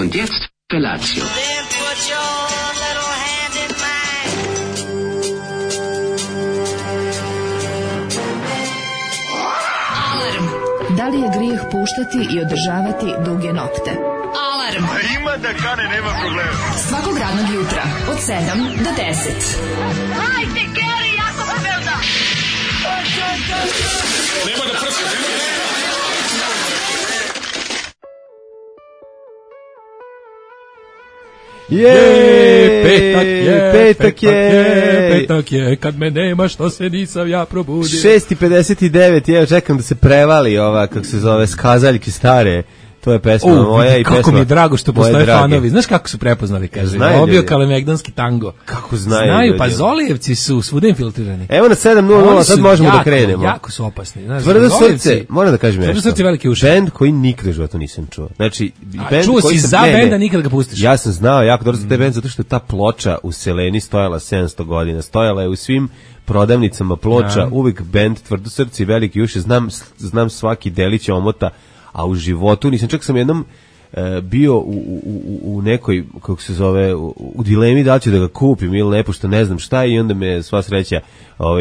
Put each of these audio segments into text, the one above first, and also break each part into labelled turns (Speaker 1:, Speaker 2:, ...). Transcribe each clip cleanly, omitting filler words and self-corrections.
Speaker 1: Und jetzt Felatio.
Speaker 2: Da li je grijeh puštati i održavati duge nokte? Alarm!
Speaker 3: A ima da kane, nema problema.
Speaker 2: Svakog radnog jutra, od 7 do 10.
Speaker 4: Hajde, Geri, jako se velda!
Speaker 3: Nema da prska, nema da...
Speaker 5: Petak je, kad me nema, što se nisam ja probudio.
Speaker 6: 6:59, evo čekam da se prevali ova, kako se zove, skazaljke stare. To je pesma moja i pesma.
Speaker 5: Kako mi je drago što postoje fanovi. Znaš kako su prepoznali, kaže. Obio kalemegdanski tango.
Speaker 6: Kako znaju?
Speaker 5: Znaju, pa Zolijevci su svuda infiltrirani.
Speaker 6: Evo na 7:00, sad možemo da krenemo.
Speaker 5: Jako su opasni. Znaš,
Speaker 6: Tvrdo srce, moram da kažem nešto.
Speaker 5: Tvrdo srce, velike uši.
Speaker 6: Bend koji nikad u životu nisam čuo. Znači, bend
Speaker 5: čuo
Speaker 6: koji
Speaker 5: si za benda, nikad ga pustiš.
Speaker 6: Ja sam znao jako dobro za taj bend, zato što je ta ploča u Seleni stojala 700 godina. Stojala je u svim prodavnicama ploča, uvijek bend Tvrdo srce i velike uši. Znam svaki delić omota, a u životu nisam, čak sam jednom bio u nekoj, kako se zove, u dilemi da li ću da ga kupim ili ne, pošto ne znam šta, i onda me sva sreća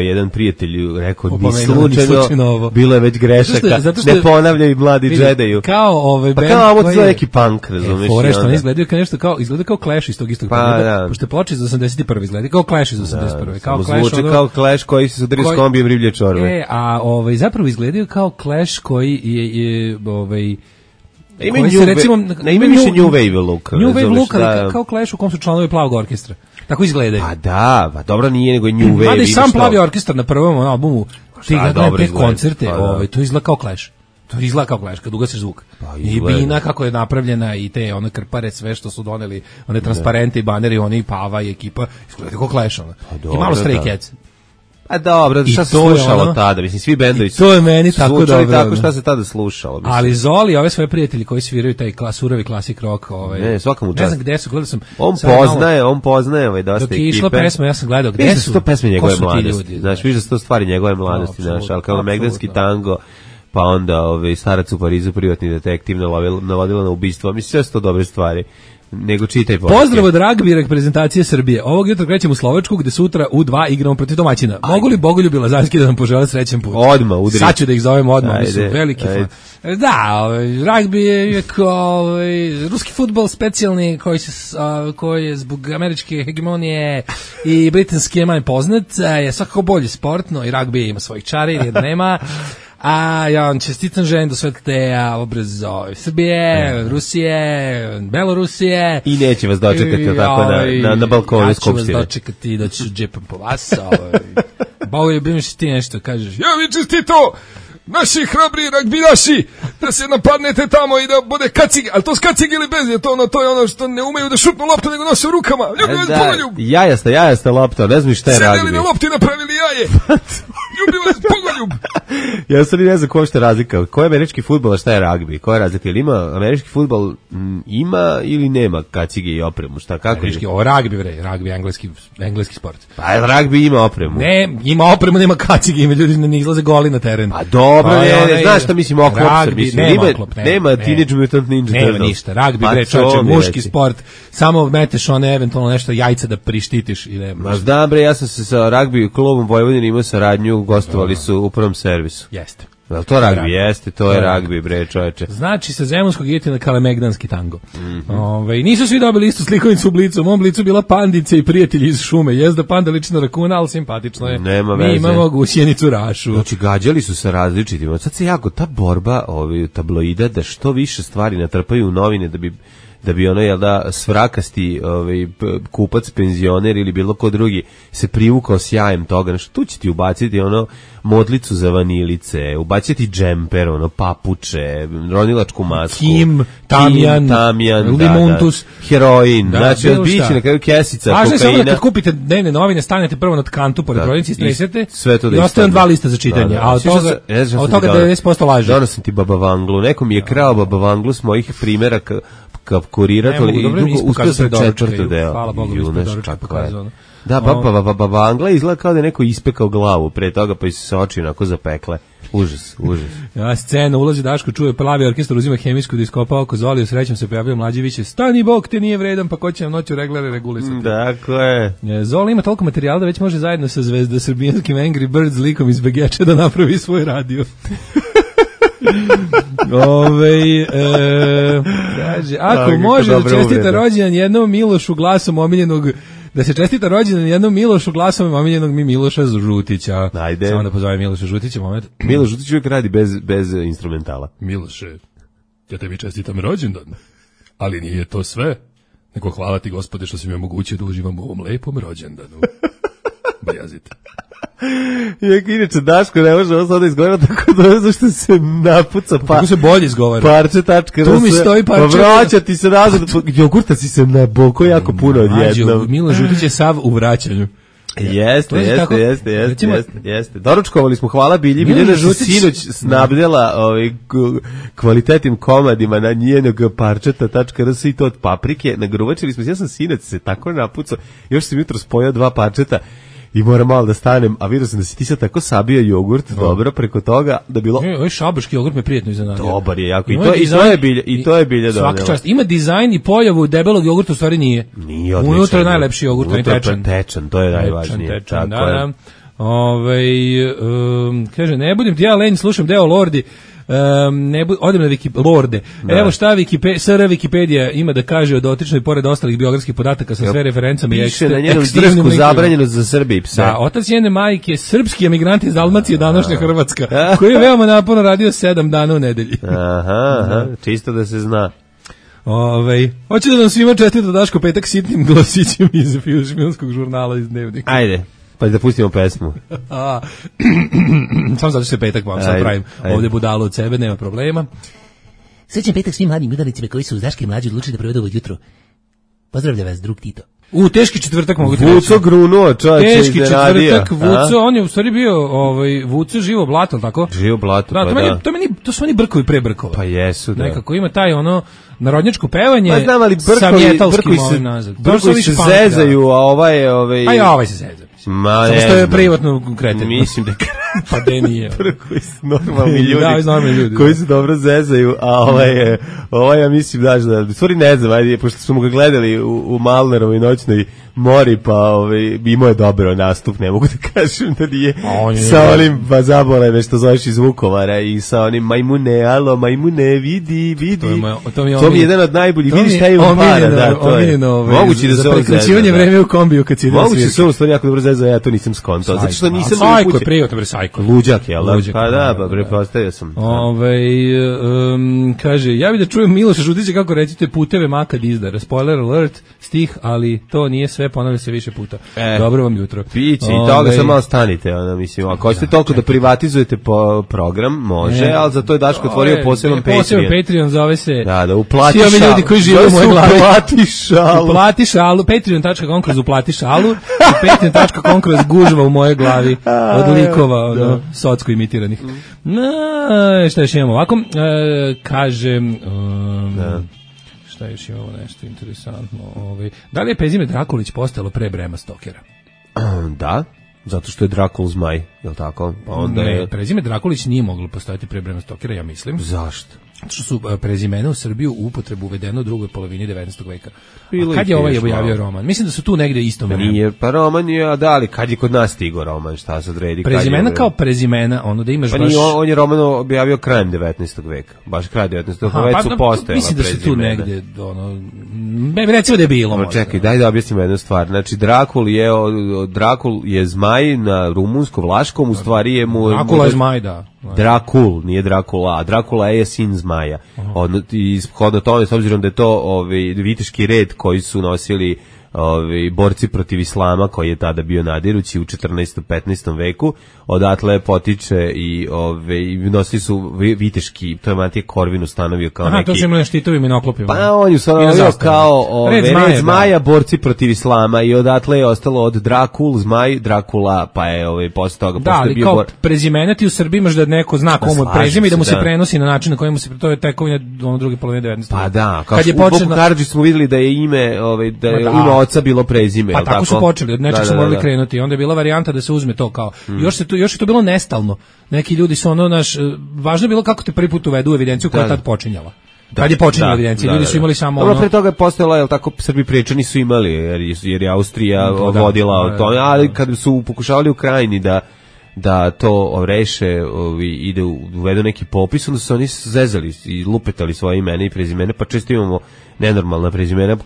Speaker 6: jedan prijatelj rekao, ni slučajno, bilo je već grešaka, ne ponavljaj mladi džedaju. Pa kao ovo je neki punk, razumiješ?
Speaker 5: Forešto, ne izgledaju kao nešto, izgleda kao Clash iz tog istog perioda, pošto je ploča iz 81. izgleda kao Clash iz 81.
Speaker 6: Samo zvuči kao Clash koji se sudario s kombijem riblje čorbe.
Speaker 5: A zapravo izgledaju kao Clash koji je
Speaker 6: ima više New Wave look.
Speaker 5: New Wave look, kao Clash u kom su članovi Plavog orkestra. Tako izgledaju.
Speaker 6: Pa da, pa dobro nije nego New Wave.
Speaker 5: Mada i sam Plavi orkestar na prvom albumu, ti gledaju te koncerte, to izgleda kao Clash. To izgleda kao Clash, kad ugasiš zvuk. I bina kako je napravljena i te one krpare, sve što su doneli, one transparente i baneri, oni Pava i ekipa, izgleda kao Clash. I malo Stray Cats.
Speaker 6: A dobro, šta se slušalo tada? Mislim, svi bendovi su
Speaker 5: to je meni tako dobro.
Speaker 6: Tako šta se tada slušalo. Mislim.
Speaker 5: Ali Zoli, ove svoje prijatelji koji sviraju taj surovi klasik rock,
Speaker 6: ne, svaka mu čast.
Speaker 5: Ne znam gde su, gledao sam.
Speaker 6: On poznaje dosta ekipe.
Speaker 5: Dok je išla pesma, ja sam gledao gde su.
Speaker 6: To pesme njegove mladosti. Znaš, vidiš da su to stvari njegove mladosti, znaš, al kao Megdanski tango, pa onda Starac u Parizu, privatni detektiv, navodila na ubistvo. Mislim, sve su to dobre stvari. Nego čitaj poruke.
Speaker 5: Pozdrav od ragbi reprezentacije Srbije. Ovog jutra krećemo u Slovačku, gde sutra u 2 igramo protiv domaćina. Mogu li Bogoljub Lazarski da nam požele srećan put?
Speaker 6: Odmah, udri.
Speaker 5: Sad ću da ih zovem odmah, oni su veliki fan. Da, ragbi je kao ruski fudbal specijalni koji je zbog američke hegemonije i britanski je manje poznat, je svakako bolji sportno i ragbi ima svojih čari, jer nema. A ja vam čestitam, želim do svetliteja obraz Srbije, Rusije, Belorusije.
Speaker 6: I neće vas dočekati tako na balkonu Skupštine.
Speaker 5: Ja ću vas dočekati da ću džepam po vas. Bogoljub, imaš ti nešto, kažeš.
Speaker 7: Ja mi čestito! Naši hrabri ragbijaši, da se napadnete tamo i da bude kacig, ali to s kacig ili bez, to je ono što ne umeju da šutnu loptu, nego nose u rukama. Ljubi vas Bogoljub.
Speaker 6: Jajasta lopta, ne znam šta je ragbi.
Speaker 7: Sedeli na lopti, napravili jaje. Ljubi vas Bogoljub.
Speaker 6: Ja sam ne znam koja je razlika. Ko je američki fudbal, a šta je ragbi? Koja je razlika? Ili ima američki fudbal, ima ili nema kacige i opremu? Šta, kako
Speaker 5: američki, je? Ragbi je engleski sport.
Speaker 6: Pa ragbi ima opremu.
Speaker 5: Ne, ima opremu, nema kacige, ima ljudi ne izlaze goli na teren.
Speaker 6: Pa dobro, znaš šta mislim, oklop se mislim. Nema Teenage Mutant Ninja Turtles.
Speaker 5: Nema ništa, ragbi, čovječe, muški sport, samo meteš one eventualno nešto jajca da prištitiš.
Speaker 6: Ma znam bre, ja sam se sa ragbi klubom Vojvodine imao saradnju, gostovali su u prvom servisu.
Speaker 5: Jeste.
Speaker 6: To ragbi jeste, to je ragbi, bre, čoveče.
Speaker 5: Znači, sa zemunskog idete na kalemegdanski tango. Nisu svi dobili istu slikovnicu u Blicu. U mom Blicu bila pandica i prijatelji iz šume. Jezda panda liči na rakuna, ali simpatično je.
Speaker 6: Nema veze.
Speaker 5: Mi imamo gusjenicu Rašu.
Speaker 6: Znači, gađali su sa različitim. Sad se jako, ta borba tabloida da što više stvari natrpaju u novine da bi ono, jel da, svrakasti kupac, penzioner ili bilo ko drugi se privukao sjajem toga. Znači, tu će ti ubaciti ono modlicu za vanilice, ubaciti džemper, ono, papuče, ronilačku masku.
Speaker 5: Kim, Tamjan, Limontus,
Speaker 6: heroin, znači, odbići na kraju kesica, kokaina.
Speaker 5: Važno je samo da kad kupite dnevne novine, stanete prvo na tkantu pored prodavnice, stresete i ostaje 2 lista za čitanje, a od toga 90% laže.
Speaker 6: Donosim ti Baba Vanglu, neko mi je krao Baba Vanglu s mojih primjeraka kurirator i drugo uspio sam četvrto deo.
Speaker 5: Hvala Bogu, mi smo doručak pokazano.
Speaker 6: Da, baba Angla izgleda kao da je neko ispekao glavu pre toga, pa se oči onako zapekle. Užas.
Speaker 5: Ja, scena, ulazi Daško, čuje plavi orkestar, uzima hemijsku da iskopa oko Zoliju, srećom se pojavio Mlađeviće, stani Bog, te nije vredan, pa ko će nam noću reglere regulisati.
Speaker 6: Dakle.
Speaker 5: Zoli ima toliko materijala da već može zajedno sa zvezda srbijanskim Angry Birds likom iz Begeča da napravi svoj radio. Kaže, ako može da čestita rođendan jednom Milošu glasom omiljenog, da se čestita rođendan jednom Milošu glasom omiljenog mi Miloša Žutića.
Speaker 6: Ajde.
Speaker 5: Samo da pozovem Miloša Žutića, moment.
Speaker 6: Miloš Žutić uvijek radi bez instrumentala.
Speaker 7: Miloše, ja tebi čestitam rođendan, ali nije to sve. Nego hvala ti, Gospode, što si mi omogućio da uživam u ovom lepom rođendanu. Bajazite.
Speaker 6: Inače, Daško ne može ovo sada izgovoriti tako da zašto se napuca
Speaker 5: kako se bolje izgovara.
Speaker 6: Parče.rs.
Speaker 5: Tu mi stoji parče.
Speaker 6: Vraćati se nazad. Jogurta si se naboko jako puno odjednom.
Speaker 5: Miloš Žutić je sav u vraćanju.
Speaker 6: Jeste. Doručkovali smo, hvala Bilji. Biljana sinoć snabdela kvalitetnim komadima na njenog parčeta.rs i to od paprike. Nagruvačili smo se, ja sam sinoć se tako napucao, još sam jutro spojao 2 parčeta i moram malo da stanem, a vidio sam da si ti sad tako sabio jogurt, dobro, preko toga, da bilo...
Speaker 5: Ovaj šabaški jogurt me prijetno iznenadio.
Speaker 6: Dobar je, jako, i to je bilje donelo.
Speaker 5: Svaka čast, ima dizajn i pojavu debelog jogurta, u stvari nije.
Speaker 6: Nije odlično.
Speaker 5: Unutra je najlepši jogurt, on je
Speaker 6: tečan, to je najvažnije.
Speaker 5: Tečan, da. Kaže, ne budem ti ja lenj, slušam deo Lordi, odem na Lorde. Da. Evo šta SR Wikipedija ima da kaže o dotičnoj, pored ostalih biografskih podataka sa sve referencama.
Speaker 6: Piše na njenom disku zabranjeno za Srbi i pse.
Speaker 5: Da, otac njene majke, srpski emigranti iz Dalmacije, današnja Hrvatska, koji je veoma naporno radio 7 dana u nedelji.
Speaker 6: Aha, čisto da se zna.
Speaker 5: Hoće da nam svima čestita Daško petak sitnim glasićem iz filmskog žurnala iz Dnevnika.
Speaker 6: Ajde. Pa da pustimo pesmu.
Speaker 5: Samo zato što je petak, vam sad pravim ovdje budalu od sebe, nema problema.
Speaker 1: Srećan petak svim mladim udarnicima koji su uz Daške mlađe odlučili da provedu ovo jutro. Pozdravlja vas, drug Tito.
Speaker 5: Teški četvrtak mogu ti reći.
Speaker 6: Vuco grunuo, čovječe,
Speaker 5: teški četvrtak, Vuco, on je u stvari bio, Vuco živo blato, tako?
Speaker 6: Živo blato,
Speaker 5: da, to su oni brkovi pre brkova.
Speaker 6: Pa jesu, da.
Speaker 5: Nekako ima taj narodnjačko pevanje,
Speaker 6: pa znam, ali
Speaker 5: sa mjetalskim ovim nazad.
Speaker 6: Brkovi se zezaju, a ovaj...
Speaker 5: A i ovaj se zeza. Samo što je privatno kreten.
Speaker 6: Mislim da
Speaker 5: pa de nije.
Speaker 6: Koji su normalni ljudi, koji se dobro zezaju, a ovaj ja mislim da, stvari ne znam, ajde, pošto smo ga gledali u Malnerovoj noćnoj mori, pa imao je dobro nastup, ne mogu da kažem da nije sa onim zaboleme što zoveš iz Vukovara i sa onim majmune, vidi. To mi je jedan od najboljih, vidi šta je u para, da, to je. Moguće da se on zezao. Za prekraćivanje vreme u kombiju kad si ide na svirke. Moguće se on stvari jako dobro zezao, ja to nisam skontao. Zato što nisam
Speaker 5: Sajko je privatno, bre, Sajko.
Speaker 6: Luđak, jel? Pa da, pa prepostavio sam.
Speaker 5: Kaže, ja bih da čujem Miloša Žutića kako recite puteve makad izdara. Spoiler alert, stih, ali to nije sve, ponavlja se više puta. Dobro vam jutro.
Speaker 6: Piće, i toga sam malo stanite, mislim, ako hoćete toliko da privatizujete po-program, može, ali za to je Daško otvorio poseban Patreon.
Speaker 5: Poseban Patreon zove se...
Speaker 6: Da, uplati
Speaker 5: šalu. Svi ovi ljudi koji žive u moje glavi.
Speaker 6: Uplati
Speaker 5: šalu. Patreon.com kroz uplati šalu i patreon.com kroz gužva u moje glavi od likova, socko imitiranih. Šta još imamo ovako? Kažem... Šta još imamo nešto interesantno? Da li je prezime Drakulić postalo pre Brema Stokera?
Speaker 6: Da, zato što je Drakul zmaj, je li tako?
Speaker 5: Pa onda prezime Drakulić nije moglo postojati pre Brema Stokera, ja mislim.
Speaker 6: Zašto?
Speaker 5: Zato što su prezimena u Srbiju u upotrebu uvedeno u drugoj polovini 19. veka. A kad je ovaj objavio roman? Mislim da su tu negde isto vreme.
Speaker 6: Nije, pa roman je, a da, ali kad je kod nas stigo roman, šta se odredi?
Speaker 5: Prezimena kao prezimena, da imaš
Speaker 6: baš... Pa nije, on je roman objavio krajem 19. veka, baš kraj 19. veka, već su postojala prezimena.
Speaker 5: Mislim da su tu negde, recimo da je bilo možda.
Speaker 6: Čekaj, daj da objasnimo jednu stvar. Znači, Drakul je zmaj na rumunsko-vlaškom, u stvari je mu...
Speaker 5: Drakula je zmaj, da.
Speaker 6: Drakul, nije Drakula, a Drakula je sin zmaja. I shodno tome, s obzirom da je to viteški red koji su nosili borci protiv islama koji je tada bio nadirući u 14. 15. veku. Odatle potiče i nosili su viteški, to je Matija Korvin ustanovio kao neki.
Speaker 5: To su imali štitovim i noklopima.
Speaker 6: Pa on je ustanovio kao red zmaja, borci protiv islama i odatle je ostalo od zmaj, Drakula, pa je posle toga
Speaker 5: da, ali kao prezimena ti u Srbiji imaš da neko zna komu prezime i da mu se prenosi na način na koji mu se, to je tekovina druge polovine 19.
Speaker 6: Pa da, kao u Boku Karadžić smo videli da je ime, da je ime oca bilo prezime.
Speaker 5: Pa tako su počeli, od nečeg su morali krenuti. Onda je bila varijanta da se uzme to kao. Još je to bilo nestalno. Neki ljudi su važno je bilo kako te prvi put uvedu u evidenciju koja je tad počinjala. Kad je počinjala evidencija, ljudi su imali samo
Speaker 6: dobro, pre toga je postojalo, jel tako, Srbi Priječani su imali, jer je Austrija vodila o tome, ali kad su pokušavali u Krajini da to reše i da uvedu neki popis, onda su oni zezali i lupetali svoje imena i prezimene, pa često imamo nenormalna prezimena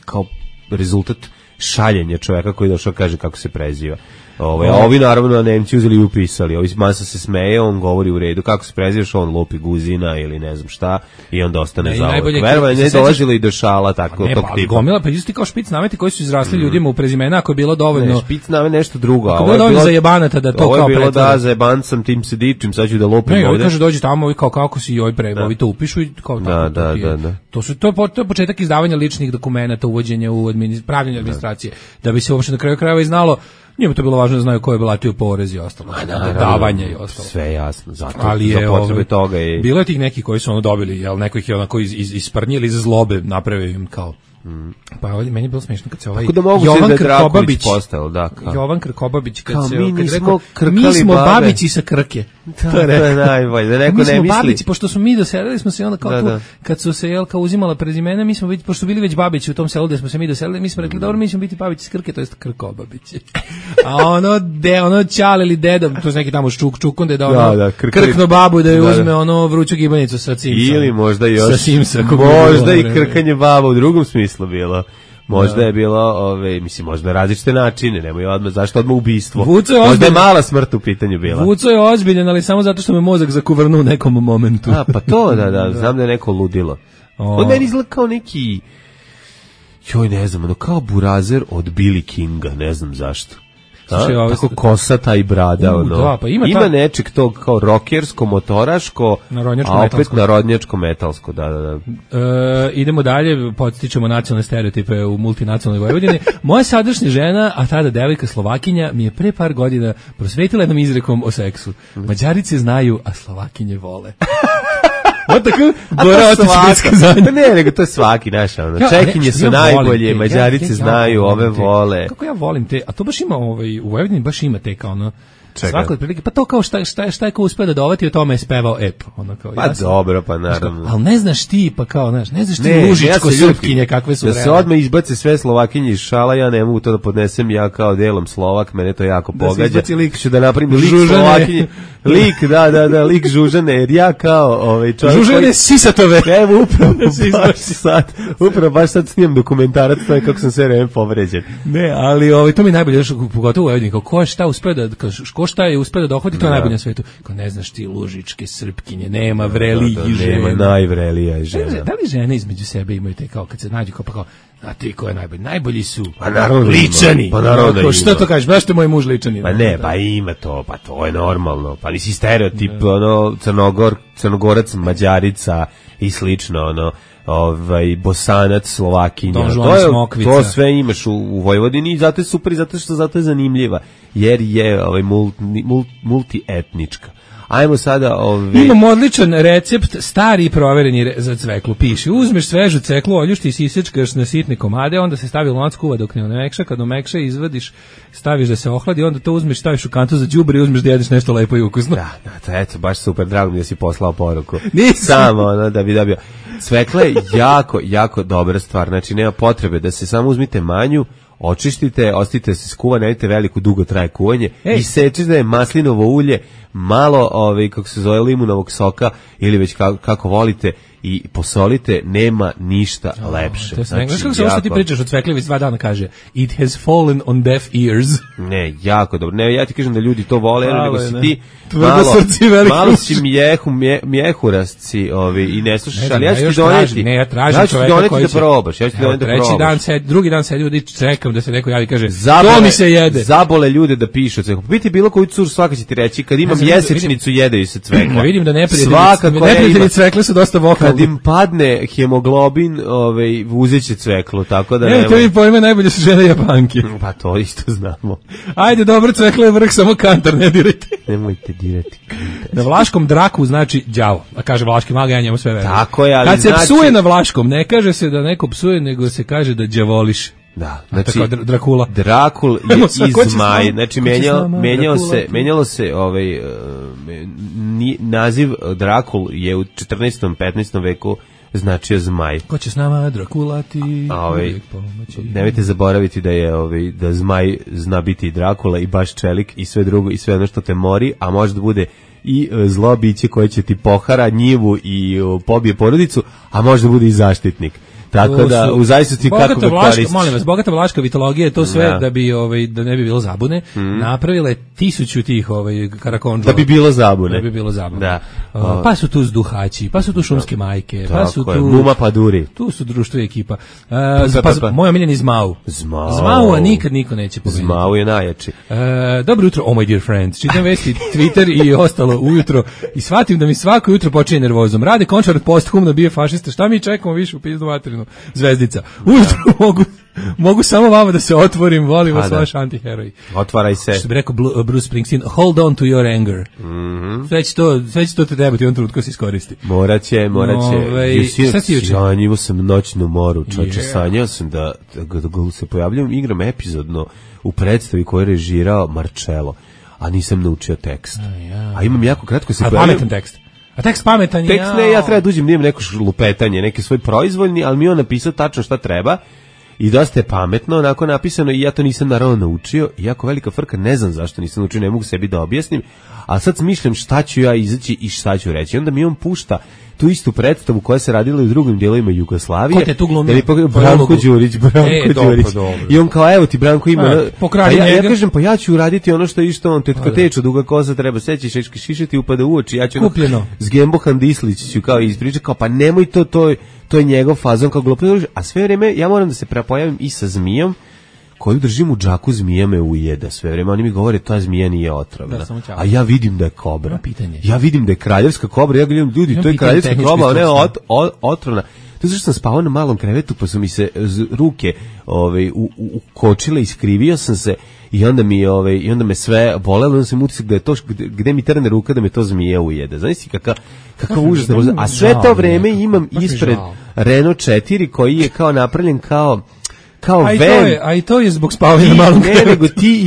Speaker 6: kao rezultat šaljenja čovjeka koji došao kaže kako se preziva. A ovi naravno Nemci uzeli i upisali. Ovi masa se smeje, on govori u redu kako se prezivaš, on lupi Guzina ili ne znam šta i onda ostane za ovo. Verovanje ne dolazilo i do šala tako tog tipa.
Speaker 5: Gomila, pa isti kao špic nameti koji su izrasli ljudima u prezimena, ako je bilo dovoljno.
Speaker 6: Ne, špic namet nešto drugo.
Speaker 5: Ako je bilo dovoljno za jebanata da to kao
Speaker 6: pretvore. Ovo je bilo da za jebancam, tim se dičim, sad ću da lupim ovdje.
Speaker 5: Ne, ovi kaže dođi tamo, ovi kao kako si joj ovi to upišu i kao tako.
Speaker 6: Da.
Speaker 5: To je početak izdavanja ličnih dokumenata, uvođenja u pravljenje administracije, da bi se uopšte na kraju krajeva i znalo. Njima to bilo važno da znaju ko je platio porez i ostalo, davanja i ostalo.
Speaker 6: Sve jasno, zato
Speaker 5: ali je,
Speaker 6: za potrebe toga je.
Speaker 5: Bilo je tih neki koji su dobili, jel neko ih je onako isprnjili iz zlobe, napravio im kao. Pa ovdje meni je bilo smiješno kad se
Speaker 6: Jovan Krkobabić postao,
Speaker 5: Jovan Krkobabić kad se
Speaker 6: mi
Speaker 5: smo babići sa Krke.
Speaker 6: To je najbolje, da neko ne misli.
Speaker 5: Babići, pošto smo mi doselili smo se onda kao tu, kad su se kao uzimala prezimena, mi smo pošto su bili već babići u tom selu gde smo se mi doselili, mi smo rekli dobro, mi ćemo biti babići sa Krke, to jest Krkobabići. A ono ćale ili deda, to je neki tamo Čukunde da krkno babu da je uzme vruću gibanicu sa Simsa.
Speaker 6: Ili možda i još. Možda i krkanje baba u drugom smislu bilo. Možda je bilo, mislim, možda različite načine, nemoj odmah, zašto odmah ubistvo? Možda je mala smrt u pitanju bila.
Speaker 5: Vuco je ozbiljen, ali samo zato što me mozak zakuvrnu u nekom momentu.
Speaker 6: Pa to, da, znam da je neko ludilo. On meni izgleda kao neki, ne znam, kao burazer od Billy Kinga, ne znam zašto. Tako kosata i brada,
Speaker 5: pa
Speaker 6: ima nečeg tog kao rokersko, motoraško, a opet narodnjačko metalsko, da.
Speaker 5: Idemo dalje, podstičemo nacionalne stereotipe u multinacionalnoj Vojvodini. Moja sadašnja žena, a tada devojka Slovakinja, mi je pre par godina prosvetila jednom izrekom o seksu. Mađarice znaju, a Slovakinje vole. Tako gora otička zadnja.
Speaker 6: Ne, nego to je svaki naš, Čekinje su najbolje, Mađarice znaju, ove vole.
Speaker 5: Kako ja volim te, a to baš ima u Vojvodini baš ima te kao svako otprilike, pa to kao šta je ko uspeo da dovati, o tome je spevao ep.
Speaker 6: Pa dobro, pa naravno.
Speaker 5: Ali ne znaš ti, pa kao, ne znaš ti lužičko srpkinje kakve su
Speaker 6: da se odmah izbace sve Slovakinje iz šala, ja ne mogu to da podnesem, ja kao delom Slovak, mene to jako pogađa. Ću da napravim lik Slovakinje. Lik, da, lik Žužane, jer ja kao čovjek...
Speaker 5: Žužane Sisatove!
Speaker 6: Evo, upravo baš sad snimam dokumentarac, to je kako sam sve vreme povređen.
Speaker 5: Ne, ali to mi najbolje, pogotovo u Vojvodini, ko je šta uspeo da, ko šta je uspeo da dohvati, to je najbolje na svetu. Ko ne znaš ti lužičke srpkinje, nema vrelijih žena.
Speaker 6: Nema najvrelija žena.
Speaker 5: Da li žene između sebe imaju te kao, kad se nađu kao pa kao, a ti ko je najbolji? Najbolji su Ličani.
Speaker 6: Pa naravno ima.
Speaker 5: Šta to kažeš? Baš te moj muž Ličani.
Speaker 6: Pa ne, pa ima to, pa to je normalno. Pa nisi stereotip, Crnogorac, Mađarica i slično, Bosanac, Slovakinja. To sve imaš u Vojvodini i zato je super i zato je zanimljiva. Jer je multietnička. Ajmo sada
Speaker 5: Imam odličan recept, stari i provereni za cveklu. Piše, uzmeš svežu cveklu, oljušti i sisečkaš na sitne komade, onda se stavi lonac, kuva dok ne omekša, kad omekša izvadiš, staviš da se ohladi, onda to uzmeš, staviš u kantu za đubre i uzmeš da jedeš nešto lepo i ukusno.
Speaker 6: Da, eto, baš super, drago mi da si poslao poruku. Samo, da bi dobio. Cvekla je jako, jako dobra stvar, znači nema potrebe da se samo uzmite manju, očistite, ostavite se skuva, nemojte veliko, dugo traje kuvanje i sečite je maslinovo ulje, malo kako se zove limunovog soka ili već kako volite i posolite, nema ništa lepše.
Speaker 5: Znači, kako se ovo što ti pričaš od Cvekljević 2 dana kaže, it has fallen on deaf ears.
Speaker 6: Ne, jako dobro. Ne, ja ti kažem da ljudi to vole, nego si ti
Speaker 5: malo
Speaker 6: si mjehurasci i ne slušaš, ali ja ću ti doneti.
Speaker 5: Ne, ja tražim čoveka koji će
Speaker 6: da probaš. Ja ću ti doneti da probaš.
Speaker 5: Drugi dan se ljudi čekam da se neko javi i kaže, to mi se jede.
Speaker 6: Zabole ljude da pišu cveklo. Biti bilo koju cur, svaka će ti reći, kad imam jesečnicu, jedeju se cvekla.
Speaker 5: Vidim da neprijatelji cvekle su dosta vokalni.
Speaker 6: Kad im padne hemoglobin, uzet će cveklo, tako da
Speaker 5: ne. Te mi pojme, najbolje su žene Japanke.
Speaker 6: Pa to isto znamo.
Speaker 5: Ajde, dobro, cveklo je vrh, samo kantar ne dirajte.
Speaker 6: Nemojte dirati kantar.
Speaker 5: Na vlaškom draku znači đavo. A kaže vlaški maga, ja njemu sve verujem.
Speaker 6: Tako je, ali
Speaker 5: kad se psuje na vlaškom, ne kaže se da neko psuje, nego se kaže da đavoliš.
Speaker 6: Da, znači
Speaker 5: Drakula.
Speaker 6: Drakul je izmaj, znači menjalo se naziv Drakul je u 14. 15. veku značio zmaj.
Speaker 5: Ko će s nama Drakulati?
Speaker 6: Nemojte zaboraviti da je da zmaj zna biti i Drakula i baš čelik i sve drugo i sve ono što te mori, a može da bude i zlo biće koje će ti pohara njivu i pobije porodicu, a može da bude i zaštitnik. Tako da u zavisnosti kako ga koristiš.
Speaker 5: Molim vas, bogata vlaška mitologija je to sve da bi da ne bi bilo zabune. Napravila je 1000 tih karakonđova.
Speaker 6: Da bi bilo zabune.
Speaker 5: Da bi bilo zabune.
Speaker 6: Da.
Speaker 5: Pa su tu zduhaći, pa su tu šumske majke, pa su tu
Speaker 6: Muma Paduri.
Speaker 5: Tu su društvo i ekipa. Moj omiljeni Zmau. Zmau, a nikad niko neće pobediti.
Speaker 6: Zmau je najjači.
Speaker 5: Dobro jutro, oh my dear friends. Čitam vesti, Twitter i ostalo ujutro i shvatim da mi svako jutro počinje nervozom. Rade Končar posthumno bije fašista. Šta mi čekamo više u pizdu materinu? Zvezdica. Ujutro mogu samo vama da se otvorim, volim vas vaš antiheroj.
Speaker 6: Otvaraj se.
Speaker 5: Što bi rekao Bruce Springsteen, hold on to your anger. Sve će to te trebati, on trutko se iskoristi.
Speaker 6: Moraće. Sanjivo sam noćnu moru, čoče, sanjao sam da se pojavljam, igram epizodno u predstavi koju je režirao Marcello, a nisam naučio tekst. A imam jako kratko se pojavljam.
Speaker 5: Pametan tekst. A tekst pametan je.
Speaker 6: Tekst ne, ja treba da uđem, nijem neko lupetanje, neki svoj proizvoljni, ali mi on napisao tačno šta treba i dosta je pametno, onako napisano i ja to nisam naravno naučio i jako velika frka, ne znam zašto nisam naučio, ne mogu sebi da objasnim, a sad smišljam šta ću ja izaći i šta ću reći. I onda mi on pušta tu istu predstavu koja se radila i u drugim dijelovima Jugoslavije.
Speaker 5: Ko te tu glumio?
Speaker 6: Branko Đurić. I on kao, evo ti Branko ima... Ja kažem, pa ja ću uraditi ono što je išto on, tetka teču, duga koza, treba seći, šišati, upada u oči. Ja ću s Gembohan Dislić ću kao ispričati, kao pa nemoj to je njegov fazon kao glupo. A sve vreme ja moram da se prepojavim i sa zmijom, koju držim u džaku, zmija me ujeda sve vreme. Oni mi govore, ta zmija nije otrovna. A ja vidim da je kobra. Ja vidim da je kraljevska kobra. Ja gledam, ljudi, to je kraljevska kobra, ona je otrovna. To je zašto sam spavao na malom krevetu, pa su mi se ruke ukočile, iskrivio sam se i onda me sve bolelo, onda sam utisak da je to, gde mi trne ruka da me to zmija ujede. Znaš kakav užas. A sve to vreme imam ispred Renault 4 koji je kao napravljen kao
Speaker 5: a i to je zbog spavanja na malom krevetu.
Speaker 6: Ne, nego ti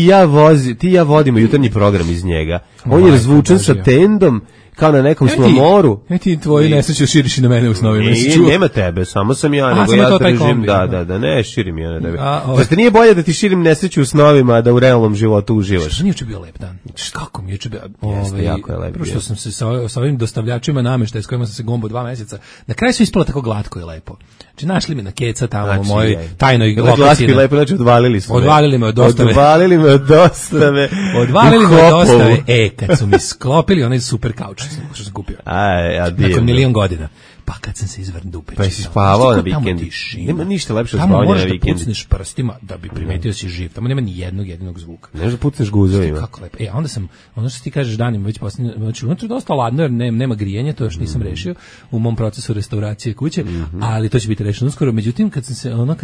Speaker 6: i ja vodimo jutarnji program iz njega. On je razvučen sa tendom, kao na nekom slomoru.
Speaker 5: Ti tvoji nesreću širiš i na mene u snovima.
Speaker 6: Nema tebe, samo sam ja, nego ja držim, da, ne, širim ja na tebe. Zašto nije bolje da ti širim nesreću u snovima, da u realnom životu uživaš?
Speaker 5: Što nije juče bio lep dan? Kako mi juče bio?
Speaker 6: Jeste, jako je lep.
Speaker 5: Prošto sam se sa ovim dostavljačima nameštaja s kojima sam se gombo 2 meseca, na kraju su ispalo tako glatko i lepo. Znači, našli me na keca tamo u mojoj tajnoj lokaciji.
Speaker 6: Znači, odvalili smo.
Speaker 5: Odvalili me od dostave.
Speaker 6: Odvalili me od dostave.
Speaker 5: Kad su mi sklopili onaj super kauč što sam kupio. Nakon 1.000.000 godina. Pa kad sam se izvrn dupe.
Speaker 6: Pa si spavao na vikendi. Nema ništa lepše od spavanja na vikendi.
Speaker 5: Tamo moraš da pucneš prstima da bi primetio si živ. Tamo nema ni jednog jedinog zvuka.
Speaker 6: Ne možeš da pucneš guzovima.
Speaker 5: Kako lepo. Onda sam, ono što ti kažeš danima, već posljednje, znači unutra je dosta ladno jer nema grijanja, to još nisam rešio u mom procesu restauracije kuće, ali to će biti rešeno uskoro. Međutim, kad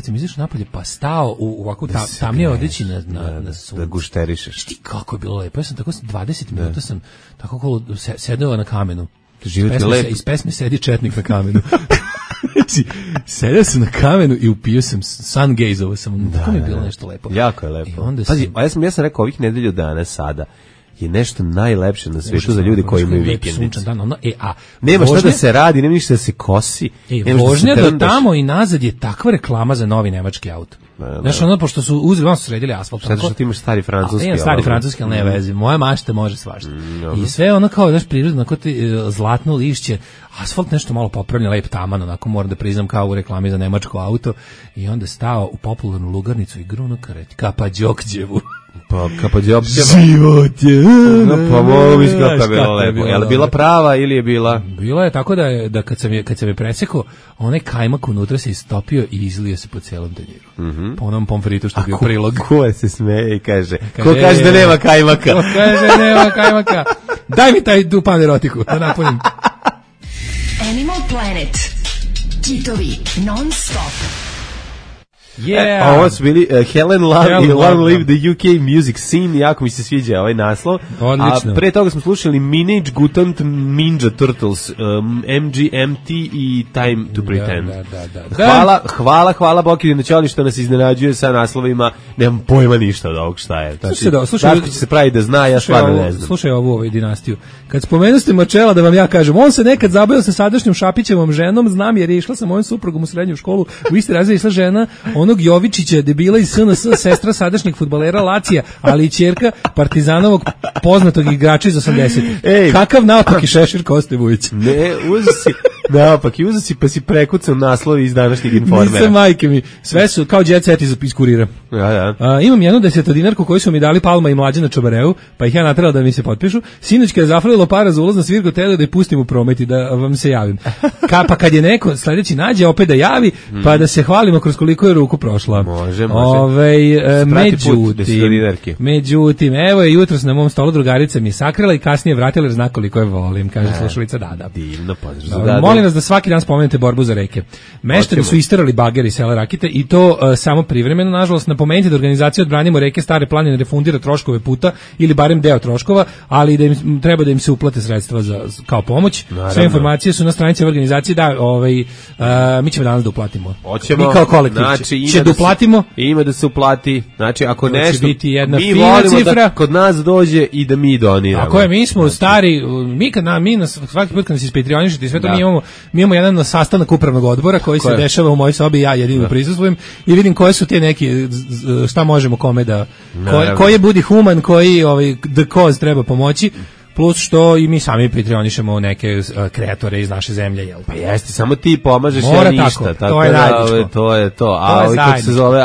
Speaker 5: sam izašao napolje, pa stao u ovakvu tamnije odeći na suncu.
Speaker 6: Da gušterišeš.
Speaker 5: Šti kako je bilo lepo. Ja sam tako 20 minuta sam tako okolo sedeo na kamenu. Iz pesme Sedi četnik na kamenu. Znači, sedeo sam na kamenu i upio sam sun gaze-ovo sam. Tako mi je bilo nešto lepo.
Speaker 6: Jako je lepo. Pazi, ja sam rekao ovih nedelju dana sada. je nešto najlepše na svetu za ljude koji imaju vikendicu. Nema šta da se radi, nema ništa da se kosi.
Speaker 5: Vožnja do tamo i nazad je takva reklama za novi nemački auto. Znaš, ono, pošto su uzeli, su sredili asfalt.
Speaker 6: Zato što ti imaš stari francuski.
Speaker 5: Stari francuski, ali ne vezi. Moja mašta može svašta. I sve ono kao, znaš, prirodno, kao zlatno lišće, asfalt nešto malo popravljen, lep taman, onako moram da priznam kao u reklami za nemačko auto. I onda stao u popularnu lugarnicu i gruno kareti, Kapa Đokđevu.
Speaker 6: Pa Kapa Đokđeva.
Speaker 5: Život je.
Speaker 6: Pa mogu biti kako je bilo lepo. Je li bila prava ili je bila?
Speaker 5: Bila je tako da kad sam je presekao, onaj kajmak unutra se istopio i izlio se po celom tanjiru. Po onom pomfritu što je bio prilog.
Speaker 6: Ko se smeje i kaže, ko kaže da nema kajmaka?
Speaker 5: Ko kaže nema kajmaka? Daj mi taj dupan erotiku, da napunim.
Speaker 2: Animal Planet. Kitovi non stop.
Speaker 6: Yeah. Ovo su bili Helen Love i Long Live the UK Music Scene, jako mi se sviđa ovaj naslov.
Speaker 5: Odlično.
Speaker 6: A pre toga smo slušali Minage Gutant Ninja Turtles, MGMT i Time to Pretend. Hvala Bokidinu Ćoli što nas iznenađuje sa naslovima, nemam pojma ništa od ovog šta je. Daško će se pravi da zna, ja stvarno ne znam.
Speaker 5: Slušaj ovu dinastiju. Kad spomenuste Marčela, da vam ja kažem, on se nekad zabavio sa sadašnjom Šapićevom ženom, znam jer je išla sa mojom suprugom u srednju školu, u isti razred išla žena onog Jovičića, debila iz SNS, sestra sadašnjeg fudbalera Lacija, ali i ćerka Partizanovog poznatog igrača iz 80. Kakav naopak i Šešir Koste Vujić?
Speaker 6: Ne, uzeo si pa si prekucao naslovi iz današnjeg Informera.
Speaker 5: Nisam, majke mi, sve su kao jet set iz kurira. Imam jednu 10-dinarku koju su mi dali Palma i Mlađana Čobareu, pa ih ja naterala da mi se potpišu. Sinoć kada je zafalilo para za ulaz na svirku, telo da je pustim u promet i da vam se javim. Pa kad je neko sledeći nađe, opet da javi, pa da se hvalimo kroz koliko je ruku prošla.
Speaker 6: Može.
Speaker 5: Međutim, evo je jutros na mom stolu drugarica mi je sakrila i kasnije vratila jer zna koliko je volim, kaže slušalica Dada.
Speaker 6: Divno, pozdrav za Dada.
Speaker 5: Molim vas da svaki dan spomenete borbu za reke. Meštani su isterali bageri iz sela Rakite i to samo privremeno, nažalost. Napomenite da organizacija Odbranimo reke Stare planine refundira troškove puta ili barem deo troškova, ali da im treba da im se uplate sredstva kao pomoć. Naravno. Sve informacije su na stranici organizacije, mi ćemo danas da uplatimo.
Speaker 6: Hoćemo.
Speaker 5: Mi kao kolektiv će da uplatimo.
Speaker 6: Ima da se uplati. Znači, ako
Speaker 5: to
Speaker 6: nešto,
Speaker 5: biti jedna
Speaker 6: mi
Speaker 5: fina
Speaker 6: volimo
Speaker 5: cifra.
Speaker 6: Da kod nas dođe i da mi doniramo.
Speaker 5: Ako je, mi smo stari, mi svaki put kad nas ispetrionišete i sve to, mi imamo jedan sastanak upravnog odbora koji se dešava u mojoj sobi, ja jedino prisustvujem i vidim koje su te neki, šta možemo kome da, koji budi human, koji the cause treba pomoći. Plus što i mi sami patronišemo neke kreatore iz naše zemlje, jel?
Speaker 6: Pa jeste, samo ti pomažeš,
Speaker 5: ja
Speaker 6: ništa.
Speaker 5: Tako to je zajedničko.
Speaker 6: To je to. A kako se zove,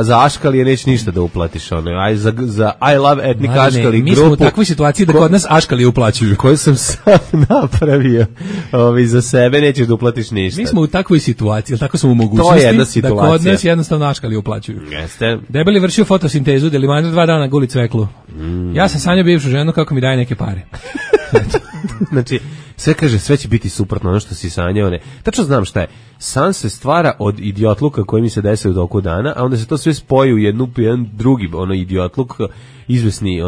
Speaker 6: za Aškalije neće ništa da uplatiš. Aj za I Love Ethnic Aškali grupu.
Speaker 5: Mi smo u takvoj situaciji da kod nas Aškalije uplaćuju.
Speaker 6: Koju sam sam napravio. Za sebe nećeš da uplatiš ništa.
Speaker 5: Mi smo u takvoj situaciji, tako smo u mogućnosti da kod nas jednostavno Aškalije uplaćuju.
Speaker 6: Jeste.
Speaker 5: Debeli vršio fotosintezu, Delimander 2 dana guli cveklu. Ja sam sanjao bivšu ženu kako mi daje neke pare.
Speaker 6: Znači, sve kaže, sve će biti suprotno ono što si sanjao, ne. Tačno znam šta je. San se stvara od idiotluka koji mi se desaju u toku dana, a onda se to sve spoji u jedan drugi idiotluk, izvesni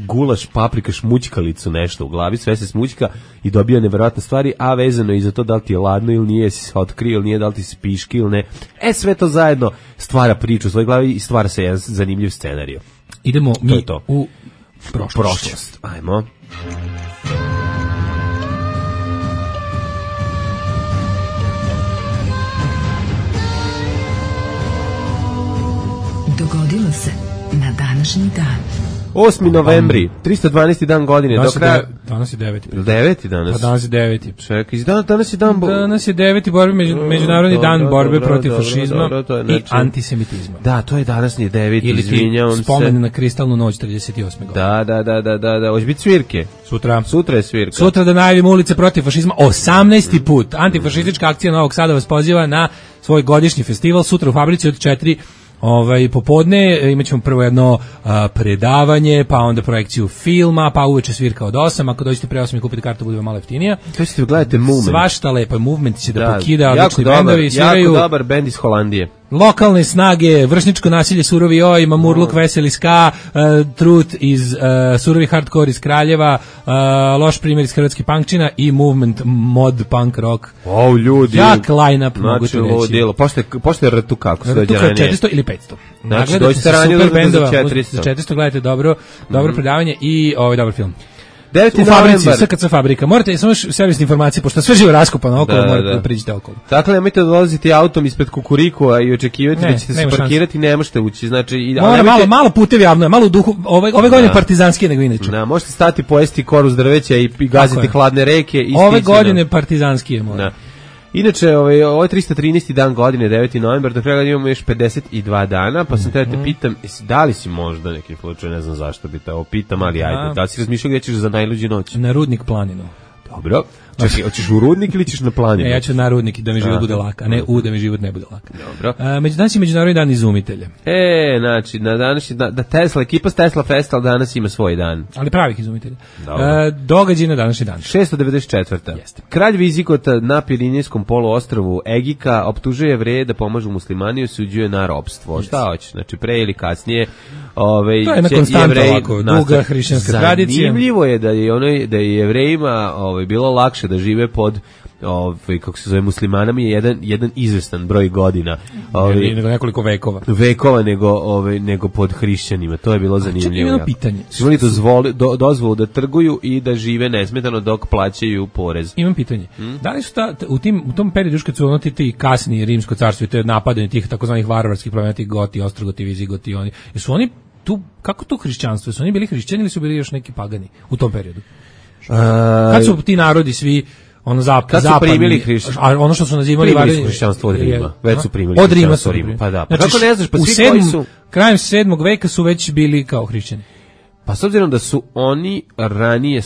Speaker 6: gulaš, paprika, šmućkalicu, nešto u glavi, sve se smućka i dobija neverovatne stvari, a vezano i za to da li ti je ladno ili nije, si se otkrio ili nije, da li ti se piški ili ne. Sve to zajedno stvara priču u svojoj glavi i stvara se jedan zanimljiv scenarij.
Speaker 5: Idemo mi u prošlost.
Speaker 6: Ajmo.
Speaker 2: Dogodilo se na današnji dan.
Speaker 6: 8. novembri, 312. dan godine.
Speaker 5: Danas je 9.
Speaker 6: 9. danas?
Speaker 5: Pa danas je 9.
Speaker 6: Čekaj, danas je dan...
Speaker 5: Danas je 9. Međunarodni dan borbe protiv fašizma i antisemitizma.
Speaker 6: Da, to je današnji 9.
Speaker 5: Ili spomen na kristalnu noć 38. godine.
Speaker 6: Da. Hoće biti svirke. Sutra je svirka.
Speaker 5: Sutra da najavimo ulice protiv fašizma. 18. put. Antifašistička akcija Novog Sada vas poziva na svoj godišnji festival. Sutra u Fabrici od 4 popodne imat ćemo prvo jedno predavanje, pa onda projekciju filma, pa uveče svirka od 8, ako dođete pre 8 i kupite kartu bude malo jeftinija.
Speaker 6: To ćete gledajte Movement.
Speaker 5: Svašta lepo, Movement će da pokida, odlični bendovi sviraju.
Speaker 6: Jako dobar bend iz Holandije.
Speaker 5: lokalne snage, vršničko nasilje, surovi oj, mamurluk, veseli ska, trut iz surovi hardcore iz Kraljeva, loš primjer iz Hrvatski punkčina i movement mod punk rock.
Speaker 6: Ljudi.
Speaker 5: Jak line-up, mogu ti reći.
Speaker 6: Pošto je rtu kako se dođe ranije?
Speaker 5: 400 ili 500.
Speaker 6: Znači, dođete ranije za 400.
Speaker 5: Za 400 gledajte dobro predavanje i dobar film.
Speaker 6: 9.
Speaker 5: U fabrici, SKC fabrika. Morate samo servisne informacije, pošto sve živo raskopano okolo, morate da priđete okolo.
Speaker 6: Dakle, nemojte dolaziti autom ispred Kukuriku i očekivati da ćete se parkirati, ne možete ući. Znači,
Speaker 5: malo putevi javno, malo u duhu, ove godine partizanski nego inače.
Speaker 6: Da, možete stati pojesti koru s drveća i gaziti hladne reke.
Speaker 5: Ove godine partizanski je mora.
Speaker 6: Inače, ovo je 313. dan godine, 9. novembar, do kraja imamo još 52 dana, pa sam te pitam, da li si možda neki slučaj, ne znam zašto bi te ovo pitam, ali ajde, da li si razmišljao gdje ćeš za najluđu noć?
Speaker 5: Na Rudnik planinu.
Speaker 6: Dobro. Čekaj, hoćeš u Rudnik ili ćeš na planinu?
Speaker 5: Ja ću na Rudnik da mi život bude lak, a ne da mi život ne bude lak.
Speaker 6: Dobro.
Speaker 5: Danas je Međunarodni dan izumitelja.
Speaker 6: Znači, na današnji da Tesla, ekipa s Tesla Festival danas ima svoj dan.
Speaker 5: Ali pravih izumitelja. Događaj na današnji dan.
Speaker 6: 694.
Speaker 5: Jeste.
Speaker 6: Kralj Vizigota na Pirinejskom poluostrvu Egika optužuje Jevreje da pomažu muslimani i osuđuje na ropstvo. Šta hoćeš? Znači, pre ili kasnije
Speaker 5: to je jedna konstanta ovako, duga hrišćanska tradicija.
Speaker 6: Zanimljivo je da je Jevrejima bilo lakše da žive pod kako se zove muslimanami jedan izvestan broj godina.
Speaker 5: Nego nekoliko
Speaker 6: vekova nego pod hrišćanima. To je bilo zanimljivo.
Speaker 5: Jedno pitanje.
Speaker 6: Su oni dozvolu da trguju i da žive nesmetano dok plaćaju porez.
Speaker 5: Imam pitanje. Da li su u tom periodu kad su ti kasni rimsko carstvo i te napadanje tih takozvanih varvarskih plemena, tih Goti, Ostrogoti, Vizigoti, jesu oni tu, kako to hrišćanstvo? Su oni bili hrišćani ili su bili još neki pagani u tom periodu? Kad su ti narodi svi
Speaker 6: kad su primili hrišćanstvo,
Speaker 5: a ono što su nazivali
Speaker 6: hrišćanstvo od Rima, već su primili
Speaker 5: od Rima
Speaker 6: su Rima. Pa da.
Speaker 5: Znači, kako ne znaš, pa svi koji su krajem 7. veka su već bili kao hrišćani.
Speaker 6: Pa s obzirom da su oni ranije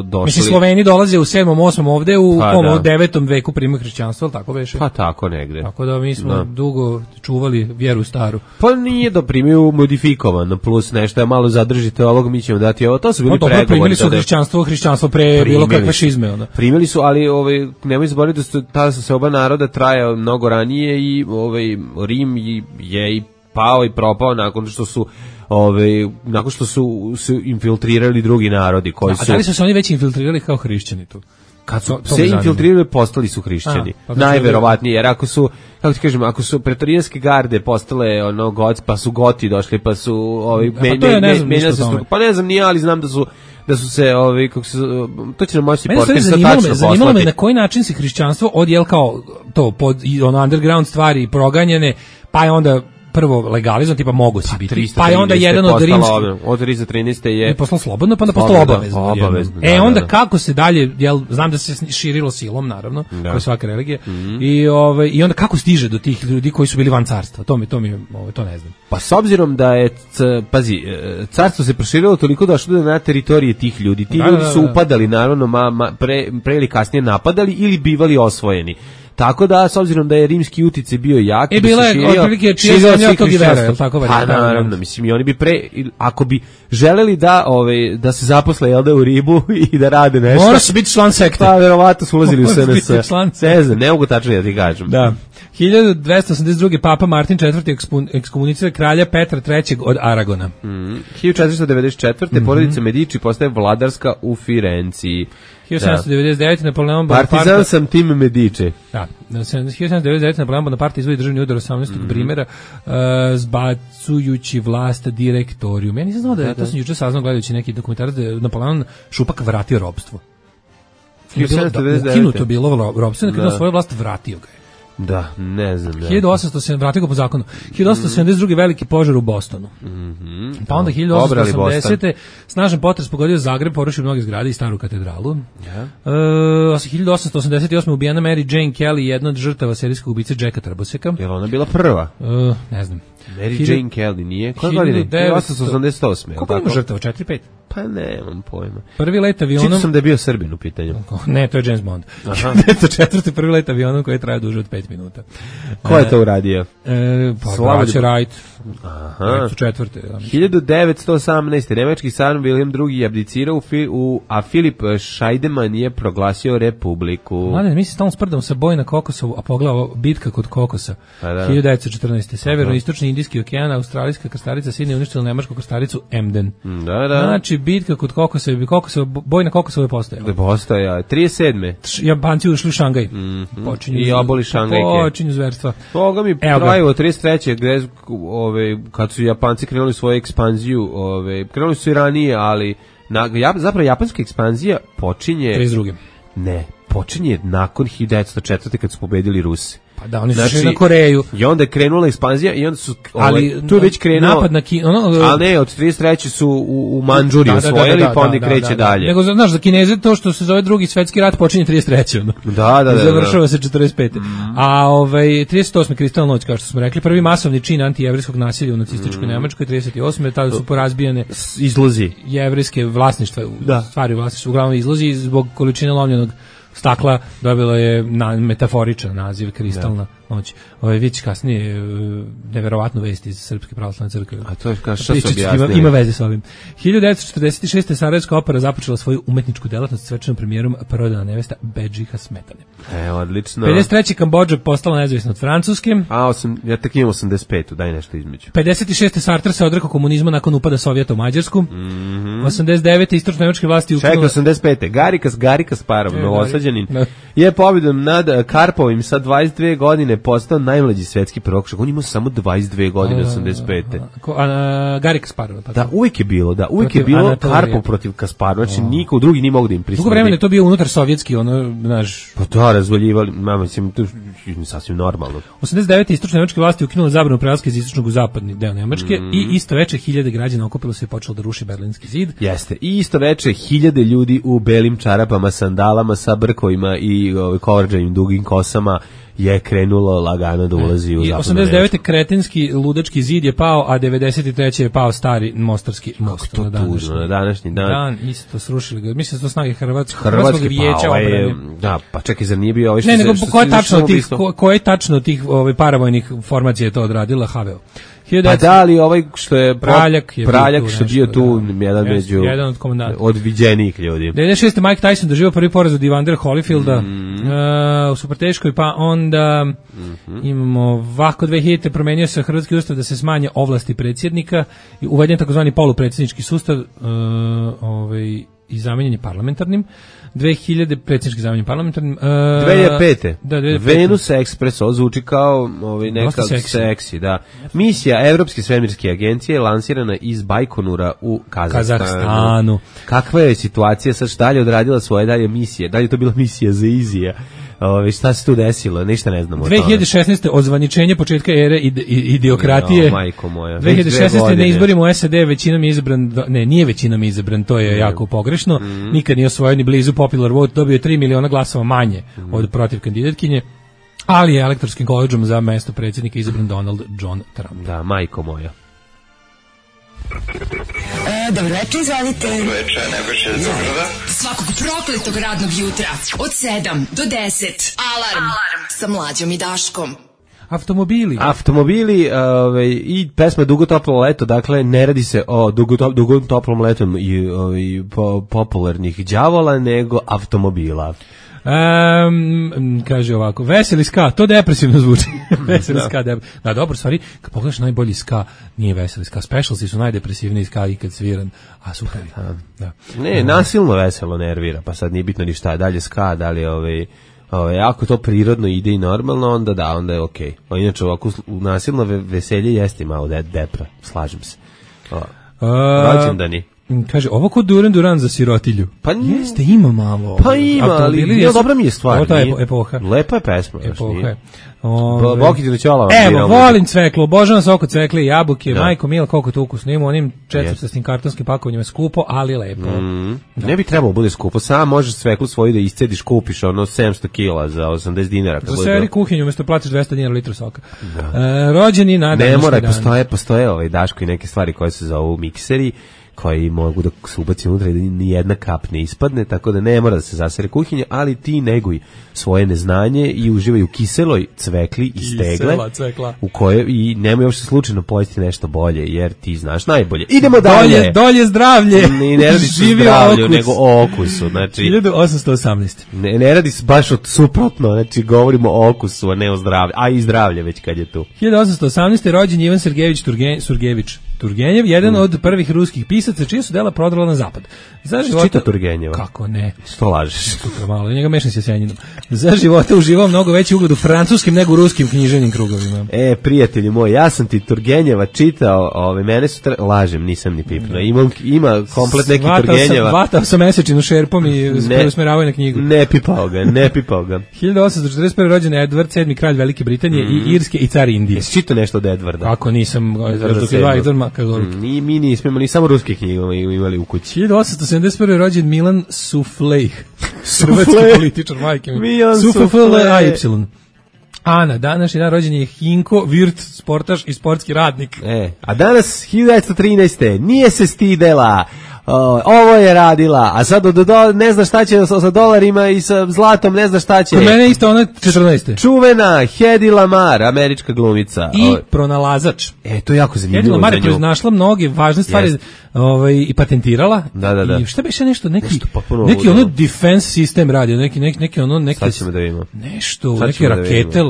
Speaker 6: došli...
Speaker 5: Mislim, Sloveni dolaze u 7. 8. ovde, u 9. veku primaju hrišćanstvo, ali tako veše?
Speaker 6: Pa tako negde.
Speaker 5: Tako da mi smo dugo čuvali vjeru staru.
Speaker 6: Pa nije da primaju modifikovan, plus nešto je malo zadržite ovog, mi ćemo dati ovo, to su bili pregovori.
Speaker 5: Primili su hrišćanstvo pre bilo kakve šizme.
Speaker 6: Primili su, ali nemoj zaboraviti da tada su se oba naroda trajao mnogo ranije i Rim je i pao i propao nakon što su se infiltrirali drugi narodi koji su...
Speaker 5: A da li su se oni već infiltrirali kao hrišćani tu?
Speaker 6: Kad su se infiltrirali, postali su hrišćani. Najverovatnije, jer ako su, kako ti kažem, ako su pretorijanske garde postale pa su Goti došli, pa su menjali se struku. Pa ne znam, nije, ali znam da su se to će nam moći portir sa tačno poslati.
Speaker 5: Zanimalo me na koji način se hrišćanstvo odjel kao to pod underground stvari proganjene, pa je onda prvo legalizam, tipa mogu si biti. Pa je onda jedan od rimskih...
Speaker 6: Od 313. je...
Speaker 5: Poslao slobodno, pa onda postalo obavezno. Onda kako se dalje, znam da se širilo silom, naravno, kao svaka religija, i onda kako stiže do tih ljudi koji su bili van carstva, to ne znam.
Speaker 6: Pa s obzirom da je, carstvo se proširilo toliko da što na teritorije tih ljudi, ti ljudi su upadali, naravno, pre ili kasnije napadali ili bivali osvojeni. Tako da, s obzirom da je rimski uticaj bio jak,
Speaker 5: bila je otprilike čija zemlja od tog i vera, tako valjda?
Speaker 6: Pa naravno, mislim, i oni bi ako bi želeli da se zaposle u Rimu i da rade nešto...
Speaker 5: Moraš biti član sekte.
Speaker 6: Pa, verovatno su ulazili u SNS. Ne mogu tačno da ti kažem.
Speaker 5: Da. 1282. Papa Martin IV. Ekskomunicira kralja Petra III. Od Aragona.
Speaker 6: 1494. Porodica Medici postaje vladarska u Firenciji.
Speaker 5: 1799. Napoleon Bonaparte...
Speaker 6: Partizan sam tim Medici.
Speaker 5: Da. 1799. Napoleon Bonaparte izvodi državni udar 18. Brimera, zbacujući vlast direktorijum. Ja nisam znao to sam juče saznao gledajući neki dokumentarac da je Napoleon Šupak vratio ropstvo. Ukinuto bilo ropstvo, kada svoju vlast vratio ga je.
Speaker 6: Da, ne znam.
Speaker 5: 1870, vratio ga po zakonu. 1872. veliki požar u Bostonu. Pa onda 1880. snažan potres pogodio Zagreb, porušio mnoge zgrade i staru katedralu. 1888. ubijena Mary Jane Kelly, jedna od žrtava serijskog ubice Jacka Trboseka.
Speaker 6: Je li ona bila prva?
Speaker 5: Ne znam.
Speaker 6: Mary Jane Kelly nije? Koje godine? 1888.
Speaker 5: Koliko ima žrtava? 4-5?
Speaker 6: Pa nemam pojma.
Speaker 5: Prvi let avionom...
Speaker 6: Čitao sam da je bio Srbin u pitanju.
Speaker 5: Ne, to je James Bond. 1904. prvi let avionom koji je trajao duže od 5 5 minuta.
Speaker 6: Ko je to uradio?
Speaker 5: Braća Wright.
Speaker 6: Aha.
Speaker 5: Su četvrte.
Speaker 6: 1918. Nemački car Wilhelm II. abdicirao a Filip Scheidemann je proglasio republiku.
Speaker 5: Mladen, mi se stalno sprdamo sa boj na Kokosovu, a pogledamo bitka kod Kokosa. 1914. Severno-istočni Indijski okean, australijska krstarica Sidney uništila nemačku krstaricu Emden.
Speaker 6: Da.
Speaker 5: Znači, bitka kod Kokosa, boj na Kokosovu je postojao.
Speaker 6: Postoja, 37.
Speaker 5: Japanci ušli u Šangaj.
Speaker 6: I oboli Šangajke.
Speaker 5: Počinju zverstva.
Speaker 6: Toga mi trajilo 33. gde kad su Japanci krenuli svoju ekspanziju, krenuli su i ranije, ali zapravo japanska ekspanzija počinje...
Speaker 5: 32.
Speaker 6: Ne, počinje nakon 1904. kad su pobedili Rusi.
Speaker 5: Pa da, oni su šli na Koreju.
Speaker 6: I onda je krenula ekspanzija i onda su... tu je već krenuo...
Speaker 5: Napad na
Speaker 6: ali ne, od 33. su u Mandžuriju osvojili, pa onda kreće dalje.
Speaker 5: Nego, znaš, za Kineze to što se zove drugi svetski rat počinje 33.
Speaker 6: Da.
Speaker 5: Završava se 45. A 38. kristalna noć, kao što smo rekli, prvi masovni čin antijevrijskog nasilja u nacističkoj Nemačkoj, 38. tada su porazbijane
Speaker 6: izlozi
Speaker 5: jevrijske vlasništva, stvari vlasništva, uglavnom izlozi zbog količine lomljenog stakla dobilo je metaforičan naziv kristalna noć. Vić kasnije neverovatnu vest iz Srpske pravoslavne crkve.
Speaker 6: A to je kao što se objasnili.
Speaker 5: Ima veze s ovim. 1946. Sarajevska opera započela svoju umetničku delatnost s svečanom premijerom Prodana nevesta Bedžiha Smetane.
Speaker 6: Odlično.
Speaker 5: 53. Kambodža postala nezavisna od Francuske.
Speaker 6: Ja tek imam 85. Daj nešto između.
Speaker 5: 56. Sartre se odrekao komunizma nakon upada Sovjeta u Mađarsku. 89. istočno nemačke vlasti
Speaker 6: ukinula... Čekaj, 85. Gari Kasparov, novosađanin, je pobjedom nad Karpovim sa 22 godine postao najmlađi svetski prvak. On ima samo 22 godine, 85.
Speaker 5: Gari Kasparov.
Speaker 6: Da, uvijek je bilo, Karpov protiv Kasparova, znači niko drugi nije mogu da im prisutiti.
Speaker 5: Dugo vremena je to bio unutar sovjetski, znaš...
Speaker 6: Pa to razvaljivali, mislim, to je sasvim normalno.
Speaker 5: 89. istočne nemačke vlasti ukinule zabranu prelaska iz istočnog u zapadni deo Nemačke i isto veče 1000 građana okupilo se i počelo da ruši Berlinski zid.
Speaker 6: Jeste, i isto veče 1000 ljudi u belim čarapama, sandalama sa brkovima i kovrđanim dugim kosama je krenulo lagano da ulazi u zapadnu Nemačku.
Speaker 5: 89. kretenski ludački zid je pao, a 93. je pao stari mostarski most.
Speaker 6: Kako to tužno, na današnji dan.
Speaker 5: Isto srušili ga. Mislim da su to snage Hrvatskog vijeća obrane.
Speaker 6: Da, pa čekaj, zar nije bio ovaj
Speaker 5: što se... Ne, nego ko je tačno tih paravojnih formacija je to odradila HVO?
Speaker 6: Pa da li ovaj što je
Speaker 5: Praljak
Speaker 6: što je bio tu jedan od viđenijih ljudi.
Speaker 5: 96. Mike Tyson doživio prvi poraz od Evander Holyfielda u Superteškoj, pa onda imamo ovako 2000. promenio se hrvatski ustav da se smanje ovlasti predsjednika i uveden takozvani polupredsjednički sustav i zamenjen je parlamentarnim. 2000 predsjednički zamenjen parlamentarnim.
Speaker 6: 2005. Venus Express zvuči kao neka seksi, da. Misija Evropske svemirske agencije lansirana iz Bajkonura u Kazahstanu. Kakva je situacija sad, šta je odradila svoje dalje misije? Da li je to bila misija za Izija? Šta se tu desilo? Ništa ne znamo.
Speaker 5: 2016. ozvaničenje početka ere idiokratije.
Speaker 6: Majko moja.
Speaker 5: 2016. na izborima u SAD većinom je izabran, nije većinom izabran, to je jako pogrešno. Nikad nije osvojio ni blizu popular vote, dobio je 3 miliona glasova manje od protiv kandidatkinje, ali je elektorskim koledžom za mesto predsjednika izabran Donald John Trump.
Speaker 6: Da, majko moja.
Speaker 2: Dobro večer, izvalite.
Speaker 3: Dobro večer, Nebojša iz Beograda.
Speaker 2: Svakog prokletog radnog jutra od 7 do 10. Alarm sa Mlađom i Daškom.
Speaker 5: Automobili
Speaker 6: i pesma Dugo toplo leto, dakle ne radi se o dugo toplom letom i popularnih đavola, nego automobila.
Speaker 5: Kaže ovako, veseli ska, to depresivno zvuči. Veseli ska, da, dobro, stvari, kad pogledaš najbolji ska, nije veseli ska. Specialsi su najdepresivniji ska ikad sviran, a super. Da.
Speaker 6: Ne, nasilno veselo nervira, pa sad nije bitno ni šta, dalje ska, da li ako to prirodno ide i normalno, onda je okej. Okay. Inače, ovako nasilno veselje jeste malo depra, slažem se. Rođendani.
Speaker 5: Kaže, ovo kod Duran za sirotilju.
Speaker 6: Pa
Speaker 5: jeste, ima malo.
Speaker 6: Pa ima, ali dobra mi je stvar.
Speaker 5: Ovo je epoha.
Speaker 6: Lepa je pesma.
Speaker 5: Epoha je.
Speaker 6: Bokić Ćola.
Speaker 5: Evo, volim cveklo, obožavam sok cvekle i jabuke, majko mila, koliko to ukusno ima, onim četvrtastim kartonskim pakovanjima skupo, ali lepo.
Speaker 6: Ne bi trebalo bude skupo, sam možeš cveklu svoju da iscediš, kupiš 700 kila za 80 dinara.
Speaker 5: Za seri kuhinju, umjesto platiš 200 dinara litru soka. Rođeni na
Speaker 6: ne mora, postoje Daško i neke stvari koje se zovu mikseri, koji mogu da se ubaci unutra i da ni jedna kap ne ispadne, tako da ne mora da se zasere kuhinja, ali ti neguj svoje neznanje i uživaj u kiseloj cvekli iz tegle, u kojoj i nemoj uopšte slučajno pojesti nešto bolje, jer ti znaš najbolje. Idemo dalje.
Speaker 5: Dolje zdravlje.
Speaker 6: Ne radi se o zdravlju, nego o okusu. Znači,
Speaker 5: 1818.
Speaker 6: Ne radi se baš od suprotno, znači govorimo o okusu, a ne o zdravlju, a i zdravlje već kad je tu.
Speaker 5: 1818. rođen Ivan Sergejević Turgenev, jedan od prvih ruskih pisaca čija su dela prodala na zapad. Za života
Speaker 6: čita Turgenjeva.
Speaker 5: Kako ne?
Speaker 6: Što lažeš?
Speaker 5: Super malo, njega mešam se Senjinom. Za života uživao mnogo veći ugled u francuskim nego u ruskim književnim krugovima.
Speaker 6: Prijatelji moji, ja sam ti Turgenjeva čitao, mene su lažem, nisam ni pipno. Ima komplet neki Turgenjeva.
Speaker 5: Vatao sam mesečinu šerpom i preusmeravao na knjigu.
Speaker 6: Ne pipao ga.
Speaker 5: 1841. rođen Edward, 7. kralj Velike Britanije i Irske i car Indije.
Speaker 6: Jesi čitao nešto od Edwarda?
Speaker 5: Kako nisam, dok je dva Edwarda, kako
Speaker 6: mi nismo imali, samo ruske knjige imali u kući.
Speaker 5: 1871. rođen Milan Suflej. Hrvatski političar, majke mi. Suflej. A na današnji dan rođen je Hinko Virt, sportaš i sportski radnik.
Speaker 6: A danas 1913. nije se stidela. Ovo je radila, a sad ne zna šta će sa dolarima i sa zlatom, ne zna šta će.
Speaker 5: Kod mene isto ona 14.
Speaker 6: Čuvena Hedy Lamarr, američka glumica.
Speaker 5: I pronalazač.
Speaker 6: To je jako zanimljivo.
Speaker 5: Hedy Lamarr je pronašla mnoge važne stvari i patentirala.
Speaker 6: Da.
Speaker 5: I šta beše nešto, neki ono defense sistem radio, neki ono...
Speaker 6: Šta ćemo da vidimo?
Speaker 5: Nešto, neke rakete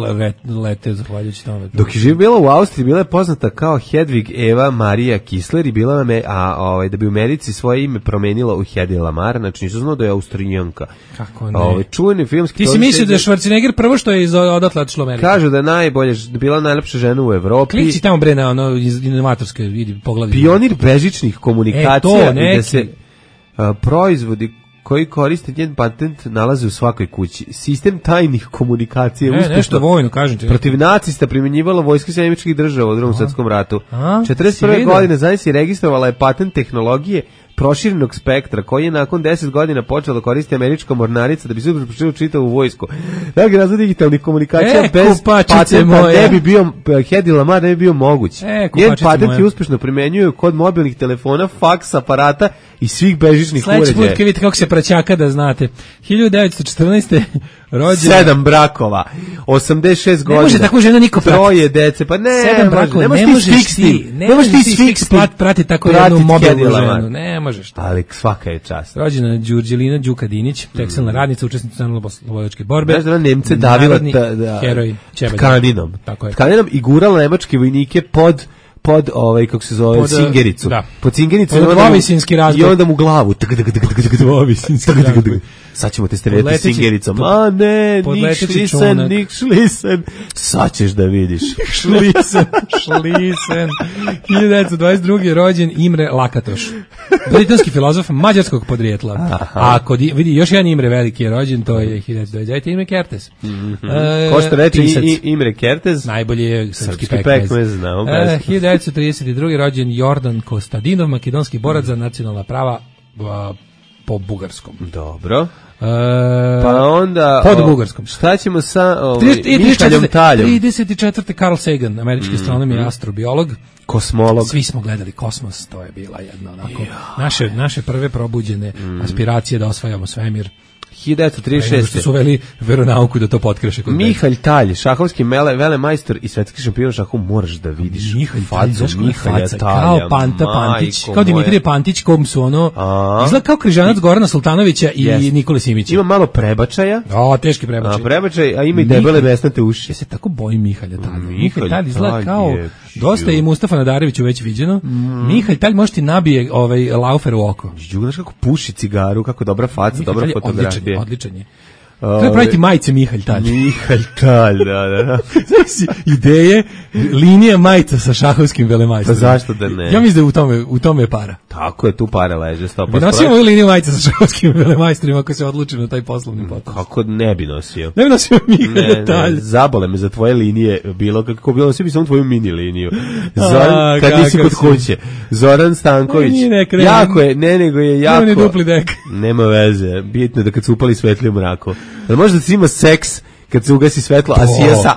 Speaker 5: lete zahvaljujući tome.
Speaker 6: Dok je živjela u Austriji, bila je poznata kao Hedvig Eva Marija Kisler i bila da bi u Americi svoje ime promenila u Hedy Lamarr, znači nisam znao da je Austrijanka.
Speaker 5: Kako ne?
Speaker 6: Čuveni filmski...
Speaker 5: Ti si mislio da je Schwarzenegger prvo što je odatle otišlo u Ameriku?
Speaker 6: Kažu da bila najlepša žena u Evropi.
Speaker 5: Klici tamo bre na ono iz inovatorske, vidi, pogledaj.
Speaker 6: Pionir bežičnih komunikacija i da se proizvodi koji koriste njen patent nalaze u svakoj kući. Sistem tajnih komunikacija je uspešno.
Speaker 5: Nešto vojno, kažem ti.
Speaker 6: Protiv nacista primjenjivala vojska Sjedinjenih Država u Drugom svjetskom ratu. 41. godine zaista registrovala je patent tehnologije proširenog spektra, koji je nakon 10 godina počela da koristi američka mornarica da bi se uprošila čitavu vojsku. Dakle, razvoj digitalnih komunikacija bez patenta ne bi bio, Hedy Lamarr ne bi bio moguć. Njen patent je uspešno primenjuju kod mobilnih telefona, faks, aparata i svih bežičnih uređaja.
Speaker 5: Sledeći put kad vidite kako se praćaka da znate. 1914. rođena.
Speaker 6: 7 brakova, 86 godina.
Speaker 5: Ne može tako žena niko prati.
Speaker 6: 3 dece, pa ne.
Speaker 5: 7 brakova, ne možeš ti fiks prati tako jednu mobilnu ženu. Ne možeš.
Speaker 6: Ali svaka je čast.
Speaker 5: Rođena Đurđelina Đuka Dinić, tekstilna radnica, učesnica Narodnooslobodilačke borbe.
Speaker 6: Znaš da Nemce davila
Speaker 5: heroj
Speaker 6: tkaninom. Tkaninom i gurala nemačke vojnike pod kako se zove, Cingericu.
Speaker 5: Pod
Speaker 6: Cingericu i onda mu glavu. Sad ćemo te streljati Cingericom. A ne, nik šlisen. Sad ćeš da vidiš.
Speaker 5: Šlisen. 1922. rođen Imre Lakatoš. Britanski filozof mađarskog podrijetla. A vidi, još jedan Imre veliki je rođen, to je 1929. Imre Kertész.
Speaker 6: Ko što reče Imre Kertész?
Speaker 5: Najbolji je srpski
Speaker 6: pekmez.
Speaker 5: 1932. rođen Jordan Kostadinov, makedonski borac za nacionalna prava po bugarskom.
Speaker 6: Dobro. Pa onda
Speaker 5: pod bugarskom.
Speaker 6: Šta ćemo sa Mihaljom Taljom?
Speaker 5: 34. Carl Sagan, američki astronom i astrobiolog,
Speaker 6: kosmolog.
Speaker 5: Svi smo gledali Kosmos, to je bila jedna onako naše prve probuđene aspiracije da osvajamo svemir.
Speaker 6: 1936.
Speaker 5: Što su uveli veronauku da to potkreše.
Speaker 6: Mihalj Talj, šahovski velemajstor i svetski šampion šahu, moraš da vidiš facu Mihalja Talja.
Speaker 5: Kao Panta Pantić, kao Dimitrije Pantić, kom su ono, izgleda kao križanac Gorana Sultanovića i Nikole Simića.
Speaker 6: Ima malo prebačaja.
Speaker 5: Teški prebačaj.
Speaker 6: A ima i debele mesnate uši.
Speaker 5: Ja se tako bojim Mihalja Talja. Mihalj Talj izgleda kao, dosta je i Mustafa Nadareviću već viđeno. Mihalj Talj može ti nabije laufer u oko.
Speaker 6: Znaš kako puši cigaru, kako dobra faca, dobra fotografija.
Speaker 5: Odličan je. Treba praviti majice Mihalj Talj.
Speaker 6: Mihalj Talj, da.
Speaker 5: Ideje, linija majica sa šahovskim velemajstrom.
Speaker 6: Pa zašto da ne?
Speaker 5: Ja mislim da u tome je para.
Speaker 6: Tako je, tu para leže.
Speaker 5: Bi nosio ovu liniju majica sa šahovskim velemajstrima ako se odluči na taj poslovni potas.
Speaker 6: Kako ne bi nosio?
Speaker 5: Ne bi nosio Mihalj Talj.
Speaker 6: Zabole me za tvoje linije bilo, kako bilo, nosio bi samo tvoju mini liniju. Zoran, kad nisi kod kuće. Zoran Stanković. Jako je, nego je jako.
Speaker 5: Nema ni dupli dek.
Speaker 6: Nema veze, bitno je da kad se upali svetlije u mraku. Da možda da si ima seks kad se ugasi svetlo,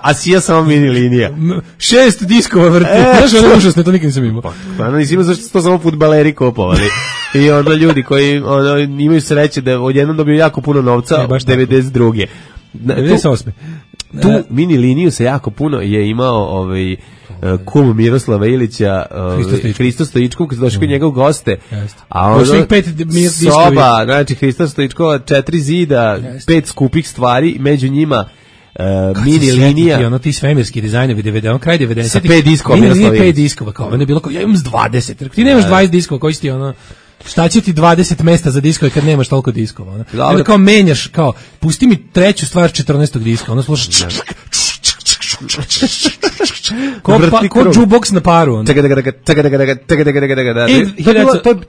Speaker 6: a sija samo mini linija.
Speaker 5: 6 diskova vrti. Znaš, ono užasno, to nikad nisam imao.
Speaker 6: Pa nisi imao zašto to samo fudbaleri kupovali. I onda ljudi koji imaju sreće da odjednom dobiju jako puno novca, 92.
Speaker 5: 98.
Speaker 6: Tu mini liniju se jako puno je imao kum Miroslava Ilića, Hristo Stojičkov, kad se došao kod njega u goste. A ono, soba, znači Hristo Stojičkova, 4 zida, 5 skupih stvari, među njima mini linija.
Speaker 5: Ono ti svemirski dizajnovi 90, on kraj 90.
Speaker 6: Sa 5 diskova.
Speaker 5: Mini linija 5 diskova, kao ono je bilo kao, ja imam 20. Ti nemaš 20 diskova, koji si ti ono... Šta će ti 20 mesta za diskove kad nemaš toliko diskova? Onda kao menjaš, kao, pusti mi treću stvar 14. diska, ono slušaš ko jukebox na paru.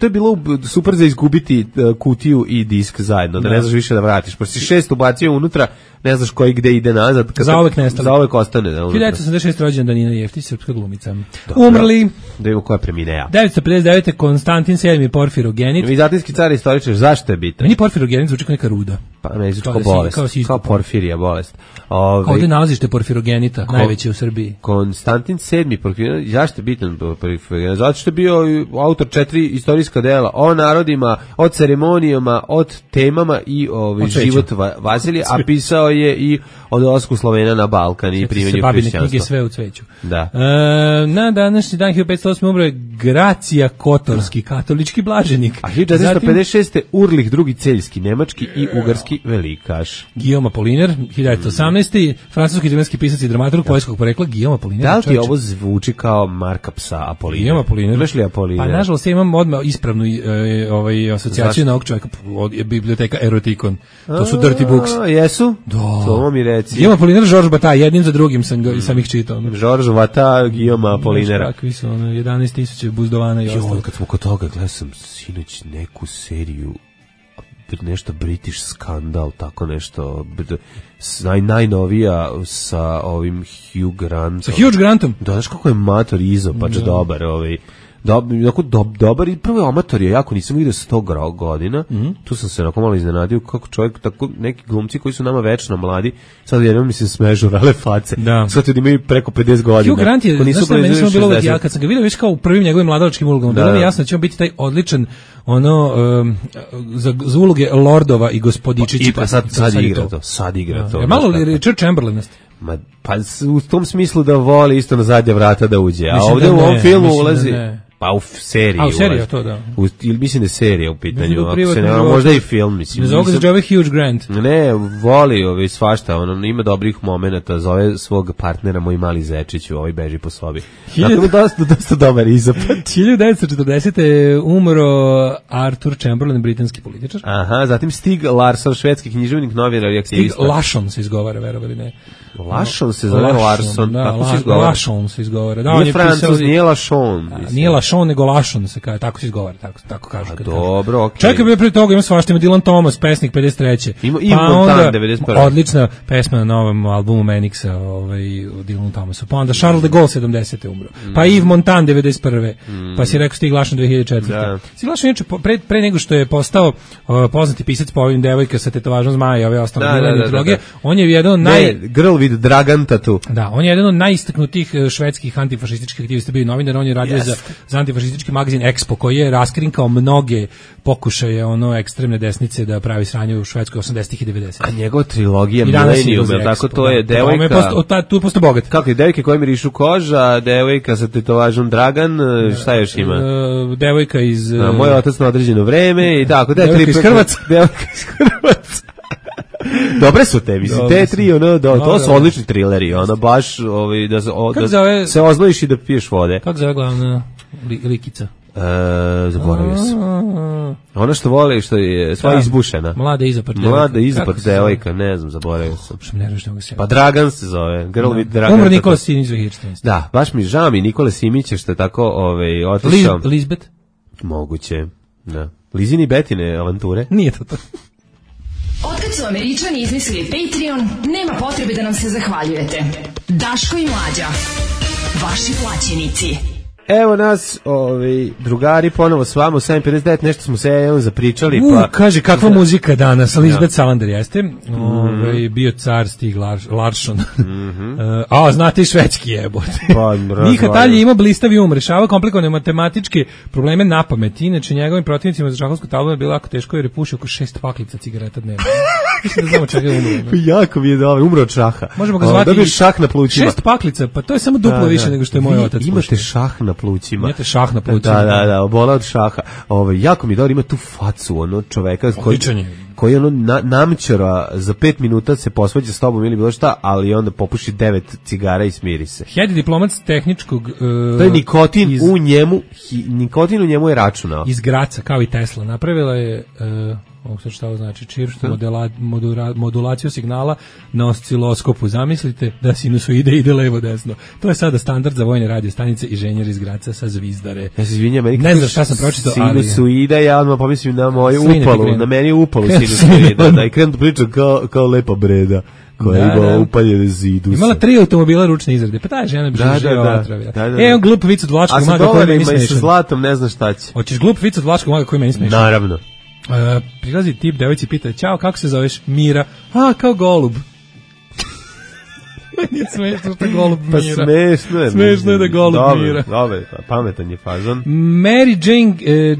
Speaker 6: To je bilo super za izgubiti kutiju i disk zajedno, da ne znaš više da vratiš. Pošto si 6 ubacio unutra, ne znaš koji gde ide nazad.
Speaker 5: Zauvek nestali.
Speaker 6: Zauvek ostane.
Speaker 5: 1986. rođendan Nina Jeftić, srpska glumica. Umrli.
Speaker 6: Da vidimo ko je preminea.
Speaker 5: 959. Konstantin VII. Porfirogenit.
Speaker 6: Vizantijski car istoričar, zašto je bitan?
Speaker 5: Meni Porfirogenit zvuči kao neka ruda.
Speaker 6: Pa ne, zvuči kao bolest. Kao porfirija bolest.
Speaker 5: Ovdje nalazište Porfirogenita, najveće u Srbiji.
Speaker 6: Konstantin VII. Porfirogenit, zašto je bitan Porfirogenit? Zato što je bio autor 4 istorijska dela o narodima, o ceremonijama, od temama i život Vazilija, a pisao je i od dolasku Slovena na Balkan i primjenju hrišćanstva.
Speaker 5: Knjige sve u cveću.
Speaker 6: Da.
Speaker 5: Na današnji dan 1508. umro je Gracija Kotorski, katolički blaženik.
Speaker 6: A 1456. Urlih II. Celjski, nemački i ugarski velikaš.
Speaker 5: Guillaume Apollinaire, 1918. francuski italijanski pisac i dramaturg poljskog porekla Guillaume Apollinaire.
Speaker 6: Da li ti ovo zvuči kao marka psa Apollinaire?
Speaker 5: Guillaume Apollinaire.
Speaker 6: Imaš li Apollinaire?
Speaker 5: Pa nažalost ja imam odmah ispravnu asocijaciju na ovog čovjeka od biblioteka Erotikon. To su dirty books.
Speaker 6: Jesu?
Speaker 5: Da.
Speaker 6: To mi reci.
Speaker 5: Guillaume Apollinaire, Georges Bataille, jednim za drugim sam ih čitao.
Speaker 6: Georges Bataille, Guillaume Apollinaire.
Speaker 5: Kakvi su 11.000 buzdovana i ostalo.
Speaker 6: Kad smo kod toga, gledao sam sinoć neku seriju, nešto British Skandal, tako nešto, najnovija sa ovim Hugh Grantom.
Speaker 5: Sa Hugh Grantom?
Speaker 6: Da, znaš kako je mator izopač dobar, dobar i prvo amator je, jako nisam vidio 100 godina, tu sam se onako malo iznenadio kako čovjek, tako neki glumci koji su nama večno mladi, sad jednom mi se smežu rale face, sad ljudi imaju preko 50 godina.
Speaker 5: Hugh Grant je, ja kad sam ga vidio već kao u prvim njegovim mladalačkim ulogama, bilo mi jasno da će on biti taj odličan za uloge lordova i gospodičića.
Speaker 6: I pa sad igra to.
Speaker 5: Malo Richard Chamberlain.
Speaker 6: Pa u tom smislu da voli isto na zadnja vrata da uđe, a ovdje u ovom filmu ulazi... Pa u seriji.
Speaker 5: A u seriji, to da.
Speaker 6: Ili mislim da je serija u pitanju, možda i film, mislim.
Speaker 5: Ne zove ga se zove Hugh Grant.
Speaker 6: Ne, voli svašta, ima dobrih momenata, zove svog partnera Moj mali zečić, beži po sobi. Dakle, dosta dobar izopad.
Speaker 5: 1940. je umro Arthur Chamberlain, britanski političar.
Speaker 6: Aha, zatim Stig Larsson, švedski književnik, novinar i aktivista.
Speaker 5: Stig Larsson se izgovara, verovali ne.
Speaker 6: Larsson se zove Larsson, tako se izgovara.
Speaker 5: Larsson se izgovara.
Speaker 6: Nije Francuz, nije Larsson.
Speaker 5: Nije Lašon, nego Lašon se kaže, tako se izgovara, tako kažu.
Speaker 6: Dobro, okej.
Speaker 5: Čekaj, bio pre toga ima svašta, ima Dylan Thomas, pesnik 53.
Speaker 6: Ima Montan 91.
Speaker 5: Odlična pesma na novom albumu Manixa, od Dylan Thomasa. Pa onda Charles de Gaulle 70. umro. Pa Yves Montand 91. Pa si rekao Stig Lašon 2004. Stig Lašon je pre nego što je postao poznati pisac po ovim devojka sa tetovažom zmaja i ove ostale Dylan mitologije, on je jedan od
Speaker 6: Girl with Dragon Tattoo.
Speaker 5: Da, on je jedan od najistaknutijih švedskih antifašističkih aktivista, bio novinar, on je radio za antifašistički magazin Expo, koji je raskrinkao mnoge pokušaje ekstremne desnice da pravi sranje u Švedskoj 80-ih i 90-ih.
Speaker 6: A njegova trilogija Millennium, tako to je devojka...
Speaker 5: Tu je postao bogat.
Speaker 6: Kako je, devojke koje mirišu koža, devojka sa tetovažom Dragan, šta još ima?
Speaker 5: Devojka iz...
Speaker 6: Moj otac na određeno vreme i tako.
Speaker 5: Devojka iz Hrvatska.
Speaker 6: Devojka iz Hrvatska. Dobre su te, mislim, te tri, to su odlični trileri, baš, da se oznojiš i da piješ vode.
Speaker 5: Kako zove glavna likica?
Speaker 6: Zaboravio sam. Ona što voli, što je sva izbušena.
Speaker 5: Mlada
Speaker 6: izapad devojka, ne znam, zaboravio sam. Pa Dragan se zove, Girl with Dragan.
Speaker 5: Umro Nikola Simić 2014.
Speaker 6: Da, baš mi žao mi Nikola Simića što je tako otišao.
Speaker 5: Lisbeth?
Speaker 6: Moguće, da. Lizini Betine avanture?
Speaker 5: Nije to.
Speaker 2: Otkad su Američani izmislili Patreon, nema potrebe da nam se zahvaljujete. Daško i Mlađa, vaši plaćenici.
Speaker 6: Evo nas, drugari, ponovo s vama u 7.59, nešto smo se zapričali.
Speaker 5: Kaže, kakva muzika danas, Lisbeth Salander jeste, bio car Stig Larsson. Znate i švedski jebote. Miha Talje ima blistavi rešava komplikovane matematičke probleme na pamet. Inače, njegovim protivnicima za šahovsku tablu je bilo jako teško jer je pušio oko 6 paklica cigareta dnevno. Mislim da znamo čega je umro.
Speaker 6: Jako mi je dobro, umro od šaha.
Speaker 5: Možemo ga zvati
Speaker 6: dobiješ šah na plućima.
Speaker 5: 6 paklica, pa to je samo duplo više nego što je moj otac.
Speaker 6: Imate šah na plućima.
Speaker 5: Imate šah na plućima.
Speaker 6: Da, obola od šaha. Jako mi je dobro, ima tu facu, čoveka koji namćara za 5 minuta se posvađa s tobom ili bilo šta, ali onda popuši 9 cigara i smiri se.
Speaker 5: Head diplomat tehničkog...
Speaker 6: to je nikotin u njemu je računao.
Speaker 5: Iz Graca, kao i Tesla. Napravila je... šta ovo znači, čirštu modulaciju signala na osciloskopu. Zamislite da sinusoide ide levo desno. To je sada standard za vojne radio stanice i ženjer iz Graca sa Zvizdare.
Speaker 6: Ja se izvinjam,
Speaker 5: ne znam šta sam pročitao, ali
Speaker 6: sinusoide, ja odmah pomislim na moju upalu, na meni je upalu sinusoide, da i krenu pričam kao lepa breda koja ima upaljene zidusa.
Speaker 5: Imala 3 automobila ručne izrade, pa ta žena bi živjela otravila. On glup vic od Vlačkog maga koji meni smešan.
Speaker 6: A sa zlatom ne znam šta će.
Speaker 5: Hoćeš glup vic od Vlačkog maga koji meni smešan?
Speaker 6: Naravno.
Speaker 5: Prilazi tip devojci, pita, ćao, kako se zoveš? Mira. Kao golub. Nije smešno što je golub Mira.
Speaker 6: Pa smešno je.
Speaker 5: Smešno je da golub Mira.
Speaker 6: Dobre, pametan je fazon.
Speaker 5: Mary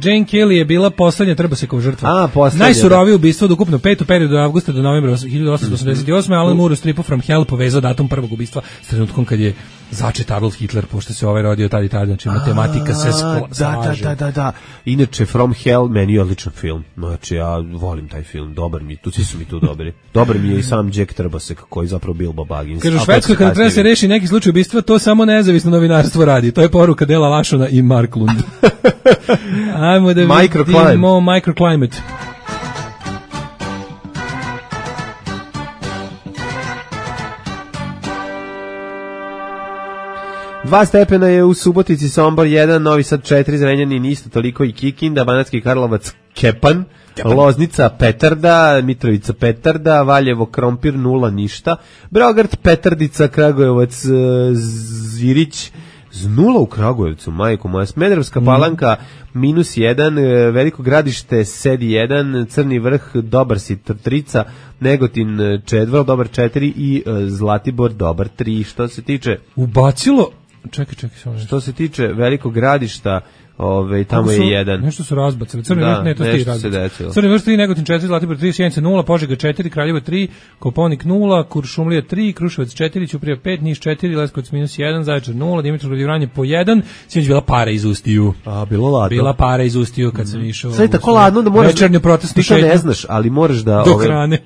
Speaker 5: Jane Kelly je bila poslednja Trbosekova žrtva.
Speaker 6: Poslednja.
Speaker 5: Najsurovije ubistvo od ukupno 5 u periodu od avgusta do novembra 1888. Alan Moore u stripu From Hell povezao datum prvog ubistva s trenutkom kad je začet Adolf Hitler, pošto se rodio tad i tad, znači matematika se slaže.
Speaker 6: Da. Inače, From Hell, meni je odličan film. Znači, ja volim taj film, dobar mi, svi su mi tu dobri. Dobar mi je i sam Jack Trbosek, koji je zapravo Bilbo Baggins.
Speaker 5: Kaže, u Švedskoj kada treba se reši neki slučaj ubistva, to samo nezavisno novinarstvo radi. To je poruka Dela Lašona i Marklund. Ajmo da vidimo Microclimate.
Speaker 6: 2 stepena je u Subotici, Sombor 1, Novi Sad 4, Zrenjanin isto toliko i Kikinda, Banatski Karlovac Kepan, Loznica Petarda, Mitrovica Petarda, Valjevo Krompir 0 ništa, Beograd Petardica, Kragujevac Zirić 0 u Kragujevcu, majko moja, Smederevska Palanka -1, Veliko Gradište Sedi 1, Crni Vrh dobar si Trica, Negotin Čedvrl dobar 4 i Zlatibor dobar 3. Što se tiče
Speaker 5: ubacilo, čekaj,
Speaker 6: što se tiče Velikog Gradišta, tamo je 1.
Speaker 5: Nešto su razbacili. Crni Vrh, ne, to ste i razbacili. Crni Vrh 3, Negotin 4, Zlatibor 3, Sjenica 0, Požega 4, Kraljevo 3, Koponik 0, Kuršumlija 3, Kruševac 4, Ćuprija 5, Niš 4, Leskovac -1, Zaječar 0, Dimitrovgrad i Vranje po 1. Sinoć bila para iz Ustiju.
Speaker 6: Bilo ladno.
Speaker 5: Bila para iz Ustiju kad sam išao.
Speaker 6: Sad je tako ladno da moraš
Speaker 5: večernju protestnu
Speaker 6: šetnju. Ti to ne znaš, ali moraš da
Speaker 5: do hrane.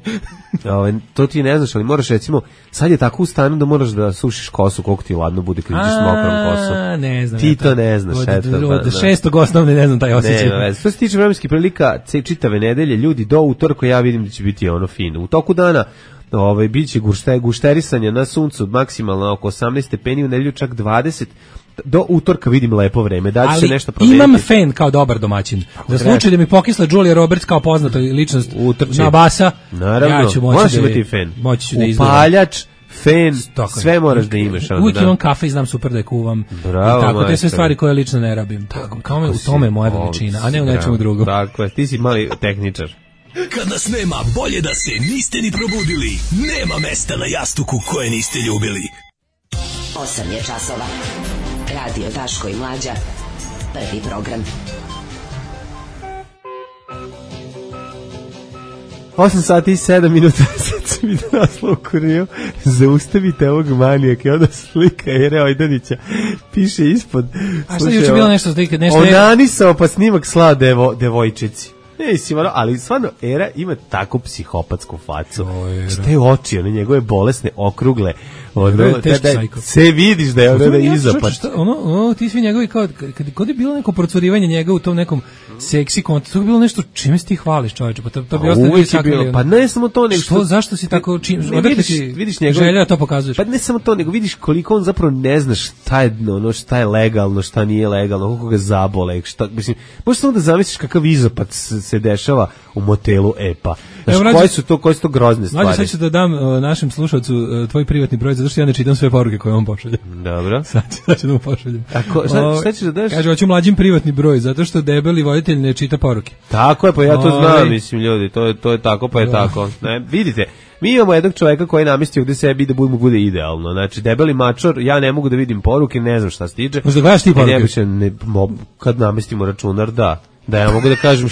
Speaker 6: To ti ne znaš, ali moraš recimo, sad je tako u stanju da moraš da sušiš kosu koliko ti ladno bude kad ideš s mokrom kosom.
Speaker 5: Ne znam.
Speaker 6: Ti to ne znaš,
Speaker 5: od 6. osnovne ne znam taj osjećaj.
Speaker 6: Ne, što se tiče vremenskih prilika, čitave nedelje, ljudi do utorka ja vidim da će biti fino. U toku dana biće gušterisanja na suncu maksimalno oko 18 stepeni, u nedelju čak 20. Do utorka vidim lepo vreme, da će se nešto promeniti.
Speaker 5: Imam fen kao dobar domaćin. Za slučaj da mi pokisla Julia Roberts kao poznata ličnost na basa,
Speaker 6: naravno,
Speaker 5: ja ću
Speaker 6: moći imati fen.
Speaker 5: Upaljač,
Speaker 6: fen, sve moraš da imaš.
Speaker 5: Uvijek imam kafe i znam super da je kuvam.
Speaker 6: Bravo,
Speaker 5: i tako, te sve stvari koje lično ne rabim. Kao u tome je moja veličina, a ne u nečemu drugom.
Speaker 6: Dakle, ti si mali tehničar.
Speaker 8: Kad nas nema, bolje da se niste ni probudili. Nema mesta na jastuku koje niste ljubili.
Speaker 9: 8 je časova. Radio Daško i Mlađa. Prvi program.
Speaker 6: 8 sati i 7 minuta, sad sam mi da naslov u Kuriju, zaustavite ovog manijaka, i onda slika Ere Ojdanića, piše ispod.
Speaker 5: A što je juče bilo nešto?
Speaker 6: Onanisao pa snimak sla devojčici. Ali stvarno, Era ima tako psihopatsku facu. Te oči, one njegove bolesne, okrugle, se vidiš da je ono izopad.
Speaker 5: Ti svi njegovi, kad je bilo neko procurivanje njega u tom nekom seksi kontu, to je bilo nešto čime si ti hvališ, čoveče, pa to bi ostali sakali.
Speaker 6: Pa ne samo to, nego
Speaker 5: zašto si tako, vidiš želja to pokazuješ?
Speaker 6: Pa ne samo to, nego vidiš koliko on zapravo ne zna šta je legalno, šta nije legalno, koliko ga zabole, možeš samo da zamisliš kakav izopad se dešava u motelu EPA. Znaš, koje su to grozne stvari?
Speaker 5: Mlađe, sad ću da dam našem slušalcu tvoj privatni broj za zato što ja ne čitam sve poruke koje on pošalje.
Speaker 6: Dobro.
Speaker 5: Sad ću da mu pošaljem.
Speaker 6: Šta ćeš da daš?
Speaker 5: Kaže, hoću mlađim privatni broj, zato što debeli voditelj ne čita poruke.
Speaker 6: Tako je, pa ja to znam, mislim, ljudi, to je tako, pa je tako. Ne, vidite, mi imamo jednog čoveka koji je namestio gde sebi da bude idealno. Znači, debeli mačor, ja ne mogu da vidim poruke, ne znam šta stiže.
Speaker 5: Možda gledaš ti poruke?
Speaker 6: Kad namestimo računar, da ja mogu da kažem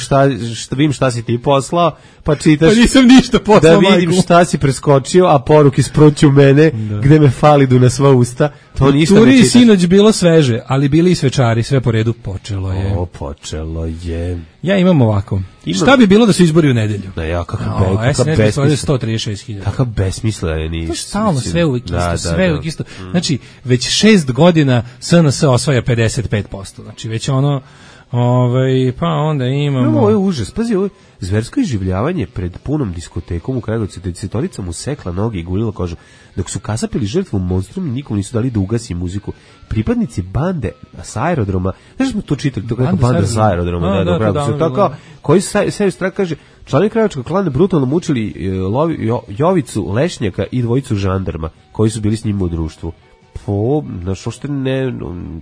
Speaker 6: šta si ti poslao, pa čitaš.
Speaker 5: Pa nisam ništa poslao,
Speaker 6: da vidim
Speaker 5: majku.
Speaker 6: šta si preskočio, a poruke sproću mene, gde me falidu na sva usta. To ništa ne čitaš.
Speaker 5: Turi sinoć bilo sveže, ali bili i svečari, sve po redu počelo je.
Speaker 6: Počelo je.
Speaker 5: Ja imam ovako. Šta bi bilo da se izbori u nedelju?
Speaker 6: Da ja, kakav
Speaker 5: besmislen. 136.000.
Speaker 6: Kakav besmislen je.
Speaker 5: To stalno sve uvijek isto, sve uvijek isto. Znači, već 6 godina SNS osvaja 55%. Znači, već ono... pa onda imamo...
Speaker 6: Ovo je užas, pazi, ovo je zversko iživljavanje pred punom diskotekom u Kragujevcu, desetorica mu sekla noge i gulila kožu. Dok su kasapili žrtvu monstrum, nikom nisu dali da ugasi muziku. Pripadnici bande sa aerodroma, znaš smo to čitali, to kako banda sa aerodroma, koji sebi strah kaže, članovi krajevačkog klana brutalno mučili Jovicu Lešnjaka i dvojicu žandarma, koji su bili s njima u društvu. Što ne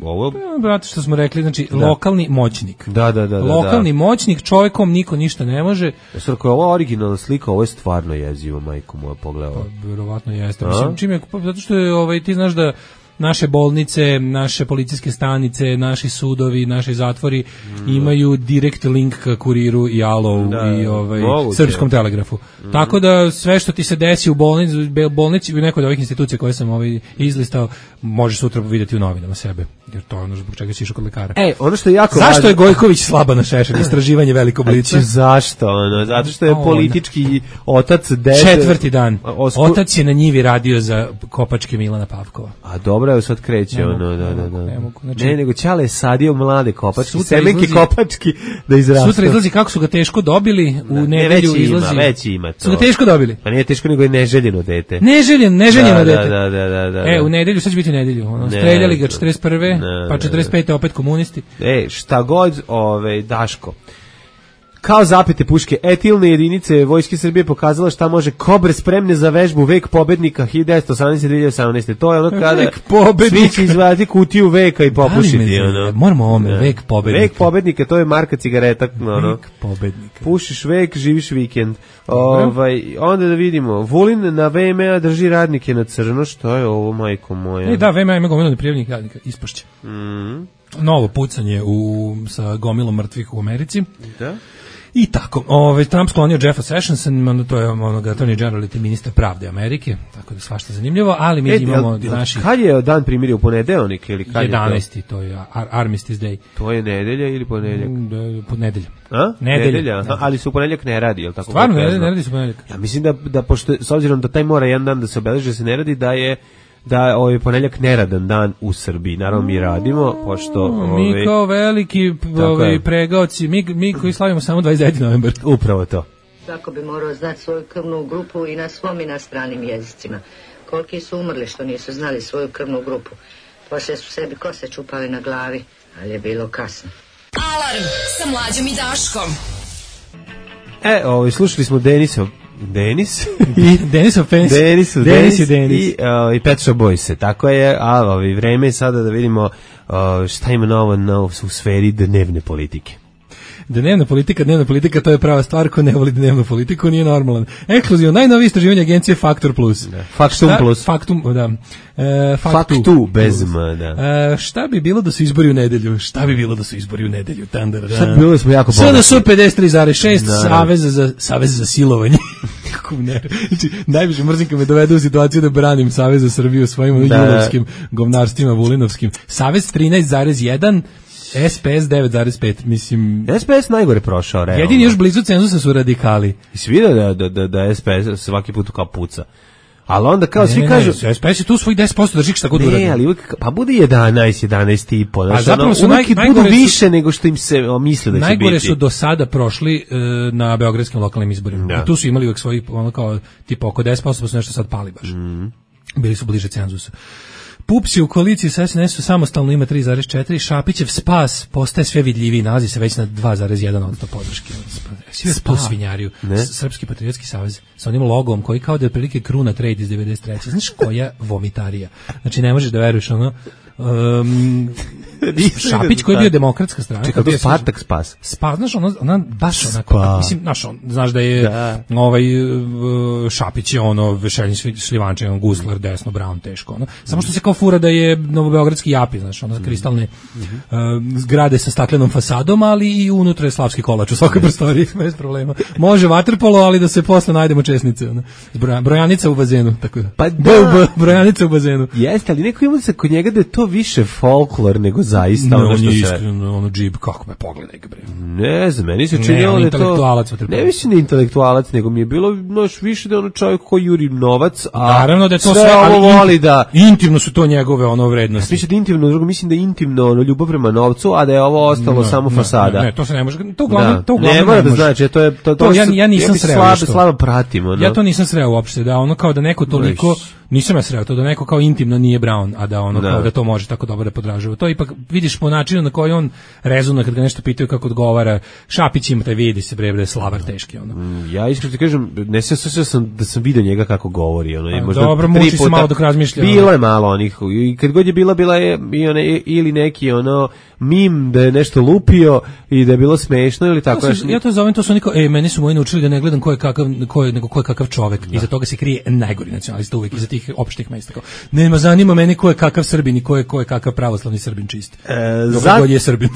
Speaker 6: ovo
Speaker 5: brate što smo rekli, znači lokalni moćnik.
Speaker 6: Da.
Speaker 5: Lokalni moćnik, čovjekom niko ništa ne može.
Speaker 6: Sad ako je ovo originalna slika, ovo je stvarno jezivo, majko moja, pogledala.
Speaker 5: Pa verovatno jeste. Mislim, čim je, zato što je ti znaš da naše bolnice, naše policijske stanice, naši sudovi, naši zatvori imaju direkt link ka Kuriru i Alovu i Srpskom telegrafu. Tako da sve što ti se desi u bolnici u nekoj od ovih institucija koje sam izlistao, možeš sutra vidjeti u novinama sebe. Jer to je ono zbog čega si išao kod lekara.
Speaker 6: Ono što je jako
Speaker 5: zašto je Gojković slaba na šešelj? Istraživanje velikog lica.
Speaker 6: Zašto? Zato što je politički otac
Speaker 5: četvrti dan. Otac je na njivi radio za kopačke Milana Pavkova.
Speaker 6: A dobro, evo sad kreće Ne, nego Ćale je sadio mlade kopačke, semenke kopački da izrastu.
Speaker 5: Sutra izlazi kako su ga teško dobili, u nedelju izlazi.
Speaker 6: Već ima to.
Speaker 5: Su ga teško dobili?
Speaker 6: Pa nije teško, nego je neželjeno dete.
Speaker 5: Neželjeno dete.
Speaker 6: Da.
Speaker 5: U nedelju, sad će biti u nedelju. Streljali ga 41. Pa 45. opet komunisti.
Speaker 6: Šta god, Daško. Kao zapete puške, etilne jedinice Vojske Srbije pokazala šta može. Kobre spremne za vežbu Vek pobednika 1918-2018. To je ono kada svi će izvaditi kutiju Veka i popušiti.
Speaker 5: Moramo ovome, Vek pobednika.
Speaker 6: Vek pobednika, to je marka cigareta.
Speaker 5: Vek pobednika.
Speaker 6: Pušiš Vek, živiš vikend. Onda da vidimo. Vulin na VMA drži radnike na crno. Što je ovo, majko moja?
Speaker 5: Da, VMA ima gomilo neprijavljenih radnika. Ispašće. Novo pucanje sa gomilom mrtvih u Americi. Da. I tako, Trump sklonio Jeffa Sessionsa, to je attorney general i ministar pravde Amerike, tako da svašta zanimljivo, ali mi imamo naši...
Speaker 6: Kad je dan primirja, u ponedeljnik ili kad
Speaker 5: 11.
Speaker 6: je
Speaker 5: to je Armistice Day.
Speaker 6: To je nedelja ili ponedeljak?
Speaker 5: Nedelja.
Speaker 6: Nedelja, ali se u ponedeljak ne radi, je li tako?
Speaker 5: Stvarno, ne radi se u ponedeljak.
Speaker 6: Ja mislim da pošto, s obzirom da taj mora jedan dan da se obeleži, se ne radi, da ponedeljak neradan dan u Srbiji. Naravno mi radimo, pošto...
Speaker 5: Mi kao veliki pregaoci, mi koji slavimo samo 29. novembar.
Speaker 6: Upravo to.
Speaker 10: Svako bi morao znati svoju krvnu grupu i na svom i na stranim jezicima. Koliki su umrli što nisu znali svoju krvnu grupu. Poslije su sebi kose čupali na glavi, ali je bilo kasno.
Speaker 2: Alarm sa Mlađom i Daškom.
Speaker 6: Slušali smo Denisov i Pet Shop Boys. Tako je, vreme je sada da vidimo šta ima novo u sferi dnevne politike.
Speaker 5: Dnevna politika, to je prava stvar, ko ne voli dnevnu politiku, nije normalan. Ekskluzivno, najnovije istraživanje agencije Faktor Plus.
Speaker 6: Faktum Plus. Faktu, bez M, da.
Speaker 5: Šta bi bilo da su izbori u nedelju? Šta bi bilo da
Speaker 6: bilo da smo jako bogati.
Speaker 5: SNS 53,6, Savez za silovanje. Znači, najviše mrzim kad me dovedu u situaciju da branim Savez za Srbiju svojim julovskim govnarstvima vulinovskim. Savez 13,1, SPS 9,5, mislim...
Speaker 6: SPS najgore prošao, realno.
Speaker 5: Jedini još blizu cenzusa su radikali.
Speaker 6: I svi vide da SPS svaki put kao puca. Ali onda kao svi kažu...
Speaker 5: SPS je tu svoj 10% drži šta god uradi.
Speaker 6: Ne, ali uvijek, pa bude 11,5.
Speaker 5: A zapravo su
Speaker 6: uvijek budu više nego što im se misle da će biti.
Speaker 5: Najgore su do sada prošli na beogradskim lokalnim izborima. I tu su imali uvijek svoji, ono kao, tipa oko 10%, pa su nešto sad pali baš. Bili su bliže cenzusu. PUPS je u koaliciji sa SNS-u samostalno ima 3,4, Šapićev spas postaje sve vidljiviji, nalazi se već na 2,1% podrške. Svi tu svinjariju. Srpski patriotski savez sa onim logom koji kao da je otprilike kruna trade iz 93. Znaš koja vomitarija? Znači ne možeš da veruješ ono Šapić koji je bio demokratska strana.
Speaker 6: Čekaj, to Spartak spas.
Speaker 5: Spas, znaš, ona baš onako, mislim, znaš da je Šapić je ono Vešelin Šljivanče, on Guslar, desno, Brown, teško, ono. Samo što se kao fura da je novobeogradski Japi, znaš, ono kristalne zgrade sa staklenom fasadom, ali i unutra je slavski kolač u svakoj prostoriji, bez problema. Može vaterpolo, ali da se posle najdemo česnice, ono. Brojanica u bazenu, tako da.
Speaker 6: Pa da.
Speaker 5: Brojanica u bazenu.
Speaker 6: Jeste, ali neko ima se kod njega da je to više folklor nego zaista
Speaker 5: ono što se... iskreno, ono džib, kako me pogledaj ga, bre.
Speaker 6: Ne znam, meni se činilo da je to... Ne mislim da je intelektualac, nego mi je bilo više da je ono čovjek koji juri novac, a
Speaker 5: naravno da je to sve,
Speaker 6: ali voli da...
Speaker 5: Intimno su to njegove ono vrednosti.
Speaker 6: Mislim da intimno, drugo, mislim da je intimno ono, ljubav prema novcu, a da je ovo ostalo samo fasada.
Speaker 5: Ne, to se ne može, to uglavnom
Speaker 6: ne mora da znači, to je...
Speaker 5: Ja nisam sreo.
Speaker 6: Slabo pratimo.
Speaker 5: Ja to nisam sreo uopšte, da ono kao da neko toliko... Nisam ja sreo to da neko kao intimno nije Brown, a da ono kao da to može tako dobro da podražava. To ipak vidiš po načinu na koji on rezonuje kad ga nešto pitaju kako odgovara. Šapić ima taj vidi se bre da je slavar teški ono.
Speaker 6: Ja iskreno ti kažem, ne sjećam se da sam video njega kako govori, ono možda
Speaker 5: dobro, muči se malo dok razmišlja.
Speaker 6: Bilo je malo onih i kad god je bila je i one ili neki ono mim da je nešto lupio i da je bilo smešno ili tako nešto.
Speaker 5: Ja to zovem, to su niko, meni su moji naučili da ne gledam ko je kakav čovjek. Iza toga se krije najgori nacionalista uvijek, iza tih opštih mesta. Nema, zanima meni ko je kakav Srbin i ko je kakav pravoslavni Srbin čist.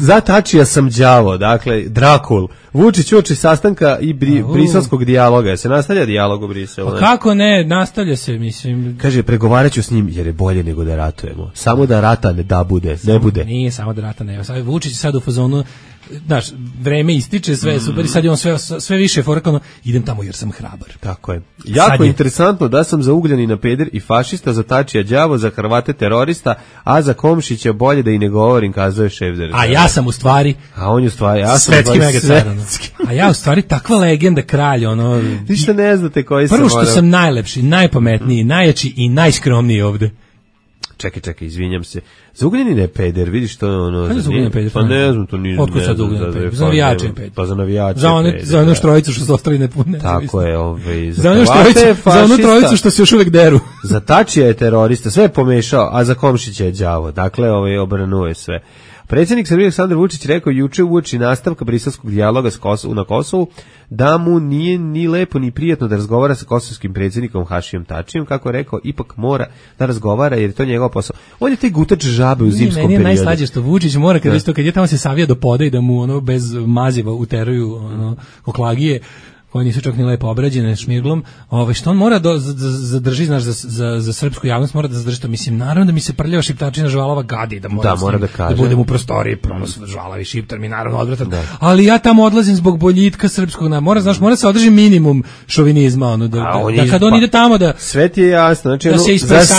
Speaker 6: Za Tačija sam đavo, dakle, Drakul. Vučić uoči sastanka i briselskog dijaloga. Se nastavlja dijalog u Briselu?
Speaker 5: Pa kako ne, nastavlja se, mislim.
Speaker 6: Kaže, pregovaraću s njim jer je bolje nego da ratujemo. Samo da rata ne bude.
Speaker 5: Nije samo da rata ne. Vučić je sad u fazonu, znaš, vreme ističe, sve super i sad je on sve više forekano, idem tamo jer sam hrabar.
Speaker 6: Tako je. Jako interesantno da sam za Ugljanina peder i fašista, za Tačija đavo, za Hrvate terorista, a za Komšića bolje da i ne govorim, kazuje šef za
Speaker 5: A ja sam u stvari svetski megacar. A ja u stvari takva legenda, kralj, ono...
Speaker 6: Ništa ne znate koji sam...
Speaker 5: Prvo što sam najlepši, najpametniji, najjači i najskromniji ovde.
Speaker 6: Čekaj, izvinjam se. Za Ugljanina je peder, vidiš to ono...
Speaker 5: Kada za Ugljanina peder?
Speaker 6: Pa ne znam, to nisam...
Speaker 5: Otko sad za Ugljanina peder? Za navijače je peder.
Speaker 6: Pa za navijače
Speaker 5: za onu štrojicu što se ostali ne...
Speaker 6: Tako je,
Speaker 5: za onu trojicu što se još uvek deru.
Speaker 6: Za Tačija je terorista, sve je pomešao, a za Komšića je đavo. Dakle, obranuje sve. Predsjednik Srbije Aleksandar Vučić rekao juče uoči nastavka briselskog dijaloga na Kosovu da mu nije ni lepo ni prijatno da razgovara sa kosovskim predsjednikom Hašijom Tačijem, kako je rekao, ipak mora da razgovara jer je to njegov posao. On je taj gutač žabe u zimskom periodu.
Speaker 5: Meni je najslađe što Vučić mora kad je tamo se savija do poda i da mu ono bez maziva uteruju ono oklagije koje nisu čak ni lepo obrađene šmirglom, što on mora zadrži, znaš, za srpsku javnost mora da zadrži to, mislim, naravno da mi se prljava šiptačina žvalava gadi, da mora da budem u prostoriji, žvalavi šiptar mi naravno odvratan, ali ja tamo odlazim zbog boljitka srpskog, mora se održi minimum šovinizma, ono, da kad on ide tamo da...
Speaker 6: Sve ti je jasno, znači,
Speaker 5: da se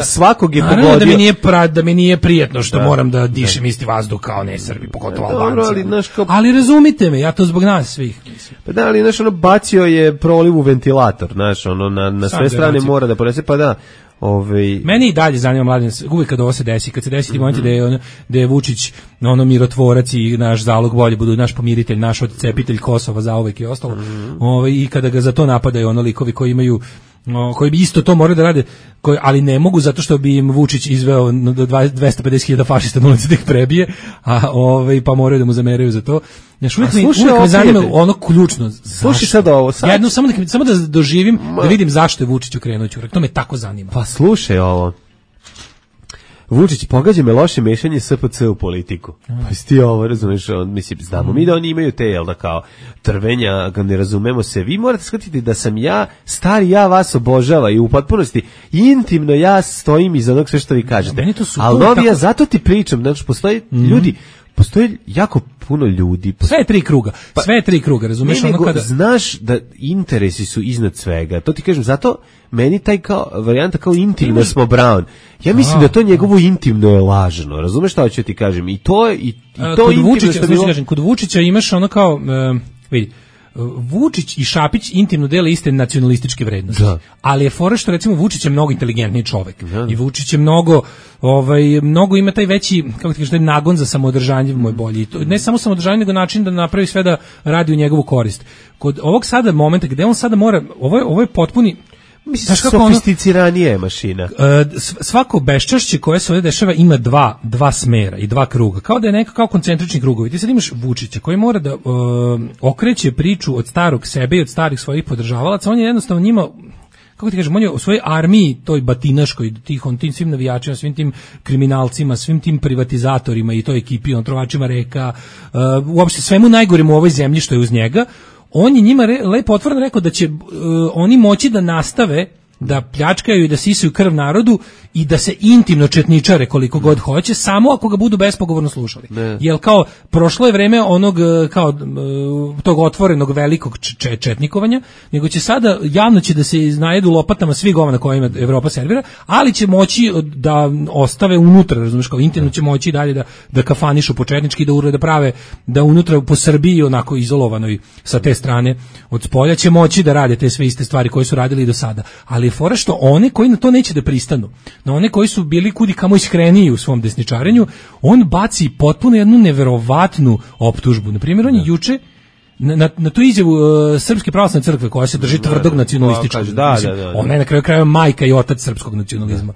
Speaker 6: svakog je pogodio.
Speaker 5: Naravno da mi nije prijatno što moram da dišem isti vazduh kao ne Srbi, pogotovo Albanci. Ali razumite me, ja to zbog nas svih.
Speaker 6: Pa da, ali znaš, bacio je proliv u ventilator, znaš, na sve strane mora da ponese, pa da,
Speaker 5: Meni i dalje zanima Mladen, uvijek kad ovo se desi, kad se desi ti momenti da je Vučić mirotvorac i naš zalog bolje budu, naš pomiritelj, naš odcepitelj Kosova zauvek i ostalo, i kada ga za to napadaju likovi koji imaju koji bi isto to morali da rade, ali ne mogu zato što bi im Vučić izveo 250.000 fašista na ulici da ih prebije, pa moraju da mu zameraju za to. Uvijek me zanima ono ključno.
Speaker 6: Slušaj sad ovo.
Speaker 5: Samo da doživim, da vidim zašto je Vučić ukrenuo ćurak. To me tako zanima.
Speaker 6: Pa slušaj ovo. Vučić pogađa me loše mešanje SPC u politiku. Pa si ti ovo, razumeš, mislim, znamo mi da oni imaju te, jel da kao, trvenja, ne razumemo se. Vi morate shvatiti da sam ja, stari ja vas obožava i u potpunosti, intimno ja stojim iza onog sve što vi kažete. Ali novi, ja zato ti pričam, znači, postoje ljudi, postoje jako puno ljudi.
Speaker 5: Sve je tri kruga, razumeš?
Speaker 6: Znaš da interesi su iznad svega. To ti kažem, zato meni taj kao varijanta kao intimno smo Brown. Ja mislim da to njegovo intimno je lažno. Razumeš šta hoću ti kažem? I to intimno što
Speaker 5: kod Vučića imaš ono kao, vidi, Vučić i Šapić intimno dele iste nacionalističke vrednosti. Da. Ali je fora što recimo Vučić je mnogo inteligentniji čovek. Da. I Vučić je mnogo ima taj veći, kako ti kažeš, taj nagon za samoodržanje moj bolji. I to, ne samo samoodržanje, nego način da napravi sve da radi u njegovu korist. Kod ovog sada momenta gde on sada mora, ovo je potpuni,
Speaker 6: mislim, sofisticiranije mašina.
Speaker 5: Svako beščašće koje se ovdje dešava ima dva smera i dva kruga. Kao da je neka kao koncentrični krugovi. Ti sad imaš Vučića koji mora da okreće priču od starog sebe i od starih svojih podržavalaca. On je jednostavno njima, kako ti kažem, on je u svojoj armiji, toj batinaškoj, tim svim navijačima, svim tim kriminalcima, svim tim privatizatorima i toj ekipi, trovačima reka, uopšte svemu najgoremu u ovoj zemlji što je uz njega. On je njima lepo otvoreno rekao da će oni moći da nastave da pljačkaju i da sisaju krv narodu i da se intimno četničare koliko god hoće, samo ako ga budu bespogovorno slušali. Jer kao prošlo je vreme onog kao tog otvorenog velikog četnikovanja, nego će sada javno će da se najedu lopatama svi govana kojima Evropa servira, ali će moći da ostave unutra, razumiješ, kao intimno će moći dalje da kafanišu početnički, da prave, da unutra po Srbiji onako izolovanoj sa te strane od spolja će moći da rade te sve iste stvari koje su radili i do sada. Ali je fora što one koji na to neće da pristanu, na one koji su bili kudi kamo iskreniji u svom desničarenju, on baci potpuno jednu neverovatnu optužbu. Na primjer, on je juče na tu izjavu Srpske pravoslavne crkve koja se drži tvrdog nacionalističkog. Ona je na kraju krajeva majka i otac srpskog nacionalizma.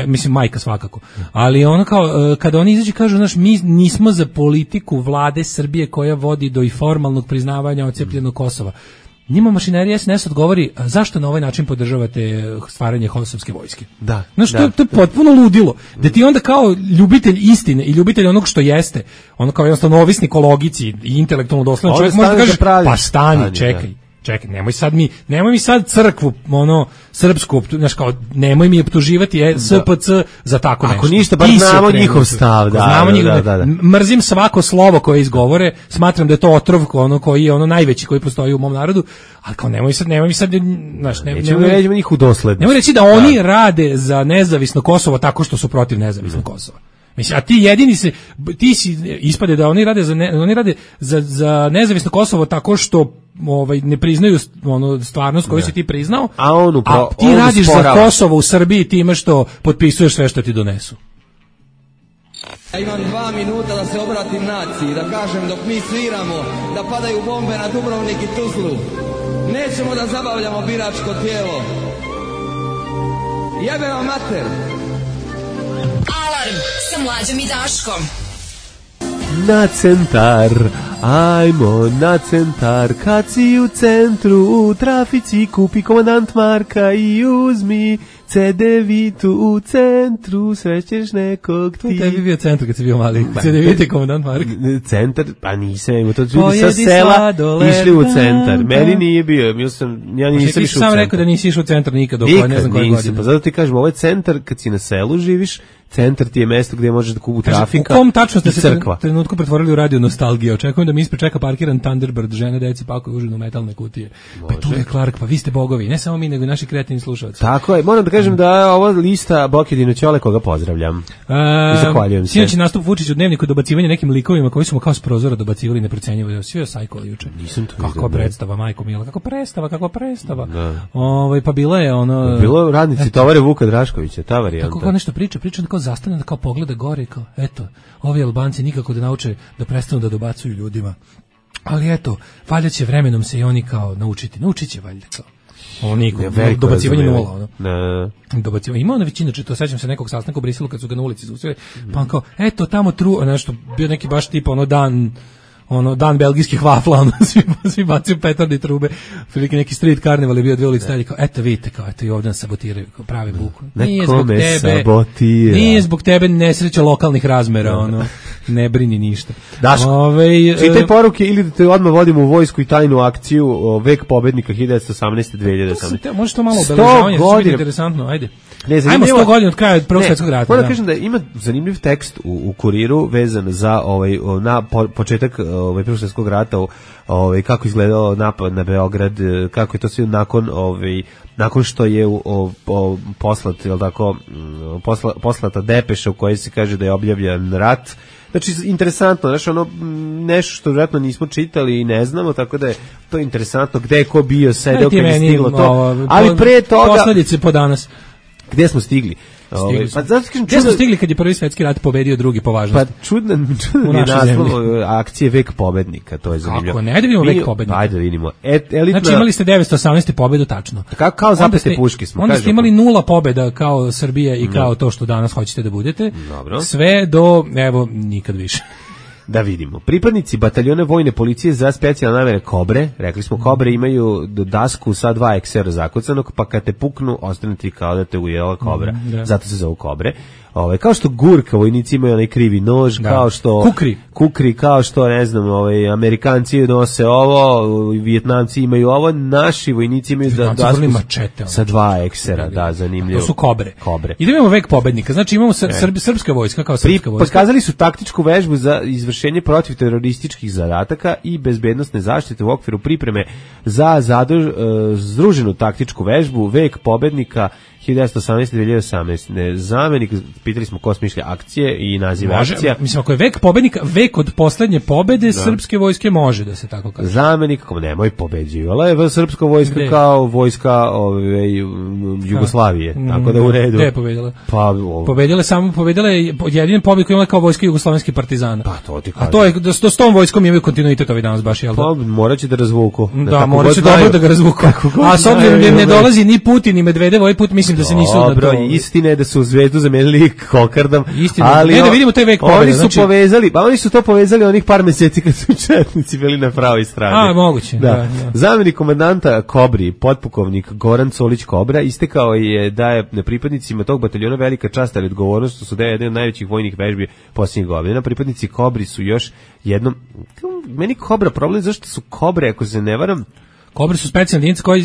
Speaker 5: Mislim, majka svakako. Ali ono kao, kada oni izađu kažu, znaš, mi nismo za politiku vlade Srbije koja vodi do i formalnog priznavanja odcepljenog Kosova. Njima mašinerija SNS odgovori, zašto na ovaj način podržavate stvaranje kosovske vojske?
Speaker 6: Da.
Speaker 5: Znaš, to je potpuno ludilo. Da ti onda kao ljubitelj istine i ljubitelj onog što jeste, ono kao jednostavno ovisnik o logici i intelektualno dosledan čovjek može da kaže, pa stani, čekaj, nemoj mi sad crkvu, srpsku, znaš kao, nemoj mi optuživati SPC za tako nešto.
Speaker 6: Ako ništa, bar znamo njihov stav, da.
Speaker 5: Mrzim svako slovo koje izgovore, smatram da je to otrov koji je najveći koji postoji u mom narodu, ali kao nemoj mi sad, znaš,
Speaker 6: nećemo njih u doslednost.
Speaker 5: Nemoj reći da oni rade za nezavisno Kosovo tako što su protiv nezavisnog Kosova. Mislim, a ti jedini ti si ispade da oni rade za nezavisno Kosovo tako što ne priznaju stvarnost koju si ti priznao, a ti radiš za Kosovo u Srbiji time što potpisuješ sve što ti donesu.
Speaker 11: Ja imam 2 minuta da se obratim naciji, da kažem dok mi sviramo, da padaju bombe na Dubrovnik i Tuzlu. Nećemo da zabavljamo biračko tijelo. Jebe vam mater!
Speaker 2: Alarm sa Mlađom i Daškom.
Speaker 6: Na centar, ajmo na centar, kad si u centru, u trafici kupi komandant Marka i uzmi CD-vitu u centru, srećeš nekog ti.
Speaker 5: To je bio centar kad si bio mali, CD-vite komandant Marka.
Speaker 6: Centar, pa nisam, to ljudi sa sela išli u centar, meni nije bio, ja nisam išao u centar. Ti
Speaker 5: sam rekao da nisi išao u centar nikad, dok ne znam koje godine.
Speaker 6: Pa zato ti kažem, ovo je centar kad si na selu živiš, centar ti je mesto gde možeš da kupu trafika.
Speaker 5: U kom tačno ste se trenutku pretvorili u radio nostalgije? Očekujem da mi ispred čeka parkiran Thunderbird, žene, deci pakuju užinu metalne kutije. Pa tu je Clark, pa vi ste bogovi, ne samo mi, nego i naši kreativni slušalci.
Speaker 6: Tako je, moram da kažem da je ovo lista Bokedino Ćole koga pozdravljam. I zahvaljujem se.
Speaker 5: Sinoć nastup Vučić u Dnevniku dobacivanje nekim likovima koji su mu kao s prozora dobacivali neprocenjivo. Svi je sajkolo juče.
Speaker 6: Nisam to
Speaker 5: kako predstava, majko mila, kako predstava. Pa bila je ono...
Speaker 6: Bilo radnici tovare Vuka Draškovića, ta varijanta.
Speaker 5: Kako nešto priča kao zastane, kao pogleda gore i kao, eto, ovi Albanci nikako da nauče da prestanu da dobacuju ljudima. Ali eto, valjda će vremenom se i oni kao naučit će valjda kao. Dobacivanje nula, Dobacivanje. Ima ona većina, to sećam se nekog sastanka u Briselu kad su ga na ulici zaustavili, pa on kao, eto, tamo nešto, bio neki baš tipa dan belgijskih vafla, svi bacaju petarde i trube, prilike neki street karneval je bio 2 ulice dalje, kao, eto vidite, kao, eto i ovdje nas sabotiraju, kao prave buku. Nije zbog tebe nesreća lokalnih razmera, ne brini ništa.
Speaker 6: Daško, čitaj poruke ili da te odmah vodimo u vojsku i tajnu akciju Vek pobednika 1918-2018.
Speaker 5: Može to malo obeležavanje, to je interesantno, ajde. Ajmo 100 godina od kraja Prvog svjetskog rata.
Speaker 6: Moram da kažem da ima zanimljiv tekst u Kuriru vezan za početak Prvog svjetskog rata, kako izgledao napad na Beograd, kako je to sve nakon što je poslata depeša u kojoj se kaže da je objavljen rat. Znači, interesantno, nešto što vjerojatno nismo čitali i ne znamo, tako da je to interesantno, gde je ko bio, sedeo kad je stiglo to. Ali pre toga...
Speaker 5: Posledice po danas.
Speaker 6: Gde smo stigli?
Speaker 5: Gde smo stigli kad je Prvi svjetski rat pobedio drugi po važnosti?
Speaker 6: Pa čudan je naslov akcije Vek pobednika, to je zanimljivo.
Speaker 5: Kako ne, ajde vidimo Vek pobednika.
Speaker 6: Ajde vidimo.
Speaker 5: Znači imali ste 918. pobedu tačno.
Speaker 6: Kao zapete puške smo.
Speaker 5: Onda ste imali 0 pobeda kao Srbija i kao to što danas hoćete da budete.
Speaker 6: Dobro.
Speaker 5: Sve do, evo, nikad više.
Speaker 6: Da vidimo. Pripadnici bataljona vojne policije za specijalne namere Kobre, rekli smo Kobre imaju dasku sa 2 eksera zakucanog, pa kad te puknu, ostane ti kao da te ujela Kobra. Zato se zovu Kobre. Kao što Gurka vojnici imaju onaj krivi nož, kao što kukri, kao što ne znam, Amerikanci nose ovo, Vijetnamci imaju ovo, naši vojnici imaju dasku sa 2 eksera, da, zanimljivo.
Speaker 5: To su Kobre. I da imamo Vek pobednika, znači imamo srpska vojska kao srpska vojska.
Speaker 6: Pokazali su taktičku vežbu za izvršenje protiv terorističkih zadataka i bezbednosne zaštite u okviru pripreme za združenu taktičku vežbu Vek pobednika 1918-2018. Zamenik, pitali smo ko smišlja akcije i nazive akcija.
Speaker 5: Mislim, ako je Vek pobednika, Vek od poslednje pobede srpske vojske može da se tako kaže.
Speaker 6: Zamenik, nemoj pobeđivala je srpska vojska kao vojska Jugoslavije, tako da u redu.
Speaker 5: Gde je pobedila? Pobedila je jedine pobjede koje imala kao vojska jugoslovenskih partizana.
Speaker 6: Pa to ti kažem.
Speaker 5: A to je, da s tom vojskom imaju kontinuitet ovi danas baš, jel da?
Speaker 6: Pa morat će da razvuku.
Speaker 5: Da, morat će dobro da ga razvuku. A s obzirom da ne dolazi ni Putin ni Medvedev, ovaj put mislim da se nisu
Speaker 6: dobro, istina je da su Zvezdu zamenili Kokardom,
Speaker 5: ali da vidimo taj Vek pobede.
Speaker 6: Oni su to povezali onih par meseci kad su četnici bili na pravoj strani.
Speaker 5: A, moguće. Da.
Speaker 6: Zamenik komandanta Kobri, potpukovnik Goran Solić Kobra, istekao je da je na pripadnicima tog bataljona velika čast ali odgovornost, što su da je jedan od najvećih vojnih vežbi posljednjih godina. Pripadnici Kobri su još jednom, meni Kobra problem, zašto su Kobre, ako se ne varam,
Speaker 5: Kobre su specijalne jedinice koje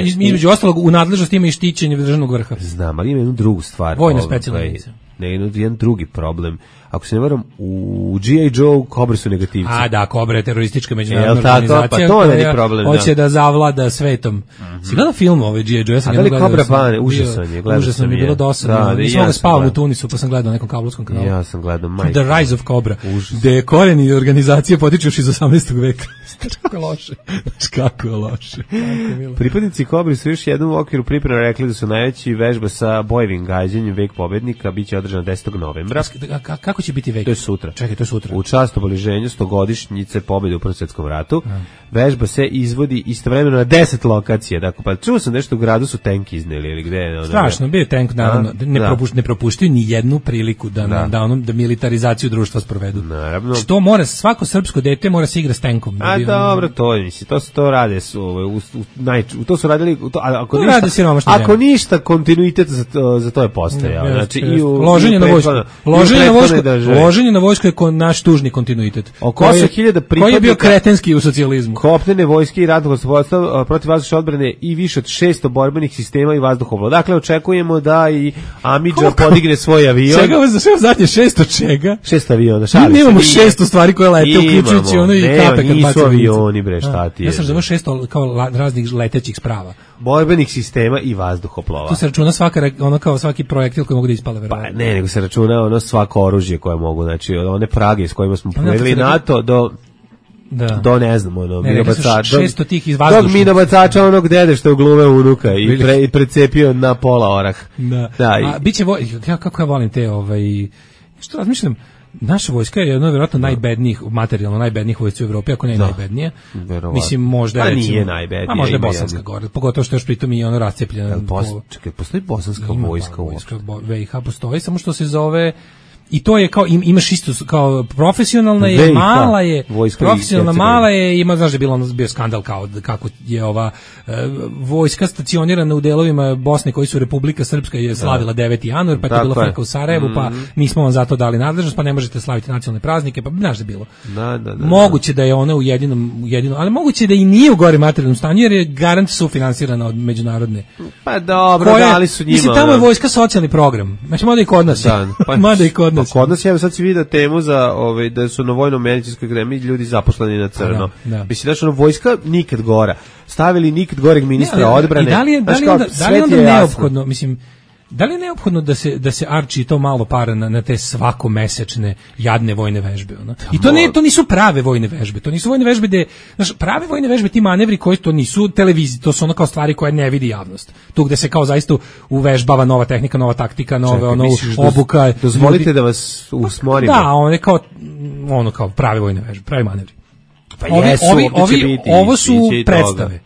Speaker 5: između ostalog u nadležnosti ima i štićenje državnog vrha.
Speaker 6: Znam, ali ima jednu drugu stvar.
Speaker 5: Vojne specijalne jedinice.
Speaker 6: Jedan drugi problem. Ako se ne varam, u G.I. Joe Kobre su negativci.
Speaker 5: A da, Kobre je teroristička međunarodna organizacija koja hoće da zavlada svetom. Si gledao film ove G.I. Joe?
Speaker 6: A da li Kobra Bane? Užasno
Speaker 5: mi je bilo dosadno. Nisam ga spavam u Tunisu, pa sam gledao na nekom kablovskom kanalu.
Speaker 6: Ja sam gledao
Speaker 5: The Rise of Cobra. Gde koreni organizacije potiču još iz 18. veka. Kako je loše.
Speaker 6: Pripadnici Kobri su još jednom u okviru priprema rekli da su najveći vežba sa bojevim gađanjem Vek pobednika biće održana 10. novembra.
Speaker 5: Kako će biti Vek?
Speaker 6: To je sutra.
Speaker 5: Čekaj, to je sutra.
Speaker 6: U čast obeleženju 100-godišnjice pobede u Prvom svjetskom ratu. Vežba se izvodi istovremeno na 10 lokacija. Dakle, pa čuo sam nešto u gradu su tank izneli ili gde je.
Speaker 5: Strašno, bio je tank, naravno. Ne propuštaju ni jednu priliku da militarizaciju društva sprovedu.
Speaker 6: Naravno.
Speaker 5: Što mora, svako srpsko dete mora se igra s tankom.
Speaker 6: A dobro, to rade to su radili, ako ništa kontinuitet za to je postojao. Znači i
Speaker 5: loženje na vojsku je naš tužni kontinuitet.
Speaker 6: Oko 8.000 pripadnika
Speaker 5: koji je bio kretenski u socijalizmu.
Speaker 6: Kopnene vojske i ratnog gospodarstva protiv vazdušne odbrane i više od 600 borbenih sistema i vazduhoplova. Dakle, očekujemo da i Amidža podigne svoj avion.
Speaker 5: Čega vas za zadnje 600 čega?
Speaker 6: 600 aviona.
Speaker 5: Mi nemamo 600 stvari koje lete, uključujući ono i kape kad baci
Speaker 6: avioni, bre, šta ti je?
Speaker 5: Ja sam zove 600 kao raznih letećih sprava.
Speaker 6: Borbenih sistema i vazduhoplova.
Speaker 5: Tu se računa kao svaki projektil koji mogu da ispale, verovatno.
Speaker 6: Pa ne, nego se računa svako oružje koje mogu, znači one prage s kojima smo povedali NATO do ne znam, minobacača.
Speaker 5: 600 tih iz vazdušnog.
Speaker 6: Dog minobacača onog dede što je glume unuka i precepio na pola orah.
Speaker 5: A biće, kako ja volim te, što razmišljam, naša vojska je jedno vjerojatno najbednijih, materijalno najbednijih vojska u Evropi, ako ne najbednije. Mislim, možda
Speaker 6: recimo, nije najbednije.
Speaker 5: A možda je bosanska gore, pogotovo što još pritom i ono rascepljeno.
Speaker 6: Čekaj, postoji bosanska vojska uopšte?
Speaker 5: VIH postoji, samo što se zove i to je kao imaš isto kao profesionalna je, mala je, profesionalna mala je, ima, znaš da je bio skandal kao kako je ova vojska stacionirana u delovima Bosne koji su Republika Srpska je slavila 9. januar, pa je to bilo frka u Sarajevu, pa nismo vam zato dali nadležnost, pa ne možete slaviti nacionalne praznike, pa znaš da je bilo. Moguće da je ona u jedinom, ali moguće da i nije u gore materijalnom stanju, jer je garant sufinansirana od međunarodne.
Speaker 6: Pa dobro, dali su njima.
Speaker 5: Mislim, tamo je vojska socijalni program. Znači, mada i kod nas. Mada i kod nas.
Speaker 6: Kod nas je, sad si vidio temu za da su na vojno-medicinskoj akademiji ljudi zaposleni na crno. Mislim, znači, vojska nikad gora. Stavili nikad goreg ministra odbrane.
Speaker 5: I da li je onda neophodno, mislim, da li je neophodno da se arči to malo para na te svakomesečne jadne vojne vežbe, ona? I to nisu prave vojne vežbe. To nisu vojne vežbe gde, znaš, prave vojne vežbe, ti manevri koji to nisu televiziji, to su ono kao stvari koje ne vidi javnost. Tu gde se kao zaista uvežbava nova tehnika, nova taktika, nove obuka.
Speaker 6: Dozvolite da vas usmorim.
Speaker 5: Da, ono kao prave vojne vežbe, pravi manevri.
Speaker 6: Pa
Speaker 5: ovo su predstave.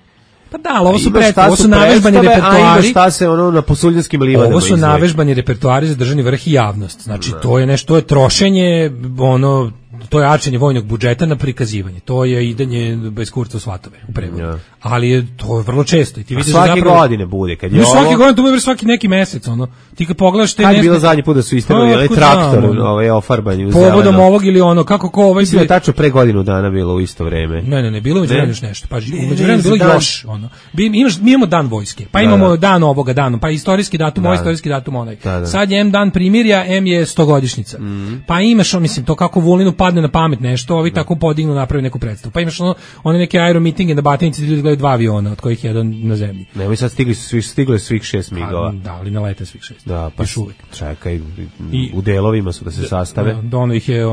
Speaker 5: Pa da, ali ovo su navežbani repertoari.
Speaker 6: Šta se ono na Posuljanskim livadama.
Speaker 5: Ovo su navežbani repertoari za državni vrh i javnost. Znači, to je nešto, to je trošenje, to je arčenje vojnog budžeta na prikazivanje. To je idanje bez kurca u svatove u prevodu. Ali to je vrlo često. I ti vidiš
Speaker 6: svake godine bude. Kad je
Speaker 5: svake godine, to bude svaki neki mesec. Ti kad pogledaš te...
Speaker 6: Kad je bilo zadnji put da su istrali traktor ofarbanje u zeleno.
Speaker 5: Povodom ovog ili ono, kako ko ovaj...
Speaker 6: Mislim da je tačno pre godinu dana bilo u isto vreme.
Speaker 5: Ne, bilo umeđu vremenu još nešto. Pa umeđu vremenu bilo još. Mi imamo dan vojske, pa imamo dan ovoga dana, pa istorijski datum, ovaj istorijski datum onaj. Sad je M dan primirja, M je 100-godišnjica. Pa imaš, mislim, to kako Vulinu padne na pamet nešto, ovi tako podignu, napravi neku predstavu. Pa imaš one neke aeromitinge na Batinici, ljudi gledaju 2 aviona, od kojih jedan na zemlji.
Speaker 6: Nemoj sad stigli svih 6 migova.
Speaker 5: Da, ali ne lete svih 6.
Speaker 6: Da, pa čekaj, u delovima su da se sastave.
Speaker 5: Ono ih je,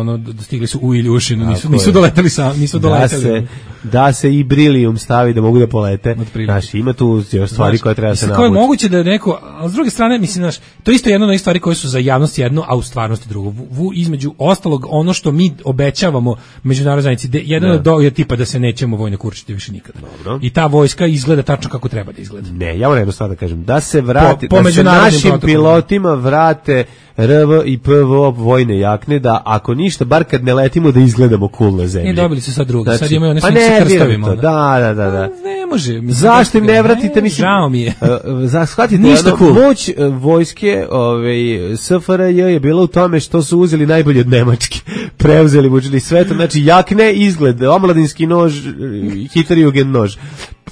Speaker 5: stigli su u Iljušinu, nisu doleteli sami, nisu doleteli.
Speaker 6: Da se i Brilium stavi da mogu da polete. Znači, ima tu još stvari koje treba se navući.
Speaker 5: Kako je moguće da neko, a s druge strane, mislim, znaš, to isto je jedno od onih stvari koje su za javnost jedno, a u stvarnosti drugo. Između ostalog, ono što mi obećavamo međunarodnoj zajednici, jedan od je tipa da se nećemo vojno kurčiti više nikada.
Speaker 6: Dobro.
Speaker 5: I ta vojska izgleda tačno kako treba da izgleda.
Speaker 6: Ne, ja moram jedno stvar da kažem, da se vrati, da se našim pilotima vrate RV i PVO vojne jakne, da ako ništa, bar kad ne letimo da izgledamo cool na zemlji.
Speaker 5: I dobili su sad drugo, znači, sad imaju one sve sa krstavima.
Speaker 6: Da.
Speaker 5: Ne može.
Speaker 6: Zašto im ne vratite, mislim?
Speaker 5: Žao mi je.
Speaker 6: Shvatite, moć vojske SFRJ je bila u tome što su uzeli najbolje od Nemačke. Preuzeli, učili sve to, znači jakne, izgled, omladinski nož, Hitlerjugend nož.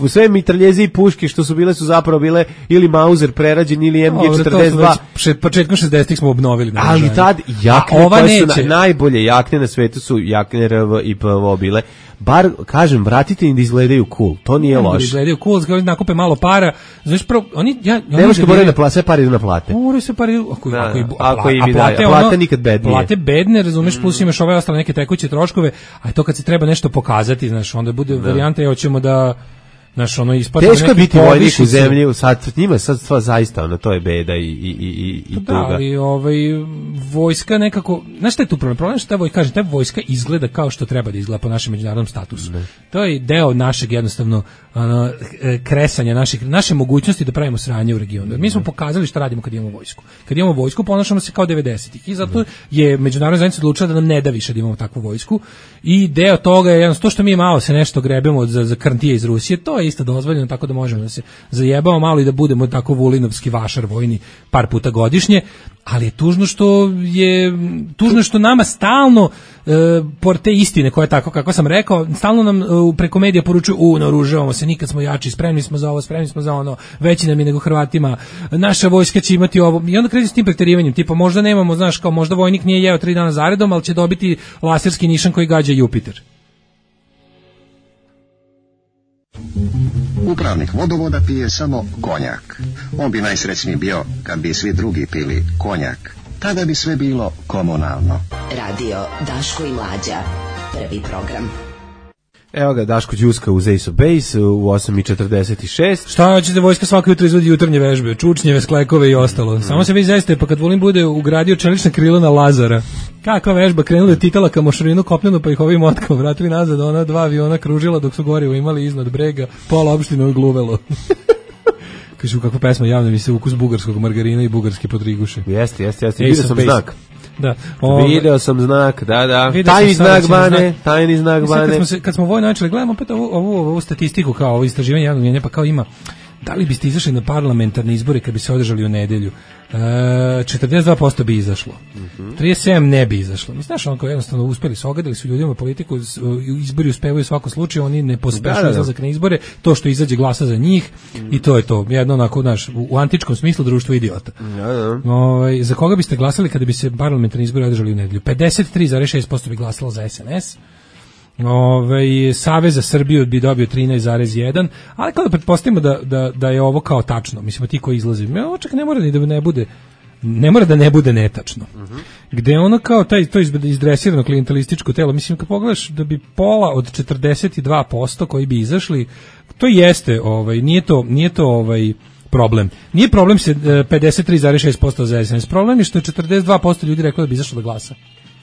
Speaker 6: Sve mitraljeze i puške što su bile su zapravo bile ili Mauser prerađen ili MG42.
Speaker 5: Početkom 60-ih smo obnovili.
Speaker 6: Ali tad jakne koje su najbolje jakne na svetu su jakne RV i PVO bile. Bar, kažem, vratite im da izgledaju cool. To nije loše. Da
Speaker 5: izgledaju cool, da nakupe malo para. Znači, oni...
Speaker 6: Nemaš kad moraju na plate, sve pare idu na plate.
Speaker 5: Moraju sve pare idu...
Speaker 6: Ako im daje, plate nikad bednije.
Speaker 5: Plate bedne, razumeš, plus imaš ove ostale neke tekuće troškove, a to kad se treba nešto pokazati, znaš, onda bude varijanta, hoćemo da... Znaš,
Speaker 6: teško je biti vojnik u zemlji, sad njima sad sva zaista, to je beda i tuga.
Speaker 5: Da, ali vojska nekako, znaš šta je tu problem? Problem je što ta vojska izgleda kao što treba da izgleda po našem međunarodnom statusu. To je deo našeg jednostavno kresanja, naše mogućnosti da pravimo sranje u regionu. Mi smo pokazali šta radimo kad imamo vojsku. Kad imamo vojsku, ponašamo se kao 90-ih i zato je međunarodna zajednica odlučila da nam ne da više da imamo takvu vojsku i deo toga je jednostavno to što mi malo se nešto grebemo za krntije iz Rusije, to je isto dozvoljeno, tako da možemo da se zajebamo malo i da budemo tako vulinovski vašar vojni par puta godišnje, ali je tužno što nama stalno por te istine koje tako kako sam rekao, stalno nam preko medija poručuju naoružavamo se, nikad smo jači, spremni smo za ovo, spremni smo za ono, veći nam je nego Hrvatima, naša vojska će imati ovo i onda kreću s tim preterivanjem, tipa možda nemamo, znaš, kao možda vojnik nije jeo 3 dana zaredom, ali će dobiti laserski nišan koji gađa Jupiter.
Speaker 12: Upravnik vodovoda pije samo konjak. On bi najsrećniji bio kad bi svi drugi pili konjak. Tada bi sve bilo komunalno.
Speaker 9: Radio Daško i Mlađa. Prvi program.
Speaker 6: Evo ga, Daško Đuska uz Ace of Base u 8:46.
Speaker 5: Šta ćete, vojska svako jutro izvodi jutarnje vežbe, čučnjeve, sklekove i ostalo. Samo se vi zaiste, pa kad Vulin bude ugradio čelična krila na Lazara. Kakva vežba, krenuli od Titala ka Mošarinu kopnenu, pa ih ovim motkama vratili nazad, ona 2 aviona kružila dok su gorivo imali iznad brega, pola opštine odgluvelo. Kažu, kakva pesma javna mi se ukus bugarskog margarina i bugarske potriguše.
Speaker 6: Jeste, vidio sam znak.
Speaker 5: Da.
Speaker 6: Video sam znak, da. Tajni znak Bane.
Speaker 5: Kad smo vojno načeli, gledamo opet ovu statistiku kao ovo istraživanje javnog mnjenja, pa kao ima, da li biste izašli na parlamentarne izbore kad bi se održali u nedelju? 42% bi izašlo. 37% ne bi izašlo. Znaš, onako jednostavno uspeli su, ogadili su ljudima politiku, izbori uspevaju u svakom slučaju, oni ne pospešuju izlazak na izbore, to što izađe glasa za njih i to je to. Jedno onako, znaš, u antičkom smislu društvo idiota. Za koga biste glasali kada bi se parlamentarni izbori održali u nedelju? 53,6% bi glasalo za SNS. Savez za Srbiju bi dobio 13,1, ali kada pretpostavimo da je ovo kao tačno, mislimo ti koji izlazi, čak ne mora da ne bude netačno. Gde ono kao to izdresirano klijentelističko telo, mislim kad pogledaš da bi pola od 42% koji bi izašli, to jeste, nije to problem. Nije problem se 53,6% za SNS, problem je što je 42% ljudi reklo da bi izašlo da glasa.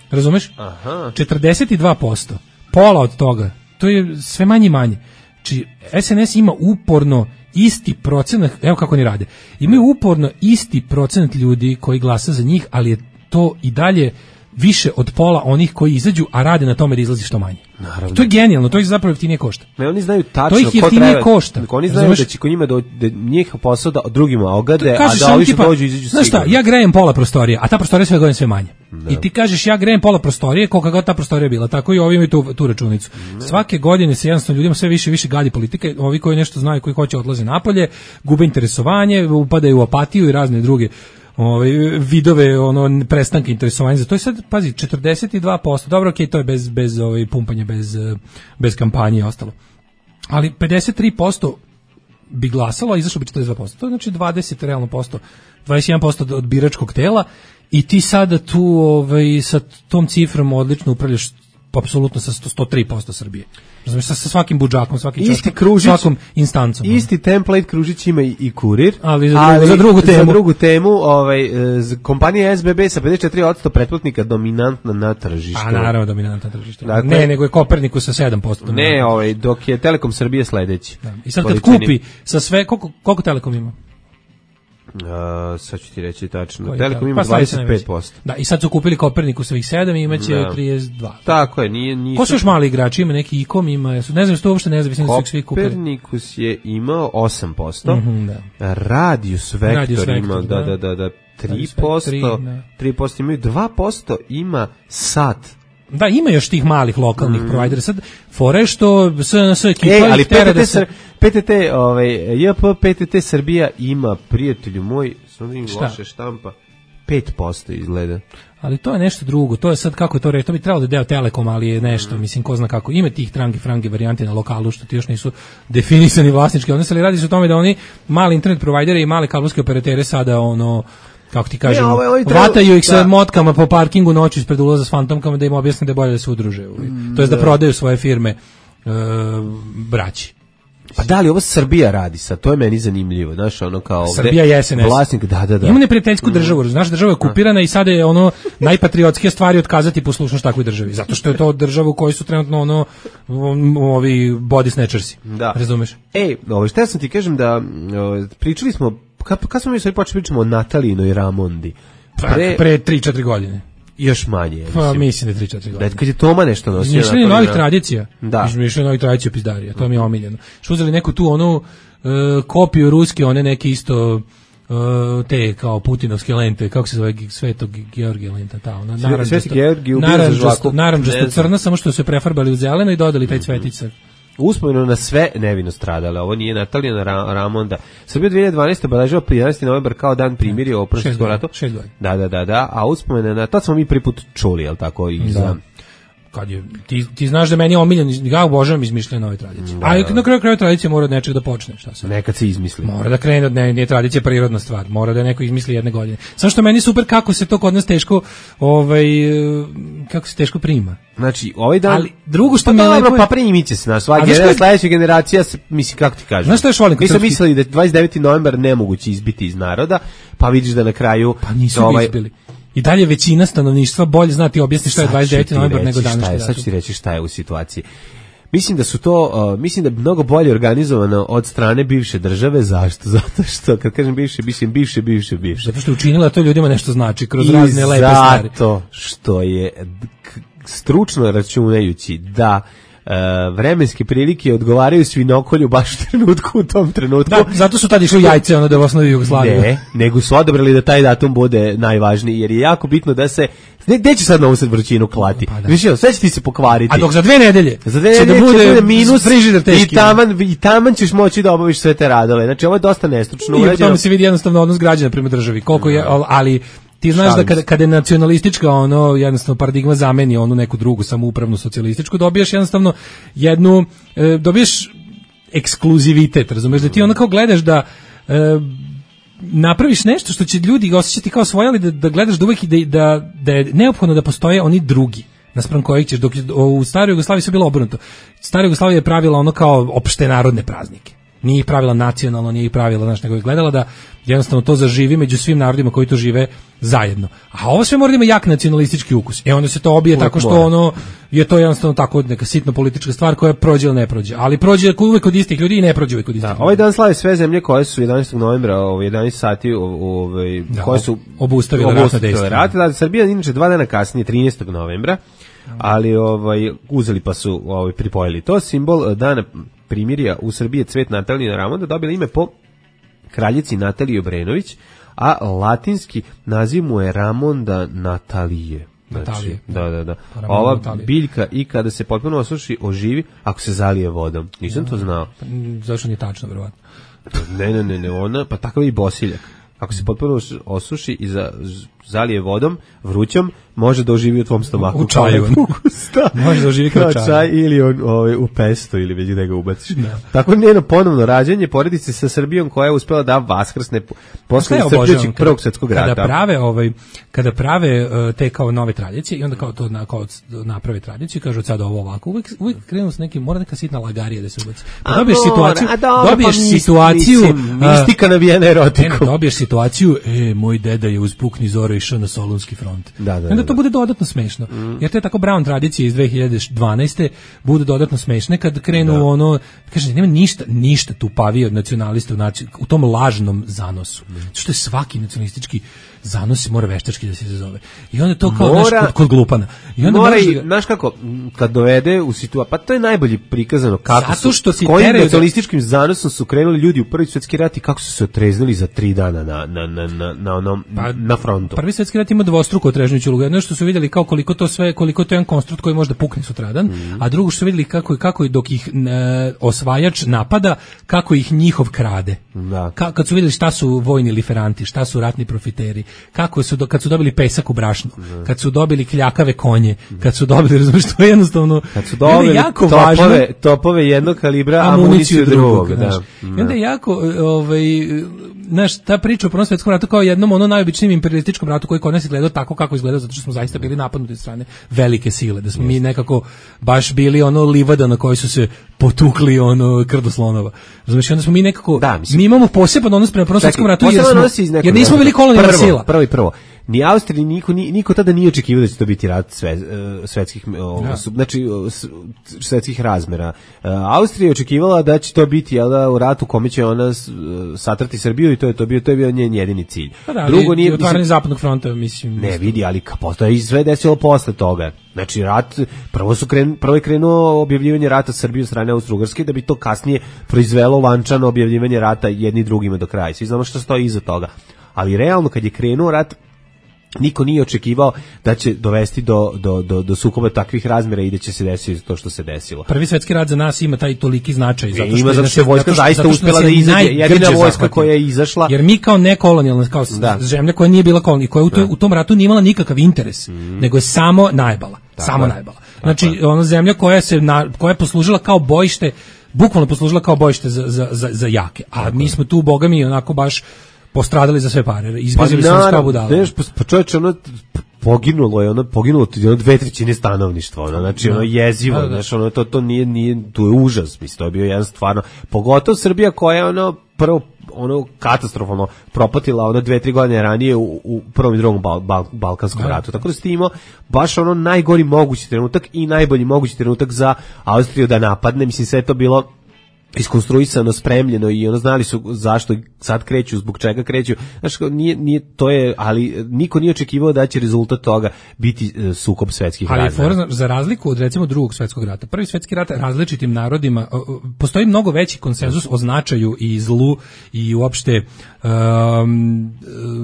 Speaker 5: Razumeš? 42%. Pola od toga, to je sve manje i manje. Znači, SNS ima uporno isti procenat, evo kako oni rade, imaju uporno isti procenat ljudi koji glasa za njih, ali je to i dalje više od pola onih koji izađu, a rade na tome da izlazi što manje. Naravno. To je genijalno, to ih zapravo jeftinije košta.
Speaker 6: Ne, oni znaju tačno
Speaker 5: ko treba. Košta.
Speaker 6: Oni znaju da će kod njima da njih posao da drugima ogade, a da ovi što dođu izađu sigurno.
Speaker 5: Znaš šta, ja grejem pola prostorije, a ta prostorija sve godine sve manje. I ti kažeš ja grejem pola prostorije, koliko god ta prostorija bila, tako i ovi imaju tu računicu. Svake godine se jednostavno ljudima sve više gadi politike, ovi koji nešto znaju, koji hoće odlaze napolje, gube interesovanje, upadaju u apatiju i razne druge vidove prestanke interesovanja za to je sad, pazi, 42%, dobro, okej, to je bez pumpanja, bez kampanje i ostalo, ali 53% bi glasalo, a izašlo bi 42%, to je znači 20 realno posto, 21% od biračkog tela i ti sada tu sa tom cifrom odlično upravljaš apsolutno sa 103% Srbije. Razumiješ, sa svakim budžakom, svakim čoškom, svakom instancom.
Speaker 6: Isti template Kružić ima i Kurir,
Speaker 5: ali za drugu temu.
Speaker 6: Kompanija SBB sa 54% pretplatnika dominantna na tržištu.
Speaker 5: A naravno dominantna na tržištu. Dakle, ne, nego je Kopernikus sa 7%.
Speaker 6: Ne, dok je Telekom Srbije sledeći.
Speaker 5: Da. I sad kad kupi sa sve, koliko Telekom ima?
Speaker 6: Sad ću ti reći tačno. Telekom ima 25%.
Speaker 5: Da, i sad su kupili Kopernikusovih 7 i imaće 32.
Speaker 6: Tako je, nije.
Speaker 5: Ko su još mali igrači? Ima neki Ikom, ima, ne znam što uopšte ne znam, mislim da su ih svi kupili.
Speaker 6: Kopernikus je imao 8%. Radius Vektor ima, da, 3%. 3% imaju, 2% ima Sat.
Speaker 5: Da, ima još tih malih lokalnih provajdera. Sad, fore što SNS ekipa
Speaker 6: ali PTT Srbija ima, prijatelju moj, samo im loše štampa, 5% izgleda.
Speaker 5: Ali to je nešto drugo, to je sad kako je to reći, to bi trebalo da je deo Telekom, ali je nešto, mislim, ko zna kako. Ima tih frange varijante na lokalu, što ti još nisu definisani vlasnički odnosi, ali radi se o tome da oni mali internet provajdere i male kablovske operatere sada kako ti kažem, vataju ih sa motkama po parkingu noću ispred ulaza s fantomkama da im objasne da je bolje da se udruže. To je da prodaju svoje firme braći.
Speaker 6: Pa da li ovo Srbija radi sad? To je meni zanimljivo, znaš, kao
Speaker 5: Srbija je SNS.
Speaker 6: Vlasnik, da.
Speaker 5: Ima neprijateljsku državu, znaš, država je okupirana i sada je najpatriotskije stvari otkazati poslušnost takvoj državi, zato što je to država u kojoj su trenutno ovi body snatchersi. Da. Razumeš?
Speaker 6: Šta sam ti kažem da pričali smo, kad smo mi sad počeli pričamo o Natalijinoj Ramondi?
Speaker 5: Pre 3-4 godine.
Speaker 6: Još manje.
Speaker 5: Pa mislim da 3-4 godine.
Speaker 6: Kad je Toma nešto nosio.
Speaker 5: Mišljenje novih tradicija. Da. Mišljenje novih tradicija pizdarija. To mi je omiljeno. Što uzeli neku tu kopiju ruske, one neke isto te kao putinovske lente, kako se zove, Svetog Georgija lenta,
Speaker 6: Sveti Georgij
Speaker 5: naranđasto crna, samo što su prefarbali u zeleno i dodali taj cvetić.
Speaker 6: Uspomenu na sve nevino stradale. Ovo nije Natalija Ramonda. Srbija 2012. obeležila 11. novembar kao dan primirja u Prvom svjetskom ratu.
Speaker 5: 6 godina.
Speaker 6: Da. A uspomene na to smo mi prvi put čuli, jel tako?
Speaker 5: Kad je, ti znaš da meni je omiljen, ja obožavam izmišljene nove tradicije. A na kraju tradicije mora od nečeg da počne. Šta se?
Speaker 6: Nekad se izmisli.
Speaker 5: Mora da krene od nije tradicija prirodna stvar. Mora da neko izmisli jedne godine. Samo što meni super kako se to kod nas teško, kako se teško prima.
Speaker 6: Znači, ovaj dan...
Speaker 5: Ali drugo što me lepo...
Speaker 6: Pa primit će se na sledeća generacija, mislim, kako ti kažem.
Speaker 5: Znaš što još volim?
Speaker 6: Mi smo mislili da 29. novembar nemoguće izbiti iz naroda, pa vidiš da na kraju...
Speaker 5: Pa nisu izbili. I dalje većina stanovništva bolje zna ti objasni šta je 29. novembar nego današnji datum.
Speaker 6: Sad ću ti reći šta je u situaciji. Mislim da su to, mislim da je mnogo bolje organizovano od strane bivše države. Zašto? Zato što, kad kažem bivše, mislim bivše.
Speaker 5: Zato što je učinila to ljudima nešto znači, kroz razne lepe stvari.
Speaker 6: I zato što je stručno računajući da vremenske prilike odgovaraju svinokolju baš u tom trenutku.
Speaker 5: Da, zato su tad išli jajce da u osnovi Jugoslavije.
Speaker 6: Ne, nego su odabrali da taj datum bude najvažniji, jer je jako bitno da se gde će sad na usred vrućinu klati? Pa da. Sve će ti se pokvariti.
Speaker 5: A dok za 2 nedelje će da bude
Speaker 6: minus frižider teški. I taman ćeš moći da obaviš sve te radove. Znači ovo je dosta nestručno urađeno.
Speaker 5: I po tome se vidi jednostavno odnos građana prema državi. Koliko je, ali ti znaš da kada je nacionalistička jednostavno paradigma zameni onu neku drugu samoupravnu socijalističku, dobiješ jednostavno dobiješ ekskluzivitet, razumeš, da ti kao gledaš da napraviš nešto što će ljudi osjećati kao svoje, ali da gledaš da uvek da je neophodno da postoje oni drugi naspram kojih ćeš, dok u staroj Jugoslaviji su bilo obrnuto. Stara Jugoslavija je pravila kao opšte narodne praznike. Nije ih pravila nacionalno, nije ih pravila, nego je gledala da jednostavno to zaživi među svim narodima koji to žive zajedno. A ovo sve mora da ima jak nacionalistički ukus. Onda se to obije tako što je to jednostavno tako neka sitno politička stvar koja prođe ili ne prođe. Ali prođe uvek kod istih ljudi i ne prođe uvek kod istih ljudi.
Speaker 6: Ovaj dan slave sve zemlje koje su 11. novembra u 11 sati koje su
Speaker 5: obustavile ratna dejstva.
Speaker 6: Srbija inače 2 dana kasnije, 13. novembra, ali uzeli pa su pripojili to. Simbol dana primirja u Srbiji, cvet Natalije Ramonda, dobila ime po kraljici Nataliji Obrenović, a latinski naziv mu je Ramonda Natalije.
Speaker 5: Natalije.
Speaker 6: Da. Ova biljka i kada se potpuno osuši, oživi ako se zalije vodom. Nisam to znao.
Speaker 5: Zašto nije tačno, verovatno?
Speaker 6: Ne, ona, pa takav je i bosiljak. Ako se potpuno osuši i zalije vodom, vrućom, može da oživi u tvom stomaku.
Speaker 5: U čaju. Može da oživi kao čaj.
Speaker 6: Ili u pesto, ili već gde ga ubaciš. Tako njeno ponovno rađanje poredi se sa Srbijom koja je uspela da vaskrsne posle iscrpljujućeg Prvog svjetskog rata.
Speaker 5: Kada prave te kao nove tradicije i onda kao to naprave tradiciju, kažu sad ovo ovako, uvijek krenu s nekim, mora neka sitna lagarija da se ubaci. Dobiješ situaciju,
Speaker 6: mistika navijena erotikom.
Speaker 5: Dobiješ situaciju, moj deda je uz pukni zoro išao na Solunski front. Onda to bude dodatno smešno. Jer te tako Brown tradicije iz 2012. budu dodatno smešne kad krenu kaže, nema ništa tupavije od nacionalista u tom lažnom zanosu. Što je svaki nacionalistički zanos mora veštački da se izazove. I onda to kao kod glupana. I onda
Speaker 6: znaš kako, kad dovede u situaciju, pa to je najbolje prikazano kako
Speaker 5: zato što
Speaker 6: s kojim nacionalističkim zanosom su krenuli ljudi u Prvi svjetski rat i kako su se otreznili za 3 dana na frontu.
Speaker 5: Prvi svjetski rat ima dvostruko otrežnjuću ulogu. Jedno što su vidjeli kao koliko to je jedan konstrukt koji može da pukne sutradan, a drugo što su vidjeli kako dok ih osvajač napada, kako ih njihov krade. Kad su vidjeli šta su vojni liferanti, šta su ratni profiteri, kad su dobili pesak u brašnu, kad su dobili kljakave konje, kad su dobili, razumiješ, to je jednostavno
Speaker 6: kad su dobili jako topove jednog kalibra, amuniciju drugog.
Speaker 5: I onda je jako ta priča o Prvom svjetskom ratu kao jednom najobičnijem imperialističkom ratu koji kod nas gledao tako kako izgledao, zato što smo zaista bili napadnuti od strane velike sile, da smo mi nekako baš bili livada na kojoj su se potukli krdo slonova. Razumiješ, onda smo mi nekako, mi imamo poseban odnos prema Prvom svjetskom ratu jer nismo bili kolonijalna sila.
Speaker 6: Prvo. Ni Austriji, niko tada nije očekivao da će to biti rat svetskih, znači svetskih razmera. Austrija je očekivala da će to biti u ratu kome će ona satrati Srbiju i to je bio njen jedini cilj.
Speaker 5: Drugo nije otvaranje zapadnog fronta, mislim.
Speaker 6: Ne vidi, ali to je sve desilo posle toga. Znači rat, prvo je krenuo objavljivanje rata Srbije od strane Austro-Ugarske, da bi to kasnije proizvelo lančano objavljivanje rata jedni drugima do kraja. Svi znamo što stoji iza toga. Ali realno kad je krenuo rat, niko nije očekivao da će dovesti do sukoba takvih razmjera i da će se desiti to što se desilo.
Speaker 5: Prvi svjetski rat za nas ima taj toliki značaj
Speaker 6: zato što je vojska zaista uspjela da izađe, jedina vojska koja je izašla.
Speaker 5: Jer mi kao nekolonijalna, kao zemlja koja nije bila kolonija, koja u tom ratu nije imala nikakav interes, nego je samo najbala. Znači, ona zemlja koja je poslužila kao bojište, bukvalno poslužila kao bojište za jake. A mi smo tu, boga mi, onako baš postradali za sve pare, izbezili smo kao budale.
Speaker 6: Pa čovječe, poginulo je 2/3 stanovništva, znači jezivo, znači to nije, to je užas, mislim, to je bio jedan stvarno, pogotovo Srbija koja je prvo ono katastrofalno propatila ono 2-3 godine ranije u prvom i drugom Balkanskom ratu. Tako da ste imao baš ono najgori mogući trenutak i najbolji mogući trenutak za Austriju da napadne. Mislim, sve to bilo iskonstruisano, spremljeno i ono znali su zašto sad kreću, zbog čega kreću. Znaš, nije to je, ali niko nije očekivao da će rezultat toga biti sukob svetskih rata.
Speaker 5: Ali za razliku od recimo drugog svetskog rata, prvi svetski rat različitim narodima, postoji mnogo veći konsenzus o značaju i zlu i uopšte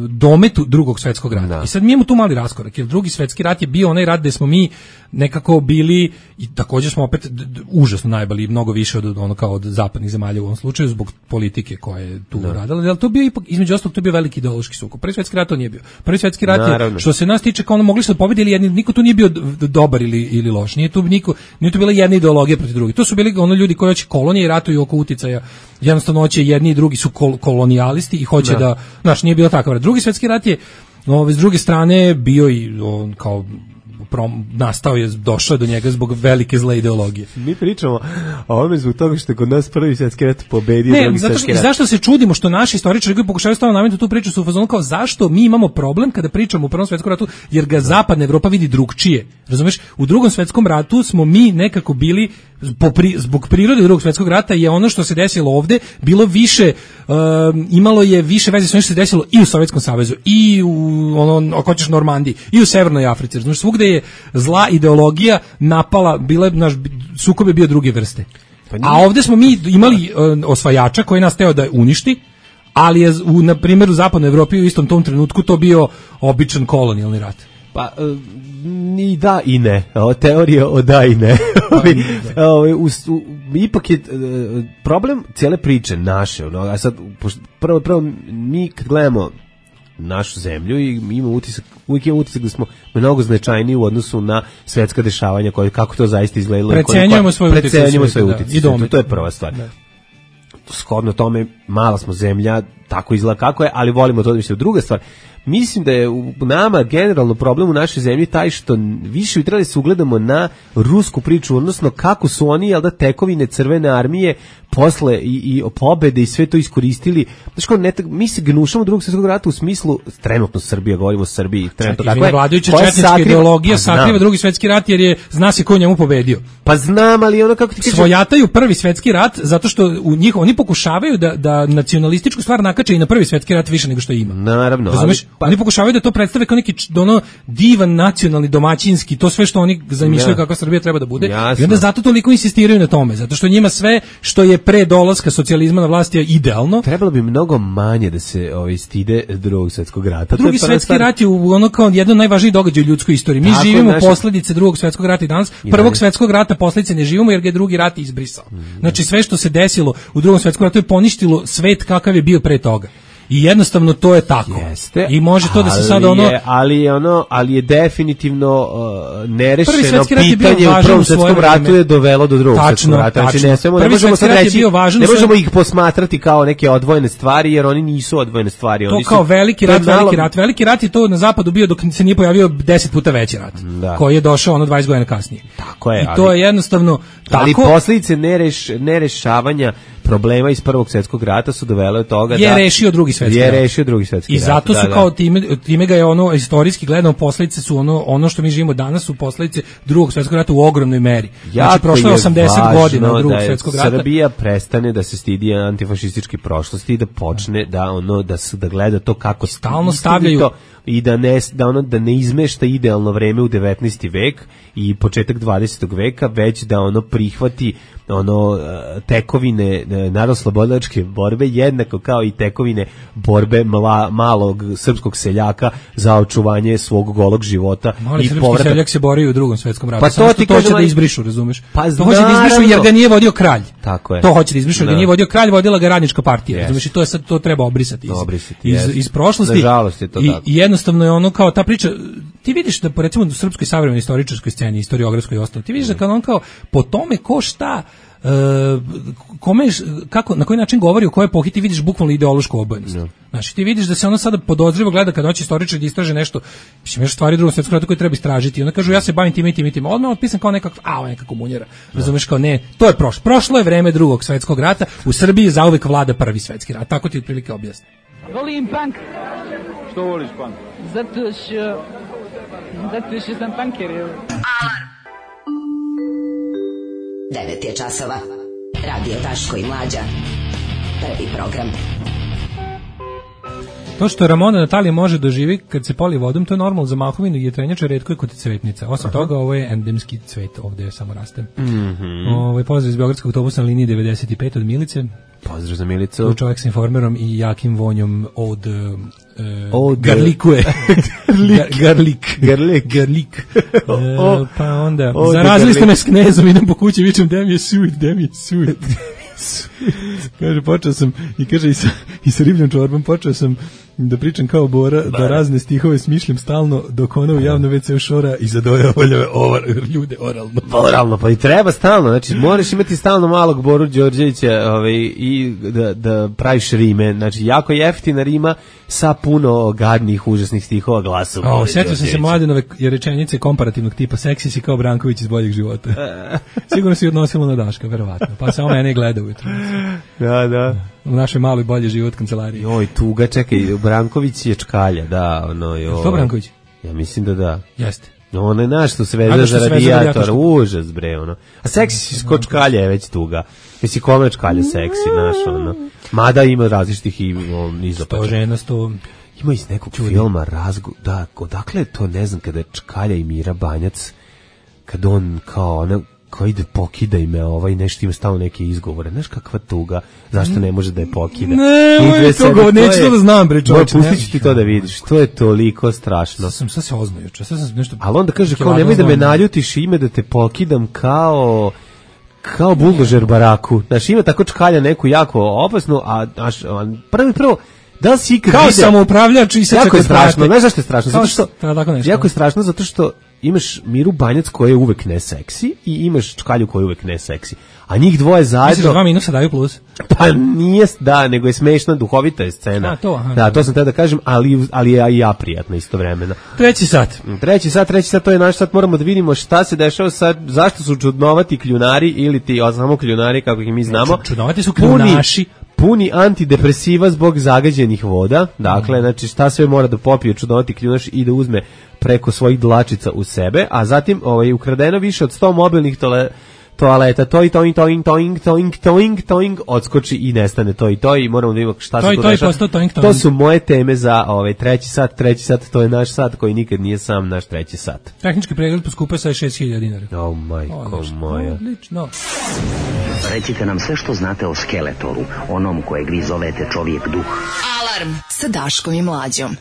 Speaker 5: dometu drugog svetskog rata. Da. I sad mi imamo tu mali raskorak, jer drugi svetski rat je bio onaj rat gde smo mi nekako bili, i također smo opet užasno najbolji, mnogo više od ono kao od zapadnih zemalja u ovom slučaju zbog politike koja je tu radila, ali to bio ipak između ostalog to bio veliki ideološki sukob. Prvi svetski rat to nije bio. Prvi svetski rat je, što se nas tiče, kao ono mogli su da pobede ili jedni, niko tu nije bio dobar ili loš. Nije tu bila jedna ideologija protiv drugih. To su bili ono ljudi koji hoće kolonije i ratuju oko uticaja. Jednostavno hoće jedni i drugi su kolonijalisti i hoće da, znaš, nije bilo takav rat. Drugi svetski rat je s druge strane bio i on kao nastao je, došao do njega zbog velike zle ideologije.
Speaker 6: Mi pričamo o ovome zbog toga što je kod nas prvi svetski rat pobedio drugi svetski rat.
Speaker 5: Zašto se čudimo što naši istoričari koji pokušavaju stalno nametnuti tu priču su u fazonu kao zašto mi imamo problem kada pričamo o prvom svetskom ratu, jer ga zapadna Evropa vidi drugčije. Razumeš? U drugom svetskom ratu smo mi nekako bili zbog prirode drugog svjetskog rata je ono što se desilo ovde bilo više, imalo je više veze s onim što se desilo i u Sovjetskom savezu i u ako hoćeš Normandiji i u Severnoj Africi. Znači svugde je zla ideologija napala, naš sukob je bio druge vrste. A ovde smo mi imali osvajača koji nas teo da uništi, ali je na primjer u zapadnoj Evropi u istom tom trenutku to bio običan kolonijalni rat.
Speaker 6: Pa ni da i ne. Teorija o da i ne. Ipak je problem cijele priče naše. A sad, prvo mi kad gledamo našu zemlju i uvijek imamo utisak da smo mnogo značajniji u odnosu na svetska dešavanja, kako to zaista izgledalo.
Speaker 5: Precenjujemo svoj
Speaker 6: utjecaj. To je prva stvar. Shodno tome, mala smo zemlja, tako izgleda kako je, ali volimo to da mišljamo. Druga stvar, mislim da je u nama generalno problem u našoj zemlji taj što više bi trebali se ugledamo na rusku priču, odnosno kako su oni, jel da, tekovine Crvene armije posle i pobede i sve to iskoristili. Znači, mi se gnušamo drugog svjetskog rata u smislu, trenutno Srbija, govorimo o Srbiji, trenutno kako je.
Speaker 5: Vladajuća četnička ideologija sakriva drugi svjetski rat jer zna se ko je njemu pobedio.
Speaker 6: Pa znam, ali ono kako ti kažeš.
Speaker 5: Svojataju prvi svjetski rat zato što oni pokušavaju da nacionalističku stvar nakače i na prvi svjetski rat više nego što ima.
Speaker 6: Naravno.
Speaker 5: Razumeš? Oni pokušavaju da to predstave kao neki divan nacionalni domaćinski, to sve što oni zamišljaju kako Srbija treba da bude.
Speaker 6: Jasno.
Speaker 5: I onda zato toliko insistiraju na tome, zato što njima sve što je pre dolaska socijalizma na vlast je idealno.
Speaker 6: Trebalo bi mnogo manje da se stide drugog svjetskog rata.
Speaker 5: Drugi svjetski rat je ono kao jedan od najvažnijih događaja u ljudskoj istoriji. Mi živimo posljedice drugog svjetskog rata i danas. Prvog svjetskog rata posljedice ne živimo jer ga je drugi rat izbrisao. Znači sve što se desilo u drugom svjetskom ratu je poništilo svet kakav je bio pre toga. I jednostavno to je tako.
Speaker 6: Jeste,
Speaker 5: i može to da se sad
Speaker 6: ali je definitivno nerešeno pitanje u prvom svjetskom ratu je dovelo do drugog svjetskog rata. Znači ne možemo sad reći, ne možemo ih posmatrati kao neke odvojene stvari jer oni nisu odvojene stvari.
Speaker 5: To kao veliki rat. Veliki rat je to na zapadu bio dok se nije pojavio 10 puta veći rat. Koji je došao 20 godina kasnije.
Speaker 6: Tako je.
Speaker 5: I to je jednostavno tako.
Speaker 6: Ali posljedice nerešavanja problema iz prvog svjetskog rata su dovele od toga
Speaker 5: je rešio drugi svjetski rat. I zato su kao time ga je istorijski gledano posljedice su ono što mi živimo danas su posljedice drugog svjetskog rata u ogromnoj meri. Znači prošlo je 80 godina od drugog svjetskog rata.
Speaker 6: Srbija prestane da se stidi antifašističke prošlosti i da počne da gleda to kako
Speaker 5: stalno stavljaju
Speaker 6: to, i da ne izmešta idealno vreme u 19. vek i početak 20. veka, već da prihvati tekovine narodnooslobodilačke borbe jednako kao i tekovine borbe malog srpskog seljaka za očuvanje svog golog života.
Speaker 5: Mali srpski seljak se borio u drugom svjetskom ratu.
Speaker 6: Pa to ti
Speaker 5: hoće da izbrišu, razumeš?
Speaker 6: Pa
Speaker 5: to hoće da izbrišu jer ga nije vodio kralj.
Speaker 6: Tako je.
Speaker 5: To hoće da izbrišu jer ga nije vodio kralj, vodila ga radnička partija. Razumeš? I to treba obrisati iz prošlosti.
Speaker 6: Nažalost je to tako.
Speaker 5: I jednostavno je kao ta priča, ti vidiš da recimo u srpskoj savremenoj istoričarskoj sceni, istoriografskoj i ostalo, ti vidiš da kao po tome ko šta na koji način govori o kojoj epohi ti vidiš bukvalno ideološku obojenost. Znači ti vidiš da se ona sada podozrivo gleda kad hoće istoričar da istraže nešto, mislim još stvari Drugog svjetskog rata koje treba istražiti. I onda kažu ja se bavim time i tim. Odmah otpisan kao neka komunjera. Razumeš, kao ne, to je prošlo. Prošlo je vreme Drugog svjetskog rata. U Srbiji zauvek vlada Prvi svjetski rat. Tako ti otprilike objasnim.
Speaker 13: Volim punk.
Speaker 14: Što voliš punk?
Speaker 13: Zato što sam punker.
Speaker 9: Alarm. 9 je časova. Radio Daško i Mlađa. Prvi program.
Speaker 5: To što Ramona Natalija može doživi kad se poli vodom, to je normalno za mahovinu i jetrenjača, retko je kod cvetnica. Osim toga, ovo je endemski cvet, ovde samo raste. Pozdrav iz Beogradskog autobusa na liniji 95 od Milice.
Speaker 6: Pozdrav za Milicu.
Speaker 5: Tu čovjek s informerom i jakim vonjom od garlikuje. Garlik. Pa onda, zarazili ste me s knezom, idem po kući, vičem, gde mi je sud. Kaže, počeo sam, i kaže, i sa ribljom čorbom, počeo sam da pričam kao Bora, da razne stihove smišljam stalno, dok ona u javno WC šora i zadovoljava ljude oralno.
Speaker 6: Oralno, pa i treba stalno, znači moraš imati stalno malog Boru Đorđevića i da praviš rime, znači jako jeftina rima sa puno gadnih, užasnih stihova glasova.
Speaker 5: Sjetio sam se Mladenove rečenice komparativnog tipa, seksi si kao Branković iz Boljeg života. Sigurno si odnosilo na Daška, verovatno, pa samo mene gleda ujutro.
Speaker 6: Da.
Speaker 5: U našoj maloj Bolje život kancelariji.
Speaker 6: Joj, tuga, čekaj, Branković je čkalja, da, joj.
Speaker 5: Što Branković?
Speaker 6: Ja mislim da da.
Speaker 5: Jeste.
Speaker 6: Ono je naš što se veze za radijator, užas bre, ono. A seksi si ko čkalja je već tuga. Misli, kome čkalja seksi, naš, ono. Mada ima različitih izopača.
Speaker 5: 100 žena, 100...
Speaker 6: Ima iz nekog filma da, odakle je to, ne znam, kada čkalja i Mira Banjac, kad on kao ide pokidaj me, nešto ima stalno neke izgovore. Znaš kakva tuga, zašto ne može da je pokida?
Speaker 5: Neću to da znam, bre, čovječe.
Speaker 6: Pustit ću ti to da vidiš, to je toliko strašno.
Speaker 5: Sad se oznoju,
Speaker 6: ali onda kaže, kao nemoj da me naljutiš, ime da te pokidam kao buldožer baraku. Znaš, ima tako čkalja neku jako opasnu, a prvo, da li si ikad
Speaker 5: kao samoupravljač i sad
Speaker 6: jako je strašno, znaš zašto je strašno? Jako je strašno zato što imaš Miru Banjac koja je uvek ne seksi i imaš čkalju koja je uvek ne seksi. A njih dvoje zajedno...
Speaker 5: Misliš da 2 minusa daju plus?
Speaker 6: Pa nije, da, nego je smešna, duhovita je scena. To sam te da kažem, ali je i ja prijatna istovremeno.
Speaker 5: Treći sat,
Speaker 6: to je naš sat, moramo da vidimo šta se dešava sad, zašto su čudnovati kljunari ili ti samo kljunari, kako ih mi znamo.
Speaker 5: Čudnovati su kljunaši.
Speaker 6: Puni antidepresiva zbog zagađenih voda, dakle, znači šta sve mora da popije čudnovati kljunaš i da uzme preko svojih dlačica u sebe, a zatim ukradeno više od 100 mobilnih toaleta, toing, odskoči i nestane to i moramo da vidimo šta se to dešava. To su moje teme za treći sat, to je naš sat koji nikad nije sam naš treći sat.
Speaker 5: Tehnički pregled poskupa sa 6.000 dinara.
Speaker 6: O, majko moja.
Speaker 5: Odlično.
Speaker 15: Recite nam sve što znate o Skeletoru, onom kojeg vi zovete čovjek duh.
Speaker 2: Alarm sa Daškom i Mlađom.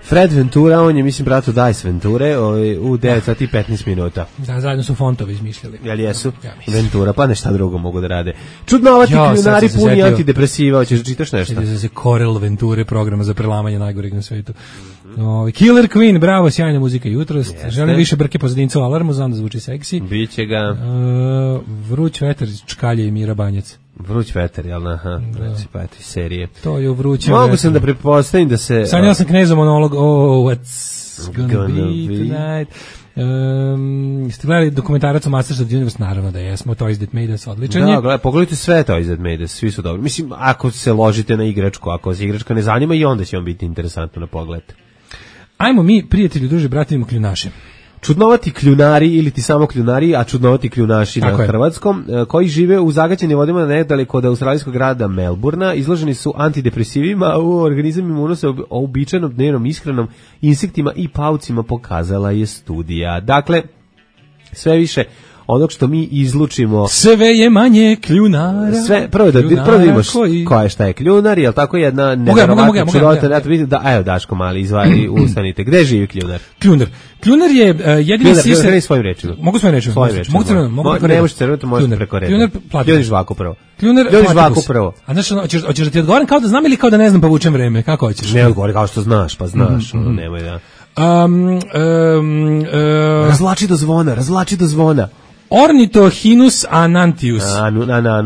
Speaker 6: Fred Ventura, on je, mislim, bratu Dice Venture, u 9 sati i 15 minuta.
Speaker 5: Da, zajedno su fontovi izmišljali.
Speaker 6: Jel jesu? Ventura, pa nešta drugo mogu da rade. Čudnovati kljunari puni antidepresiva, hoćeš da čitaš nešto?
Speaker 5: Sjedio sam se Corel Venture, programa za prelamanje najgoreg na svetu. Killer Queen, bravo, sjajna muzika jutros. Želim više brke pozadinca u Alarmu, znam da zvuči seksi.
Speaker 6: Biće ga.
Speaker 5: Vruć vetar iz Čkalje i Mira Banjac.
Speaker 6: Vruć vetar, jel? Aha, pa eto iz serije.
Speaker 5: To je u vrućem
Speaker 6: vetar. Mogu sam da pretpostavim da se...
Speaker 5: Sanjala sam knezom monolog, what's gonna be tonight. Ste gledali dokumentarac o Masters of the Universe? Naravno da jesmo, Toys That Made Us, odličan je.
Speaker 6: Da, gledaj, pogledajte sve Toys That Made Us, svi su dobri. Mislim, ako se ložite na igračku, ako se igračka ne zanima, i onda će vam biti interesantno na pogled.
Speaker 5: Ajmo mi, prijatelji, druže, bratimo kljunaše.
Speaker 6: Čudnovati kljunari ili ti samo kljunari, a čudnovati kljunaši na hrvatskom, koji žive u zagađenim vodima nedaleko od australijskog grada Melburna, izloženi su antidepresivima, u organizam im unose uobičajenom dnevnom ishranom, insektima i paucima, pokazala je studija. Dakle, sve više onog što mi izlučimo...
Speaker 5: Sve je manje kljunara.
Speaker 6: Prvo da vidimo šta je kljunar, jel tako jedna neverovatna čudota. Evo Daško mali, izvaj, ustanite. Gde živi kljunar?
Speaker 5: Kljunar je jedini sisar...
Speaker 6: Kljunar, svojim rečima.
Speaker 5: Mogu svojim rečima.
Speaker 6: Ne možeš crveno, možeš preko reda.
Speaker 5: Kljunar,
Speaker 6: Ljudi žvaku prvo.
Speaker 5: Ljudi žvaku prvo. A znaš, hoćeš da ti odgovorim kao da znam ili kao da ne znam pa vučem vreme? Kako hoćeš?
Speaker 6: Ne odgovori kao što znaš, pa znaš. Nemoj da...
Speaker 5: Razvlači
Speaker 6: do zvona.
Speaker 5: Ornithohinus anantius,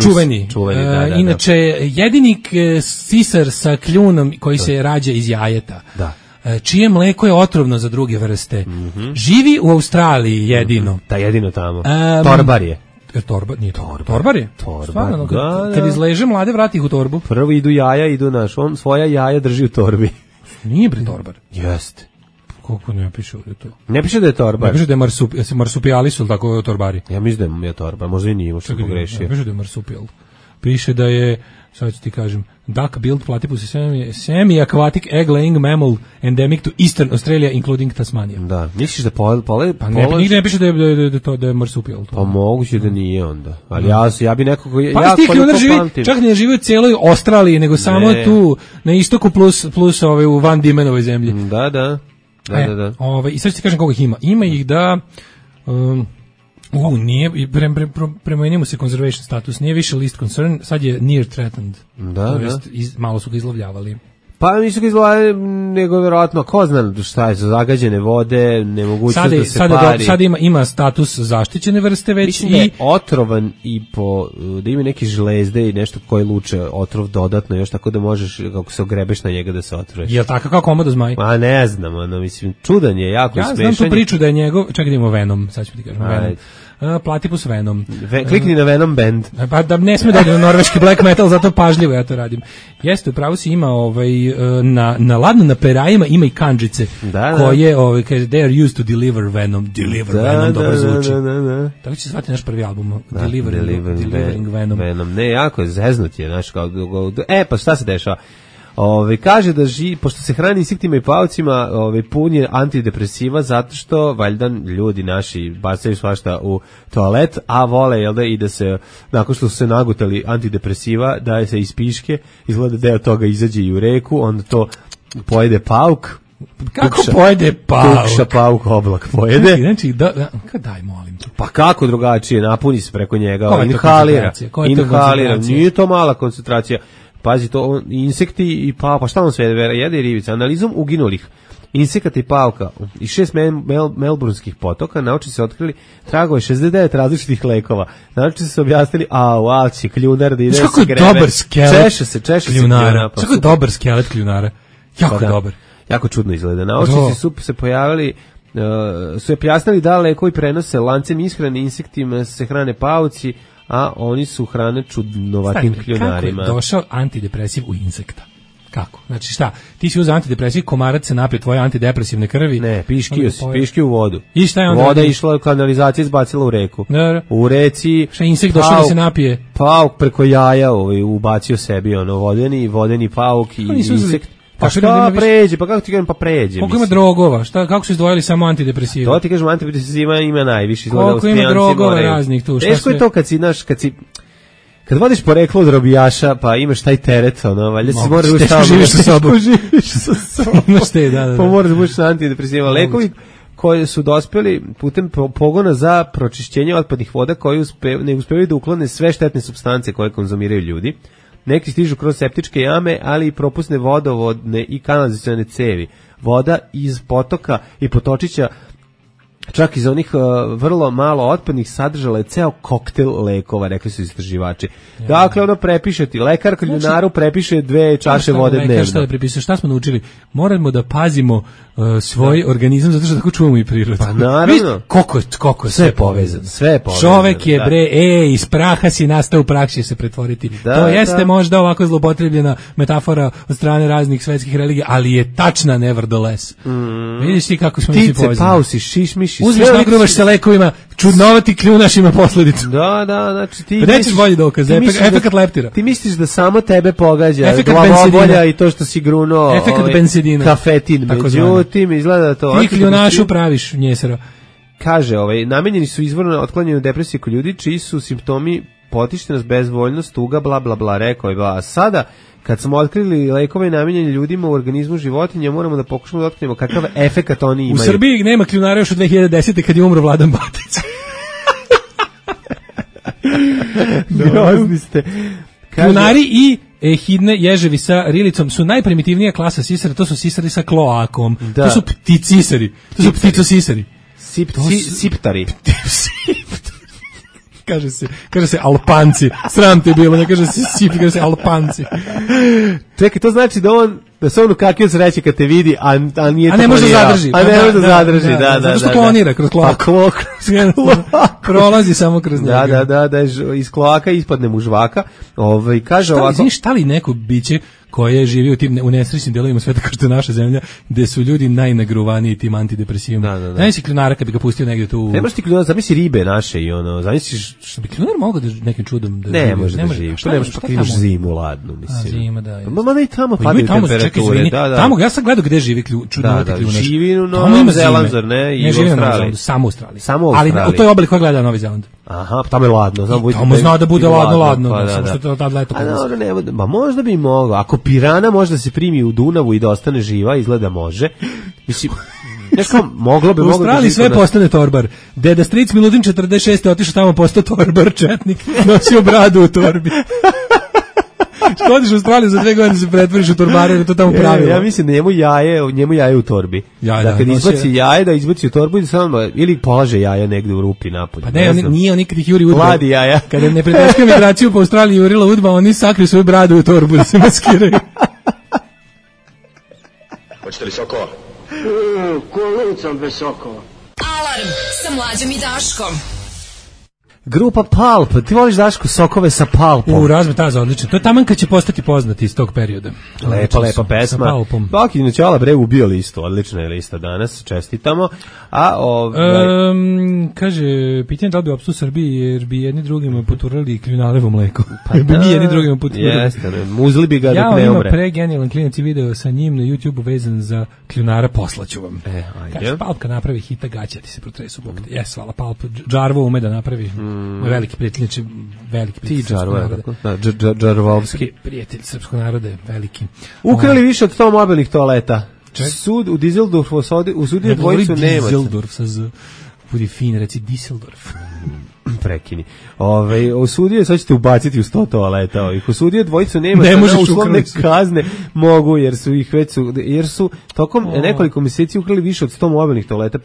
Speaker 5: čuveni.
Speaker 6: Da.
Speaker 5: Inače, jedini sisar sa kljunom koji se rađa iz jajeta.
Speaker 6: Da.
Speaker 5: Čije mleko je otrovno za druge vrste. Živi u Australiji jedino.
Speaker 6: Da, jedino tamo. Torbar je.
Speaker 5: Nije torbar je? Stvarno, kad izleže mlade, vrati ih u torbu.
Speaker 6: Prvo idu jaja, on svoja jaja drži u torbi.
Speaker 5: Nije bre torbar.
Speaker 6: Jeste.
Speaker 5: Koliko ne piše ovdje to?
Speaker 6: Ne piše da je torbar.
Speaker 5: Ne piše da je marsupijali su, tako je torbari.
Speaker 6: Ja mislim da je torbar, možda i nije, možda pogrešio.
Speaker 5: Ne piše da je marsupijal. Piše da je, sad ću ti kažem, duck-billed platypus semi-aquatic egg-laying mammal endemic to Eastern Australia, including Tasmania.
Speaker 6: Da, misliš da
Speaker 5: Pa nigde ne piše da je marsupijal.
Speaker 6: Pa moguće da nije onda. Ali ja bi nekog...
Speaker 5: Pa ti kljunar živi, čak ne živi u cijeloj Australiji, nego samo tu na istoku plus u Van Diemenovoj zemlji.
Speaker 6: Da.
Speaker 5: I sad ću ti kažem koliko ih ima. Ima ih da... nije, prema njemu se conservation status, nije više least concern, sad je near threatened.
Speaker 6: Da.
Speaker 5: Malo su ga izlovljavali.
Speaker 6: Pa nisu ga izlovljavali, nego vjerojatno, ko zna šta je, zagađene vode, nemogućnost da se pari.
Speaker 5: Sad ima status zaštićene vrste već.
Speaker 6: Mislim da je otrovan i da ima neke žlezde i nešto koje luče otrov dodatno, još tako da možeš, kako se ogrebeš na njega da se otruješ.
Speaker 5: Jel' tako kao komodo zmaj?
Speaker 6: Pa ne znam, mislim, čudan je, jako smešan.
Speaker 5: Ja znam tu priču da je njegov, čekaj da imamo Venom, sad ću ti kažem, Venom. Platypus Venom.
Speaker 6: Klikni na Venom Band.
Speaker 5: Pa da ne sme dođe na norveški black metal, zato pažljivo ja to radim. Jeste, upravo si ima na perajima ima i kanđice koje they are used to deliver Venom. Venom dobro zvuči.
Speaker 6: Da.
Speaker 5: Tako će se zvati naš prvi album. Delivering Venom.
Speaker 6: Ne, jako je zeznut je, znaš, kao, pa šta se dešava? Kaže da pošto se hrani insektima i paucima, pun je antidepresiva zato što valjda ljudi naši bacaju svašta u toalet, a vole i da se nakon što su se nagutali antidepresiva daje se iz piške, izgleda deo toga izađe i u reku, onda to pojede pauk.
Speaker 5: Kako pojede pauk?
Speaker 6: Tukša pauk oblak pojede.
Speaker 5: Znači, daj molim te.
Speaker 6: Pa kako drugačije, napuni se preko njega, inhalira, nije to mala koncentracija. Pazi to, insekti i pa šta on sve jede i ribica. Analizom uginulih insekata i pauka i 6 melburnskih potoka naučnici se otkrili tragove 69 različitih lekova. Naučnici se objasnili, će kljunar da ide se grebe.
Speaker 5: Kako dobar skelet
Speaker 6: češe
Speaker 5: kljunara. Kako dobar skelet kljunara. Jako dobar.
Speaker 6: Jako čudno izgleda. Naučnici su se pojavili, su objasnili da lekovi prenose lancem ishrane, insektima se hrane pauci, a oni su hrane čudnovatim kljunarima.
Speaker 5: Kako je došao antidepresiv u insekta? Kako? Znači šta? Ti si uzeo antidepresiv, komarac se napije tvoje antidepresivne krvi.
Speaker 6: Ne, piški u vodu.
Speaker 5: I šta je onda?
Speaker 6: Voda je išla u kanalizaciju, izbacila u reku.
Speaker 5: Da.
Speaker 6: U reci...
Speaker 5: Šta insekt došao da se napije?
Speaker 6: Pauk preko jaja ubacio sebi vodeni pauk i insekt. Pa šta pređe, pa kako ti kažem, pređe.
Speaker 5: Koliko ima drogova, kako su izdvojili samo antidepresiva?
Speaker 6: To ti kažem, antidepresiva ima najviše.
Speaker 5: Koliko ima drogova raznih tu?
Speaker 6: Teško je to kad vodiš poreklo od robijaša, pa imaš taj teret, valjda se moraš ući tamo.
Speaker 5: Živiš sa sobom.
Speaker 6: Pa moraš bući na antidepresiva. Lekovi koji su dospjeli putem pogona za pročišćenje otpadnih voda koji ne uspevaju da uklone sve štetne supstance koje konzumiraju ljudi. Neki stižu kroz septičke jame, ali i propusne vodovodne i kanalizacione cevi. Voda iz potoka i potočića, čak iz onih vrlo malo otpadnih, sadržala je ceo koktel lekova, rekli su istraživači. Dakle, prepiše ti, lekar kljunaru prepiše 2 čaše vode dnevno.
Speaker 5: Šta smo naučili? Moramo da pazimo svoj organizam, zato što tako čuvamo i prirodu.
Speaker 6: Pa naravno.
Speaker 5: Koliko je sve povezano. Čovek je, iz praha si nastao, u prah će se pretvoriti. To jeste možda ovako zlopotrebljena metafora od strane raznih svetskih religija, ali je tačna nevertheless. Vidiš ti kako smo mi povezani.
Speaker 6: Pausi, šišmiši.
Speaker 5: Uzmeš, nagruvaš se lekovima, čudnovati kljunaš ima posledicu.
Speaker 6: Da, znači ti
Speaker 5: misliš bolji dokaz, efekat leptira.
Speaker 6: Ti misliš da samo tebe pogađa glavobolja i to što si grunuo
Speaker 5: efekat bensedina.
Speaker 6: Kafetin, međutim izgleda to.
Speaker 5: Ti kljunašu praviš njesero.
Speaker 6: Kaže, namenjeni su izvorno otklanjanju depresije kod ljudi čiji su simptomi potištenost, bezvoljnost, tuga, bla bla bla, rekao je, a sada kad smo otkrili lekove namenjene ljudima u organizmu životinja, moramo da pokušamo da otkrijemo kakav efekat oni imaju.
Speaker 5: U Srbiji nema kljunara još od 2010. kad je umro Vladan Batić.
Speaker 6: Grozni ste.
Speaker 5: Kljunari i ehidne ježevi sa rilicom su najprimitivnija klasa sisara, to su sisari sa kloakom. Da. To su pticisari, to su pticosisari.
Speaker 6: Siptari.
Speaker 5: kaže se Alpanci. Sram te bilo, ne kaže se Sipi, kaže se Alpanci.
Speaker 6: Čekaj, to znači da se on ukakio sreće kad te vidi, a nije to
Speaker 5: ne može da zadrži.
Speaker 6: A ne može da zadrži, da.
Speaker 5: Zato što klonira kroz kloak. Prolazi samo kroz njega.
Speaker 6: Da, iz kloaka ispadne mu žvaka. Kaže ovako.
Speaker 5: Znaš šta li neko biće koje živi u tim unesrećnim delovima sveta kao što je naša zemlja, gde su ljudi najnagruvaniji tim antidepresivima. Da si kljunara kad bi ga pustio negdje tu.
Speaker 6: Ne možeš ti kljunara, zamisli ribe naše i zamisliš...
Speaker 5: Što bi kljunar mogao da nekim čudom da
Speaker 6: ne može da živi. Pa ne možeš, pa imaš zimu ladnu, mislim.
Speaker 5: Zima, da.
Speaker 6: Ma ne i tamo padaju temperature.
Speaker 5: Tamo, ja sam gledao gde živi čudnovati kljunar.
Speaker 6: Živi u Novom Zelandu, ne? I u Australiji.
Speaker 5: Samo u Australiji. Ali u toj obali koja gleda Novi Zeland.
Speaker 6: Aha, tamo je ladno.
Speaker 5: Tamo zna da bude ladno. Samo što to tad leto.
Speaker 6: Ma možda bi mogao. Ako pirana može da se primi u Dunavu i da ostane živa, izgleda može. Mislim, moglo bi...
Speaker 5: U Australiji sve postane torbar. Deda stric Miludin 46. otišao tamo, postao torbar, četnik, nosio bradu u torbi. Što odiš u Australiju za 2 godine se pretvoriš u torbara ili to tamo pravilo?
Speaker 6: Ja mislim da njemu jaje u torbi. Da kad izbaci jaje, da izbaci u torbu ili polaže jaja negde u rupi napolje.
Speaker 5: Pa ne, nije on nikad ih juri udba.
Speaker 6: Mladi jaja.
Speaker 5: Kada ne preteška migraciju po Australiji jurila udba, oni sakriju svoju bradu u torbu da se maskiraju.
Speaker 3: Hoćete li sokova?
Speaker 4: Kolicom bez sokova.
Speaker 2: Alarm sa Mlađom i Daškom.
Speaker 6: Grupa Pulp, ti voliš Daško sokove sa Pulpom?
Speaker 5: Razme taza, odlično. To je taman kad će postati poznati iz tog perioda.
Speaker 6: Lepa pesma. Sa Pulpom. Baki Noćala bre ubio listu, odlična je lista danas, čestitamo.
Speaker 5: Kaže, pitanje da li bi opstu Srbiji jer bi jedni drugima poturali kljunalevo mleko. Pa bi mi jedni drugima poturali.
Speaker 6: Jeste, muzli bi ga dok ne umre.
Speaker 5: Ja, ima pregenijalan klinac i video sa njim na YouTube vezan za kljunara, poslaću vam. Kaže, Pulp kad napravi hita gaća ti se protresu bog. Jes, hvala Pulp. Džarvo ume da napravi. Veliki prijatelj, veliki prijatelj srpskog naroda.
Speaker 6: Džarvovski.
Speaker 5: Prijatelj srpskog naroda, veliki.
Speaker 6: Ukrali više od 100 mobilnih toaleta. Sud u Dizeldorfu osudio dvojicu Nemaca.
Speaker 5: Dizeldorf sa z... Budi fin, reci Diseldorf.
Speaker 6: Prekini. Osudio, sad ćete ubaciti u 100 toaleta. Osudio dvojicu Nemaca na uslovne kazne mogu, jer su tokom nekoliko mjeseci ukrali više od 100 mobilnih toaleta.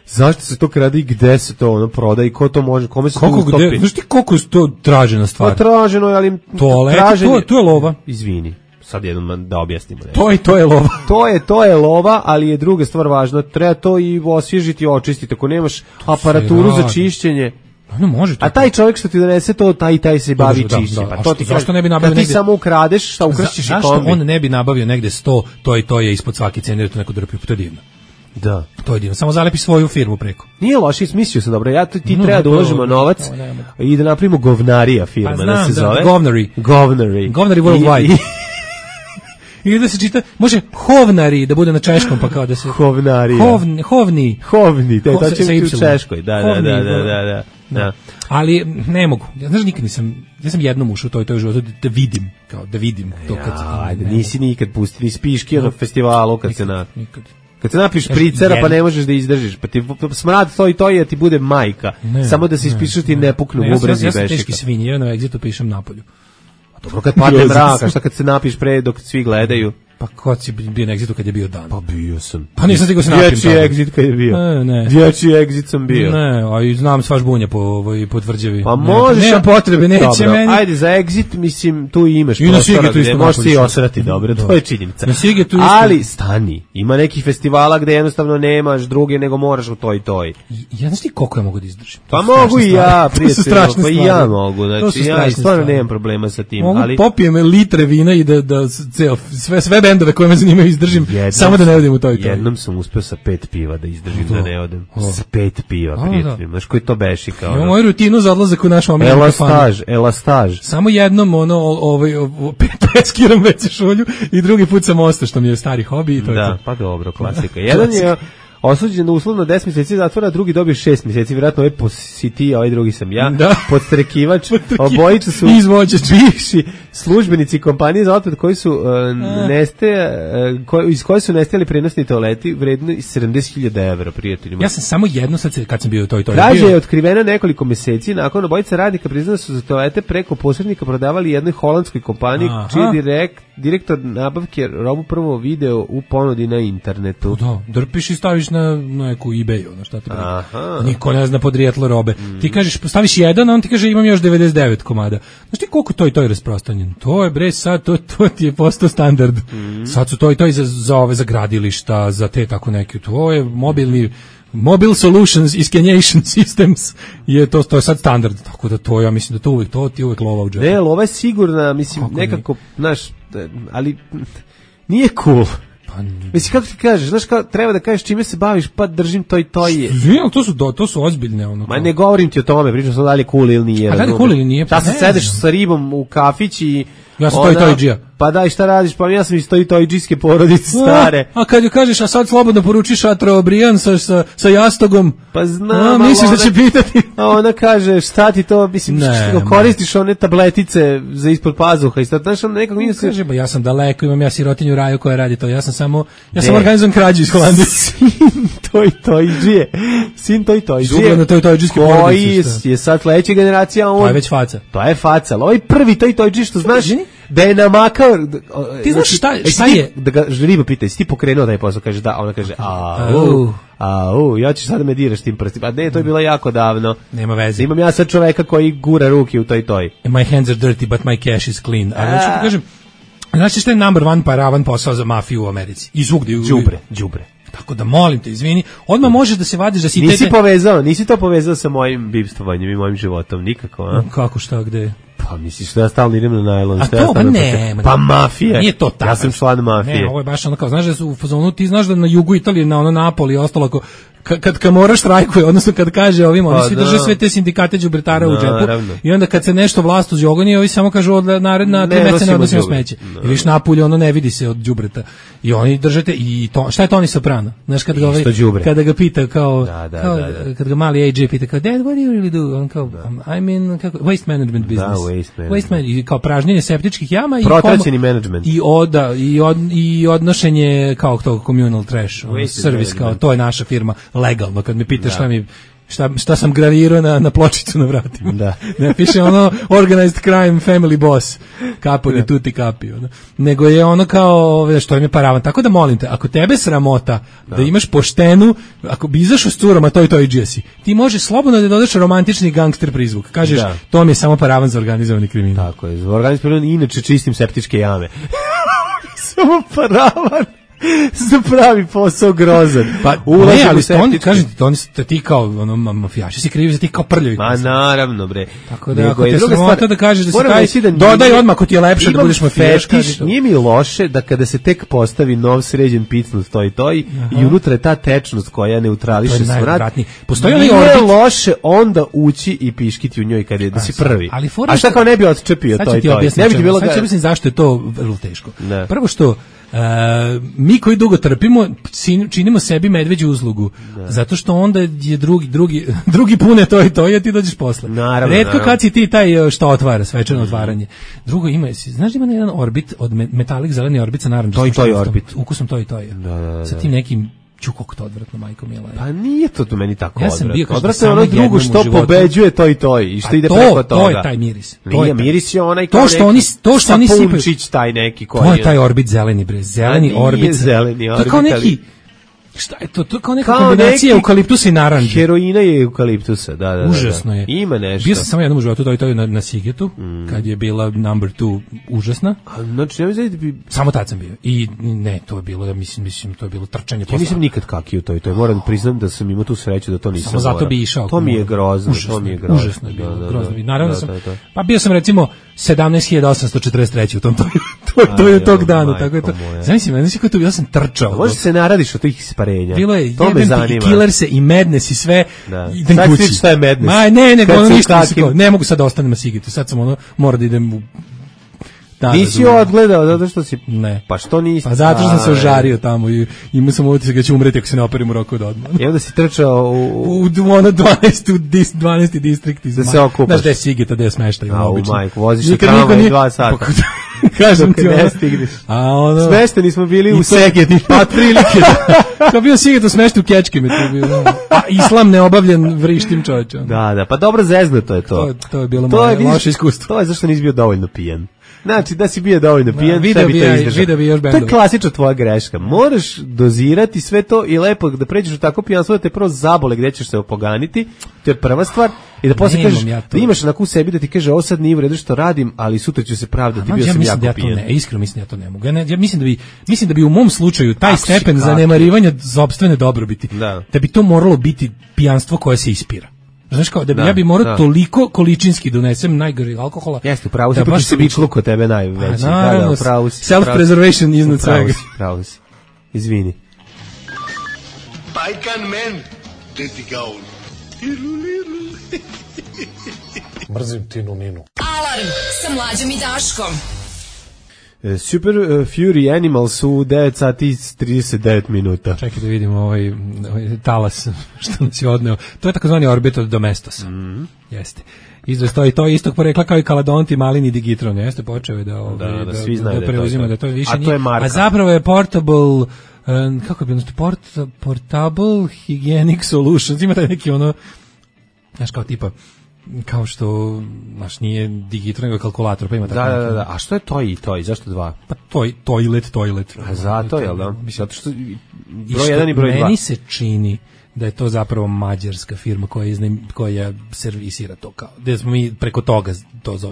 Speaker 6: Zašto se to krade i gde se to proda i ko to može, kome se to ustopi?
Speaker 5: Znaš ti koliko je to tražena stvar?
Speaker 6: Traženo je, ali...
Speaker 5: To je lova.
Speaker 6: Izvini. Sad jednom da objasnimo.
Speaker 5: To je lova.
Speaker 6: To je lova, ali je druga stvar važna. Treba to i osvježiti i očistiti. Ako nemaš aparaturu za čišćenje,
Speaker 5: može to.
Speaker 6: A taj čovjek što ti donese to, taj se bavi čišćenjem. Pa to ti
Speaker 5: zašto ne bi nabavio
Speaker 6: negde? Kad ti samo ukradeš, šta ukrašćeš i kombi?
Speaker 5: Zašto on ne bi nabavio negde 100, to je ispod svake cene, jer to neko drpi, to je divno.
Speaker 6: Da.
Speaker 5: To je divno. Samo zalepi svoju firmu preko.
Speaker 6: Nije loše, smislio sam dobro. Ti treba da uložimo novac i da napravimo govnarija firma, da se zove. Govnari
Speaker 5: worldwide. Ili da se čita, može hovnari da bude na češkom, pa kao da se...
Speaker 6: Hovnari.
Speaker 5: Hovni,
Speaker 6: to će biti u češkoj, da.
Speaker 5: Ali ne mogu, znaš, nikad nisam, ja sam jednom ušao u toj životu da vidim to kad...
Speaker 6: Ajde, nisi nikad pusti, nisi piški na festivalu kad se na... Kad se napiš pricera pa ne možeš da izdržiš, pa ti smrad to i ti bude majka, samo da se ispišeš ti ne puknu bubrezi i bešika.
Speaker 5: Ja sam teški svinje, na Exitu pišem napolju.
Speaker 6: Dobro, kad padne mrak, a šta kad se napiš pre dok svi gledaju?
Speaker 5: Pa kod si bio na Exitu kad je bio dan?
Speaker 6: Pa bio sam.
Speaker 5: Pa nisam stigao se napim.
Speaker 6: Dječji Exit kad je bio. Dječji Exit sam bio.
Speaker 5: Ne, a i znam svaš bunja po tvrđavi.
Speaker 6: Pa možeš.
Speaker 5: Nema potrebe, neće meni.
Speaker 6: Ajde, za Exit, mislim, tu imaš
Speaker 5: i prostora
Speaker 6: gde možeš si osrati dobro, to je činjenica. Ali stani, ima nekih festivala gde jednostavno nemaš druge, nego moraš u toj.
Speaker 5: Ja znaš ti koliko ja mogu da izdržim?
Speaker 6: Pa mogu i ja, prijatelj, pa i ja mogu. Znači, ja stvarno nemam problema sa tim.
Speaker 5: Mogu popijem litre vina i da sve bendove koje me zanimaju izdržim, samo da ne odem u toj.
Speaker 6: Jednom sam uspeo sa 5 piva da izdržim da ne odem. Sa 5 piva, prijatelji. Znaš koji to beši kao?
Speaker 5: Imam moju rutinu za odlazak u naš omiljeni kafan.
Speaker 6: Elastaž.
Speaker 5: Samo jednom peskiram već šolju i drugi put sam ostao, što mi je stari hobi i to je to.
Speaker 6: Da, pa dobro, klasika. Jedan je osuđen na uslovno 10 mjeseci zatvora, drugi dobio 6 mjeseci, vjerojatno ovaj si ti, a ovaj drugi sam ja, podstrekivač, obojica su bivši službenici kompanije za otpad koji su iz koje su nestajali prenosni toaleti vredni 70.000 evra, prijateljima.
Speaker 5: Ja sam samo jedno sad kad sam bio u toj.
Speaker 6: Krađa je otkrivena nekoliko mjeseci, nakon obojica radnika priznali su za toalete preko posrednika prodavali jednoj holandskoj kompaniji, čiji direktor nabavke robu prvo video u ponudi na internetu.
Speaker 5: Da, drpiš i staviš na neku eBay, ono šta te briga. Niko ne zna podrijetlo robe. Ti kažeš, staviš jedan, a on ti kaže imam još 99 komada. Znaš ti koliko to je rasprostranjen? To je bre sad, to ti je postao standard. Sad su to i za ove za gradilišta, za te tako neke. To je Mobile Solutions Iskenation Systems to je sad standard, tako da to ja mislim da to ti uvek lova u džepu.
Speaker 6: Ne, lova je sigurna, mislim, kako nekako, znaš, ali nije cool. Mislim, kako ti kažeš, znaš, treba da kažeš čime se baviš, pa držim to i to je.
Speaker 5: To su ozbiljne ono.
Speaker 6: Ma ne govorim ti o tome, pričam sam da li je cool ili nije.
Speaker 5: A da li je cool ili nije?
Speaker 6: Da se sedeš sa ribom u kafić i
Speaker 5: ja sam to i džija.
Speaker 6: Pa daj, šta radiš? Pa ja sam iz to i džijske porodice stare.
Speaker 5: A kad joj kažeš, a sad slobodno poručiš Atrobrijan sa jastogom.
Speaker 6: Pa znam.
Speaker 5: Misliš da će pitati?
Speaker 6: A ona kaže, šta ti to, mislim, koristiš one tabletice za ispod pazuha i sad, znaš, on nekako mi se...
Speaker 5: Kaže, ba ja sam daleko, imam ja sirotinju Raju koja radi to, ja sam organizovan krađu iz Holandije.
Speaker 6: Sin to i džije. Sin to i džije.
Speaker 5: Zubljeno to i džijske porodice.
Speaker 6: Koji je sad sledeća generacija,
Speaker 5: to je već faca.
Speaker 6: To je faca, ali ovaj prvi to i džije, što znaš, da je namakao...
Speaker 5: Ti znaš šta je?
Speaker 6: Da ga riba pita, jesi ti pokrenuo taj posao? Kaže da, ona kaže ja ćeš sad da me diraš tim prstima. A ne, to je bilo jako davno.
Speaker 5: Nema veze.
Speaker 6: Imam ja sad čoveka koji gura ruke u toj.
Speaker 5: My hands are dirty, but my cash is clean. Ali hoću ti kažem, znači što je number one paravan posao za mafiju u Americi? I zvugde.
Speaker 6: Đubre.
Speaker 5: Tako da molim te, izvini, odmah možeš da se vadiš da si...
Speaker 6: Nisi to povezao sa mojim bivstvovanjem i mojim životom, nikako, a?
Speaker 5: Kako, šta, gde?
Speaker 6: Pa misliš da ja stalno idem na najlon.
Speaker 5: A to, pa ne.
Speaker 6: Pa mafija.
Speaker 5: Nije to tako.
Speaker 6: Ja sam član mafije.
Speaker 5: Ne, ovo je baš ono kao, znaš da su u fazonu, ti znaš da na jugu Italije, na ono Napoli i ostalo, kad Kamora štrajkuje, odnosno kad kaže ovima, oni svi drže sve te sindikate đubretara u džepu i onda kad se nešto vlast uzjogoni, ovi samo kažu od naredna 3 meseca ne odnosimo smeće. I viš Napolje, ono ne vidi se od đubreta. I oni držete, i to, šta je Toni Soprano? Znaš, kada ga pita kao, kad ga mali AJ pita kao, Dad, what do you really do? On kao, I'm in waste management business. Waste management. I kao pražnjenje septičkih jama.
Speaker 6: Protraćeni management.
Speaker 5: I odnošenje kao tog communal trash, servis, kao, to je naša firma. Legalno, kad me pitaš šta sam gravirao na pločicu na vratima. Da. Ne piše ono organized crime family boss. Capo di tutti capi. Nego je ono kao što im je paravan. Tako da molim te, ako tebe sramota da imaš poštenu, ako bi izašao s curama to i džesi, ti možeš slobodno da dodaš romantični gangster prizvuk. Kažeš, to mi je samo paravan za organizovani kriminal.
Speaker 6: Tako je, za organizovani kriminal inače čistim septičke jame. Samo paravan. Za pravi posao grozan.
Speaker 5: Pa ne, ali kažem ti kao ono mafijaši si krivi za ti kao prljavi.
Speaker 6: Ma naravno bre.
Speaker 5: Tako da ako te sramota da kažeš da si taj, dodaj odmah ako ti je lepše da budeš mafijaš.
Speaker 6: Nije mi loše da kada se tek postavi nov sređen picnut i unutra je ta tečnost koja neutrališe smrad.
Speaker 5: Postoji
Speaker 6: onaj orbit. Nije loše onda ući i piškiti u njoj kad je da si prvi. A šta kao ne bi odčepio to i to?
Speaker 5: Ne bi ti bilo. Sad ću objasniti zašto je to vrlo teško. Prvo što mi koji dugo trpimo činimo sebi medveđu uslugu zato što onda je drugi pune to i ti dođeš posle. Retko kad si ti taj što otvara svečano otvaranje. Drugo ima, znaš da ima jedan orbit od metalik zeleni orbit sa narandžastom
Speaker 6: to je orbit
Speaker 5: ukusom to je sa tim nekim čukog to odvratno, majko mila.
Speaker 6: Pa nije to meni tako
Speaker 5: odvratno.
Speaker 6: Odvratno je ono drugo što pobeđuje to i što ide preko toga.
Speaker 5: To je taj miris.
Speaker 6: Nije miris je onaj
Speaker 5: kao to što oni sipaju.
Speaker 6: Taj neki koji
Speaker 5: to je taj orbit zeleni bre. Zeleni orbit. To je kao neki šta je to? To je kao neka kombinacija eukaliptusa i narandže.
Speaker 6: Heroina je eukaliptusa, da.
Speaker 5: Užasno je.
Speaker 6: Ima nešto.
Speaker 5: Bio sam samo jednom u životu, to je na Sigetu, kad je bila number 2 užasna.
Speaker 6: Znači, ne bi...
Speaker 5: Samo tad sam bio. I ne, to je bilo, ja mislim, to je bilo trčanje posla.
Speaker 6: Ja nisam nikad kakio to. Moram priznam da sam imao tu sreću da to nisam morao.
Speaker 5: Samo zato bi išao.
Speaker 6: To mi je grozno.
Speaker 5: Užasno je bilo, grozno. Naravno sam, pa bio sam recimo 17.843 u tom, to je tog dana, tako je to. Znači, ja sam trčao.
Speaker 6: Može se naradiš od tih isparenja.
Speaker 5: Bilo je i Killerse i Madness i sve. Idem
Speaker 6: sad
Speaker 5: kući.
Speaker 6: Sad šta je Madness?
Speaker 5: Ma ne mogu sad da ostanem na Sigetu. Sad sam mora da idem u...
Speaker 6: Nisi odgledao zato što si...
Speaker 5: Ne.
Speaker 6: Pa što nisi?
Speaker 5: Pa zato što sam se ožario tamo i imao sam utisak da će umreti ako se ne operim u roku od odmah.
Speaker 6: I onda si trčao
Speaker 5: u 12. distrikt.
Speaker 6: Da se okupaš.
Speaker 5: Znaš da je Sigeta, da je smeštaj.
Speaker 6: U majku, voziš na tramvaj 2 sata.
Speaker 5: Kažem ti,
Speaker 6: ne stigneš.
Speaker 5: A ono...
Speaker 6: Smešteni smo bili u Segedinu.
Speaker 5: Pa prilike, da. Kao bio Siget smešten u Kečkime, to je bilo. A islam neobavljen vrištim čovječom.
Speaker 6: Da, pa dobro zeznuto je to.
Speaker 5: To je bilo moje loše iskustvo.
Speaker 6: To je zašto nisi bio dovoljno pijan. Znači, da si bio dovoljno pijan,
Speaker 5: video bi još bendova.
Speaker 6: To je klasična tvoja greška. Moraš dozirati sve to i lepo da pređeš u tako pijanstvo da te prvo zabole gde ćeš se opoganiti, to je prva stvar, i da posle kažeš, da imaš onako u sebi da ti kaže, ovo sad nije u redu što radim, ali sutra ću se pravdati, bio sam jako pijan.
Speaker 5: Iskreno mislim da ja to ne mogu. Ja mislim da bi u mom slučaju taj stepen zanemarivanja sopstvene dobrobiti, da bi to moralo biti pijanstvo koje se ispira. Znaš kao, ja bi morao toliko količinski donesem najgori alkohola.
Speaker 6: Jeste, pravo si, pa se bičlu kod tebe najveći.
Speaker 5: Pravo si. Self-preservation iznad svega.
Speaker 6: Pravo si. Izvini.
Speaker 8: Bajkan men, teti gaun.
Speaker 16: Mrzim Tinu Ninu.
Speaker 2: Alarm sa Mlađom i Daškom.
Speaker 6: Super Fury Animals u 9 sati i 39 minuta.
Speaker 5: Čekaj da vidimo ovaj talas što nas je odneo. To je takozvani orbital domestos. Jeste. Izvoj to istog porekla kao i Kaladonti, Malini, Digitron. Jeste, počeo je da
Speaker 6: svi znaju
Speaker 5: da preuzima da to je više.
Speaker 6: A to je marka.
Speaker 5: A zapravo je portable, kako bi portable hygienic solutions. Ima taj neki ono, znaš kao tipa, kao što, znaš, nije Digitron, nego kalkulator, pa ima tako.
Speaker 6: Da. A što je toj? Zašto dva?
Speaker 5: Pa toilet.
Speaker 6: A zato, jel da? Zato što broj 1 i broj 2.
Speaker 5: Meni se čini da je to zapravo mađarska firma koja servisira to kao. Da smo mi preko toga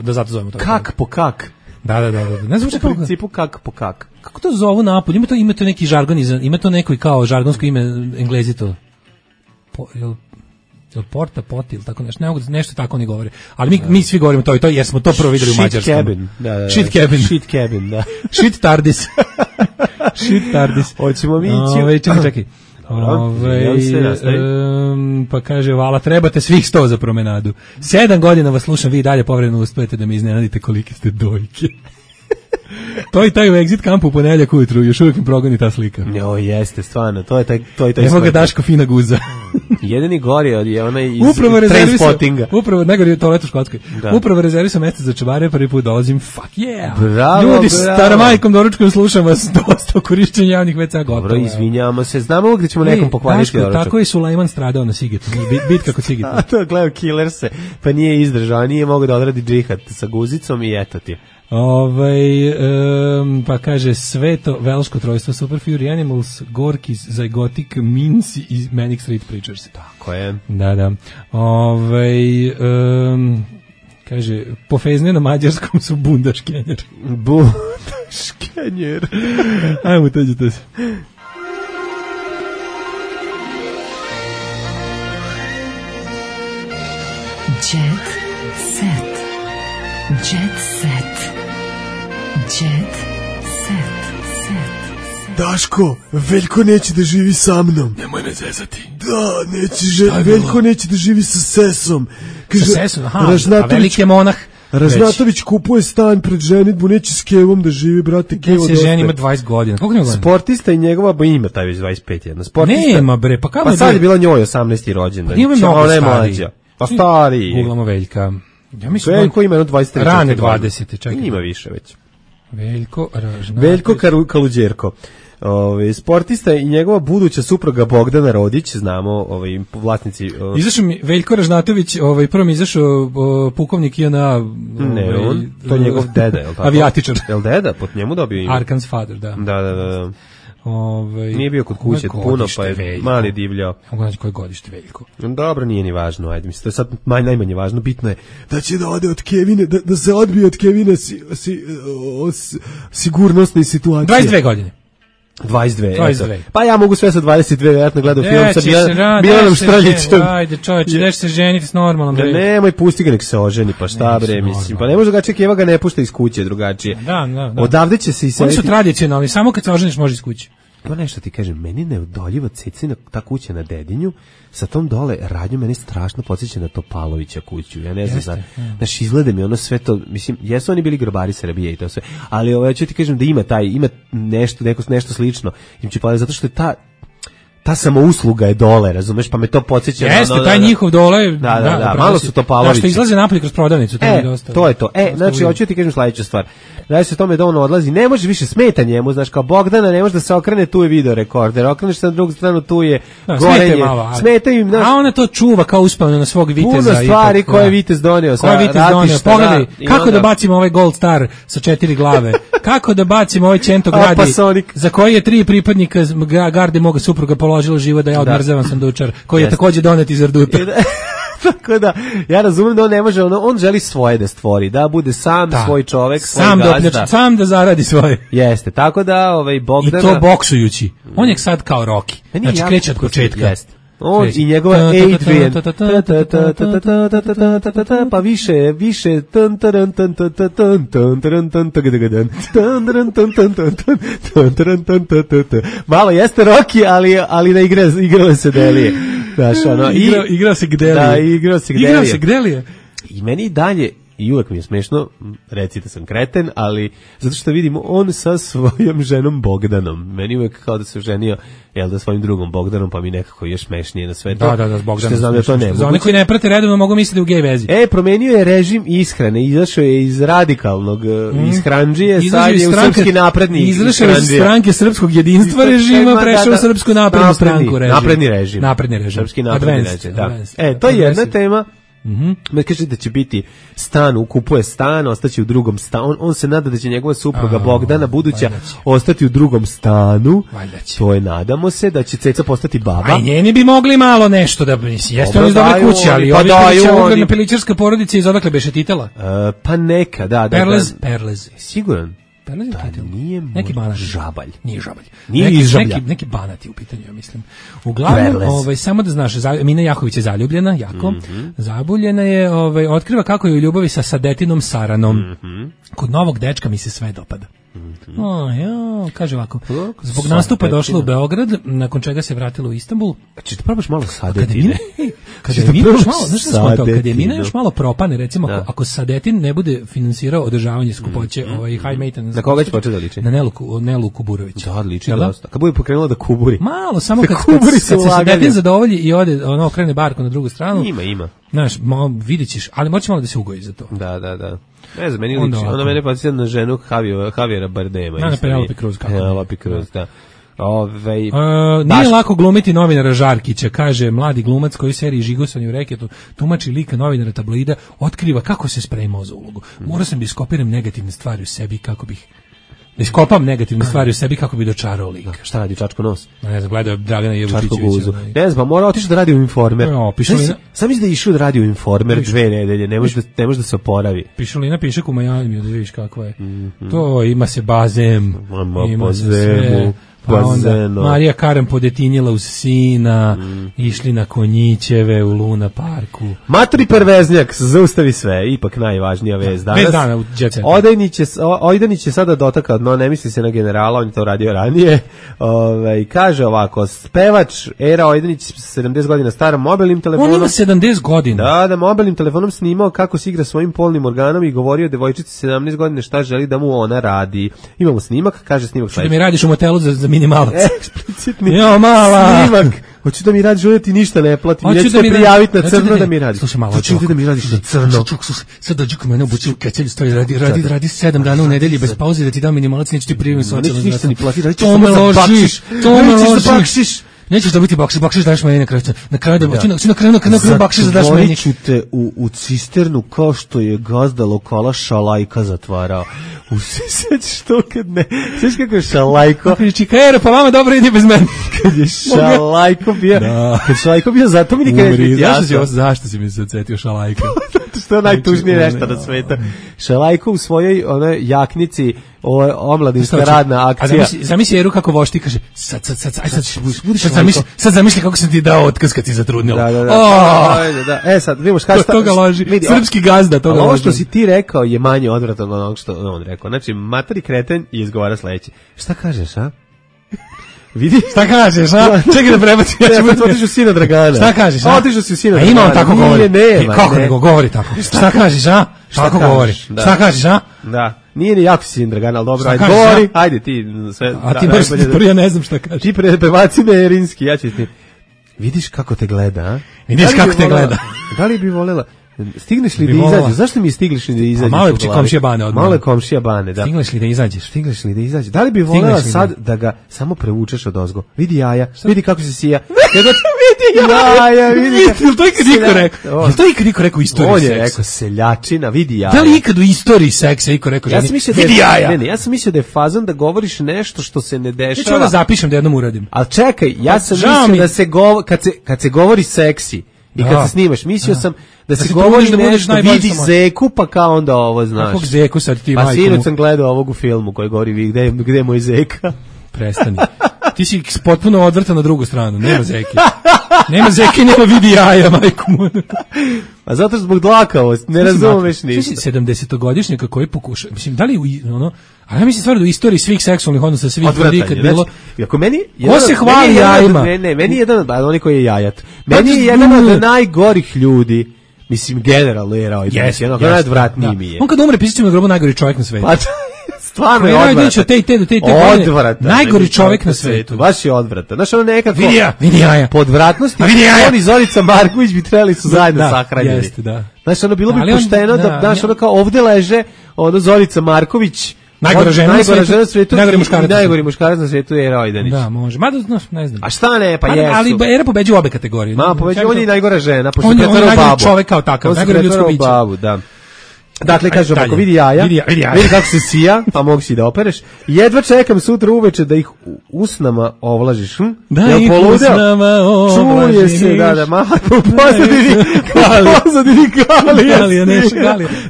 Speaker 5: da zato zovemo to.
Speaker 6: Kak po kak.
Speaker 5: Da. Ne znam
Speaker 6: u principu kak po kak.
Speaker 5: Kako to zovu napolju? Ima to neki žargon, ima to neko kao žargonsko ime, Englezi to. Porta, poti ili tako nešto tako oni govore. Ali mi svi govorimo to jer smo to prvo videli u Mađarskom.
Speaker 6: Shit cabin, da.
Speaker 5: Shit tardis.
Speaker 6: Hoćemo mi ići.
Speaker 5: Čekaj. Pa kaže, vala, trebate svih 100 za promenadu. 7 godina vas slušam, vi dalje povremeno uspijete da mi iznenadite kolike ste dojke. To i taj u Exit kampu u ponedjeljak ujutru, još uvijek mi progoni ta slika.
Speaker 6: Jo, jeste, stvarno, to je taj
Speaker 5: evo ga Daško fina guza.
Speaker 6: Jedini gori je onaj iz
Speaker 5: Trainspottinga. Upravo, najgori je toalet u Škotskoj. Upravo rezervisam mjesto za čevare, prvi put dolazim, fuck yeah.
Speaker 6: Bravo,
Speaker 5: ljudi, staramajkom doručkom slušam vas dosta o korišćenju javnih WC gotovo.
Speaker 6: Dobro, izvinjavamo se, znamo uvijek da ćemo nekom pokvariti doručak.
Speaker 5: Tako je Sulejman stradao na Sigetu, bitka kod Sigeta.
Speaker 6: A to gledao Killerse, pa nije izdržao, nije mogao da odradi džihad sa guzicom i eto ti.
Speaker 5: Pa kaže Sveto velško trojstvo Super Fury Animals, Gorkis, Zygotic, Minci i Manic Street Preachers.
Speaker 6: Tako je.
Speaker 5: Da. Kaže, pofezne na mađarskom su bundaškenjer.
Speaker 6: Bundaškenjer.
Speaker 5: Ajmo, teđite se.
Speaker 2: Jet set. Jet set. Jet set.
Speaker 7: Daško, Veljko neće da živi sa mnom.
Speaker 8: Nemoj me zezati.
Speaker 7: Da, Veljko neće da živi sa Sesom.
Speaker 5: Kaže, sa Sesom, a veliki je monah.
Speaker 7: Ražnatović kupuje stan pred ženitbu, neće s Kevom da živi, brate.
Speaker 5: Kevo se ženi, ima 20 godina. Koliko ima godina?
Speaker 6: Sportista i njegova, ima taj već 25 jedna. Sportista.
Speaker 5: Nema bre, pa kako
Speaker 6: je? Pa sad je bila njoj 18. rođendan.
Speaker 5: Pa ima mnogo stariji.
Speaker 6: Pa stariji.
Speaker 5: Googlamo Veljka.
Speaker 6: Ja mislim Veljko ima 23.
Speaker 5: Rane 20. Čekaj.
Speaker 6: Ima više već.
Speaker 5: Veljko
Speaker 6: Kaluđerko. Sportista i njegova buduća supruga Bogdana Rodić, znamo, vlasnici.
Speaker 5: Izašao mi Veljko Ražnatović, prvo mi izašao pukovnik JNA.
Speaker 6: Ne, to je njegov deda, je li tako?
Speaker 5: Avijatičar.
Speaker 6: Je li deda? Pod njemu dobio ime.
Speaker 5: Arkan's father, da.
Speaker 6: Da. Nije bio kod kuće puno, pa je mali divljao.
Speaker 5: Koje godište Veljko?
Speaker 6: Dobro, nije ni važno, ajde, mislim, to je sad najmanje važno, bitno je
Speaker 7: da će da ode od Kevine, da se odbije od Kevine sigurnosne situacije.
Speaker 5: 22 godine.
Speaker 6: 22. Pa ja mogu sve sa 22, vjerojatno gledam film sa Milanom Štrljićem.
Speaker 5: Ajde, čovječe, neš se ženiti s normalnom.
Speaker 6: Nemoj, pusti ga nek se oženi, pa šta bre, mislim. Pa ne može drugačije, Keva ga ne pušta iz kuće drugačije.
Speaker 5: Da.
Speaker 6: Odavde će se i
Speaker 5: oni su tradicionalni, samo kad se oženiš može iz kuće.
Speaker 6: Pa nešto ti kažem, meni neodoljiva cecina ta kuća na Dedinju, sa tom dole radnju meni strašno podsjeća na Topalovića kuću. Ja ne znam, znaš, izgleda mi ono sve to, mislim, jesu oni bili grobari Srbije i to sve, ali ću ti kažem da ima nešto slično. Im će zato što je ta samousluga je dole, razumeš, pa me to podsjeća.
Speaker 5: Jeste, taj njihov dole.
Speaker 6: Da, malo su to Pavlovići.
Speaker 5: Što izlaze napolje kroz prodavnicu, to je dosta.
Speaker 6: To je to. Znači, hoću ti kažem sledeću stvar. Radi se o tome da on odlazi, ne može više smeta njemu, znaš, kao Bogdana, ne može da se okrene, tu je video rekorder, okreneš se na drugu stranu, tu je gorenje. Smeta im, znaš.
Speaker 5: A ona to čuva kao uspavljeno na svog viteza.
Speaker 6: Puno stvari koje je vitez donio.
Speaker 5: Pogledaj, kako da bacimo ovaj Gold Star sa 4 glave, kako da bacimo ovaj Čento gradi, za koji je 3 pripadnika garde moga supruga položilo život da ja odmrzavam sandučar, koji je takođe donet iz Erduta.
Speaker 6: Tako da, ja razumem da on ne može, on želi svoje da stvori, da bude sam svoj čovek, svoj gazda.
Speaker 5: Sam da zaradi svoje.
Speaker 6: Jeste, tako da Bogdana...
Speaker 5: I to boksujući. On je sad kao Rocky. Znači kreće od početka.
Speaker 6: Jeste. On i njegova Adrian, pa više malo jeste Rocky, ali na igrale se Delije.
Speaker 5: Igrao se Gdelije.
Speaker 6: Da, igrao se Gdelije. I meni i dalje, i uvek mi je smešno, recite sam kreten, ali zato što vidim on sa svojom ženom Bogdanom. Meni uvek kao da se ženio, svojim drugom Bogdanom, pa mi nekako još smešnije na sve to.
Speaker 5: Da, s Bogdanom.
Speaker 6: Što znam da to ne mogu.
Speaker 5: Za oni koji ne prate redovno mogu misliti u gej vezi.
Speaker 6: Promenio je režim ishrane, izašao je iz radikalnog ishranđije, sad je u srpski napredni ishranđije.
Speaker 5: Izašao je iz stranke srpskog jedinstva režima, prešao u srpsku naprednu stranku režim.
Speaker 6: Napredni režim. Srpski napredni režim, da. To je jedna tema. Kaže da će biti stan, kupuje stan, ostaće u drugom stanu. On se nada da će njegova supruga Bogdana buduća ostati u drugom stanu. To je, nadamo se, da će Ceca postati baba.
Speaker 5: A njeni bi mogli malo nešto da jeste oni iz dobre kuće, ali ovi kuće ugledna pilićarska porodica iz odakle beše titela?
Speaker 6: Pa neka, da.
Speaker 5: Perlez.
Speaker 6: Siguran?
Speaker 5: Nije neki banat.
Speaker 6: Žabalj.
Speaker 5: Nije žabalj.
Speaker 6: Nije iz Žablja.
Speaker 5: Neki banati u pitanju, ja mislim. Uglavnom, samo da znaš, Mina Jahović je zaljubljena, jako. Zabuljena je, otkriva kako je u ljubavi sa Sadetinom Saranom. Kod novog dečka mi se sve dopada. Kaže ovako, zbog nastupa došla u Beograd, nakon čega se vratila u Istanbul.
Speaker 6: Či ti probaš malo Sadetine?
Speaker 5: Kad je Mina još malo propane, recimo, ako Sadetin ne bude finansirao održavanje skupoće, high maintenance.
Speaker 6: Na koga će početi da liči?
Speaker 5: Na Nelu Kuburović.
Speaker 6: Da, liči dosta. Kad bude pokrenula da kuburi.
Speaker 5: Malo, samo kad se Sadetin zadovolji i ode, okrene barku na drugu stranu.
Speaker 6: Ima.
Speaker 5: Znaš, vidit ćeš, ali moći malo da se ugoji za to.
Speaker 6: Da. Ne znam, meni liči. Ona mene podsjeća na ženu Javiera Bardema.
Speaker 5: Na Penelope Cruz.
Speaker 6: Penelope Cruz, da.
Speaker 5: Nije lako glumiti novinara Žarkića, kaže mladi glumac koji u seriji Žigosanje u reketu tumači lika novinara tabloida, otkriva kako se spremao za ulogu. Morao sam da iskopiram negativne stvari u sebi kako bih iskopam negativne stvari u sebi kako bi dočarao lika.
Speaker 6: Šta radi, čačko nos?
Speaker 5: Ne znam, gledao Dragana Jevučićevića.
Speaker 6: Ne znam, mora otići da radi u Informer. Sam mislim da je išao da radi u Informer 2 nedelje, ne može da se oporavi.
Speaker 5: Pišulina piše u Majami, da vidiš kako je. To ima se bazem, ima se sve. Pa onda Marija Karan podetinjela uz sina, išli na konjićeve u Luna parku.
Speaker 6: Maturi perveznjak, zaustavi sve, ipak najvažnija vez danas.
Speaker 5: Bez dana u Jet Setu.
Speaker 6: Ojdanić je sada dotakao dno, ne misli se na generala, on je to radio ranije. Kaže ovako, spevač Era Ojdanić, 70 godina star, mobilnim telefonom.
Speaker 5: On ima 70 godina.
Speaker 6: Da, mobilnim telefonom snimao kako se igra svojim polnim organom i govorio devojčici 17 godina šta želi da mu ona radi. Imamo snimak, kaže snimak.
Speaker 5: Što da mi radiš u motelu za minimalac.
Speaker 6: Eksplicitni
Speaker 5: mala.
Speaker 6: snimak. Hoću da mi radiš, ovdje ti ništa ne platim. Neću te prijaviti na crno da mi radiš.
Speaker 5: Slušaj malo.
Speaker 6: Hoću da mi radiš na crno.
Speaker 5: Sad dođi kod mene obući u kecelju, stoji, radi 7 dana u nedelji bez pauze da ti dam minimalac, neću ti prijaviti socijalno.
Speaker 6: Neću ništa ni platiti, radit ću
Speaker 5: samo za bakšiš. To me
Speaker 6: ložiš.
Speaker 5: Nećeš dobiti bakšiš daš meni na kraju. Na kraju bakšiš da daš meni.
Speaker 6: Zatvorit ću te u cisternu kao što je gazda lokala Šalajka zatvarao. Sećaš to kad ne? Sećaš kako je Šalajko?
Speaker 5: Čikajero, pa vama dobro ide bez mene.
Speaker 6: Kad je Šalajko bio, zato mi nikad neće biti jasno.
Speaker 5: Zašto si mi se odsjetio Šalajko?
Speaker 6: Što je najtužnije nešto na sveta. Šalajko u svojoj jaknici, omladinska radna akcija.
Speaker 5: Zamisli Eru kako vošti, kaže, sad zamisli kako sam ti dao otkaz kad ti zatrudnila.
Speaker 6: Da. Sad, vidimo šta...
Speaker 5: Toga loži, srpski gazda, toga loži.
Speaker 6: Ovo što si ti rekao je manje odvratno od onog što on rekao. Znači, materi kreten i izgovara sledeće. Šta kažeš, a?
Speaker 5: Vidi? Šta kažeš, a? Čekaj da prebacim.
Speaker 6: Otišu sina Dragana.
Speaker 5: Šta kažeš, a?
Speaker 6: Otišu si sina Dragana.
Speaker 5: Ima on tako govori.
Speaker 6: Nema.
Speaker 5: Kako nego govori tako? Šta kažeš, a? Tako govori. Šta kažeš, a?
Speaker 6: Da. Nije ni jako si Dragan, ali dobro,
Speaker 5: Šta
Speaker 6: ajde,
Speaker 5: kažeš,
Speaker 6: govori,
Speaker 5: ja?
Speaker 6: ajde ti sve.
Speaker 5: A ti baš ja ne znam šta kažeš.
Speaker 6: Ti prebaci me Erinski, ja ću ti. Vidiš kako te gleda, a?
Speaker 5: Vidiš kako te gleda.
Speaker 6: Da li bi volela? Stigneš li da izađeš? Zašto mi stigliš li da izađeš?
Speaker 5: Malo je komšija Bane odmah.
Speaker 6: Malo je komšija Bane, da.
Speaker 5: Stigneš li da izađeš?
Speaker 6: Stigneš li da izađeš? Da li bi volela sad da ga samo prevučeš odozgo? Vidi jaja, vidi kako se sija.
Speaker 5: Vidi jaja, vidi. Jel to ikad niko rekao? Jel to ikad niko rekao u istoriji seksa?
Speaker 6: On je rekao seljačina, vidi jaja.
Speaker 5: Da li ikad u istoriji seksa niko rekao ženi? Vidi jaja.
Speaker 6: Ne, ja sam mislio da je fazon da govoriš nešto što se ne dešava.
Speaker 5: Ja ću onda zapišem da jednom uradim.
Speaker 6: Ali čekaj, ja sam mislio da se kad se govori seksi i kad se snimaš, mislio sam da se govori da nešto, vidi zeku, pa kao onda ovo, znaš.
Speaker 5: Kakvog zeku sad ti majkom?
Speaker 6: Pa sinoć sam gledao ovog u filmu koji govori gde je moj zeka.
Speaker 5: Prestani. Ti si potpuno odvrtan na drugu stranu, nema zeke. Nema zeke, nema vidi jaja, majko moja.
Speaker 6: A zato zbog dlakavosti, ne razumeš ništa.
Speaker 5: 70-godišnjaka koji pokuša, mislim, da li a ja mislim stvarno da u istoriji svih seksualnih odnosa svih ljudi kad bilo...
Speaker 6: Ako meni...
Speaker 5: Ko se hvali jajima?
Speaker 6: Ne, meni je jedan, oni koji je jajat. Meni je jedan od najgorih ljudi, mislim, generalno je rao. Jednog najodvratniji mi je.
Speaker 5: On kad umre, pisat će na grobu najgori čovjek na svetu.
Speaker 6: Stvarno je odvratan.
Speaker 5: Najgori čovjek na svetu.
Speaker 6: Baš je odvratan. Znaš, ono nekako...
Speaker 5: Vidi jaja.
Speaker 6: Po odvratnosti, on i Zorica Marković bi trebali su zajedno sahranjeni.
Speaker 5: Jeste, da.
Speaker 6: Znaš, ono bilo bi pošteno da, znaš, ono kao ovde leže, ono Zorica Marković,
Speaker 5: najgora žena na
Speaker 6: svetu, najgori muškarac na svetu je Era Ojdanić.
Speaker 5: Da, može. Mada, ne znam.
Speaker 6: A šta ne, pa jesu.
Speaker 5: Ali Era pobeđuje obe kategorije.
Speaker 6: On je najgora žena, pošto
Speaker 5: on je
Speaker 6: najgori
Speaker 5: čovek kao takav, najgori ljudsko biće.
Speaker 6: Da. Dakle, kažem, ako vidi jaja, vidi kako se sija, pa mogu si da opereš. Jedva čekam sutra uveče da ih usnama ovlažiš.
Speaker 5: Da ih usnama ovlažiš.
Speaker 6: Čuje se, da, pozadini Galija.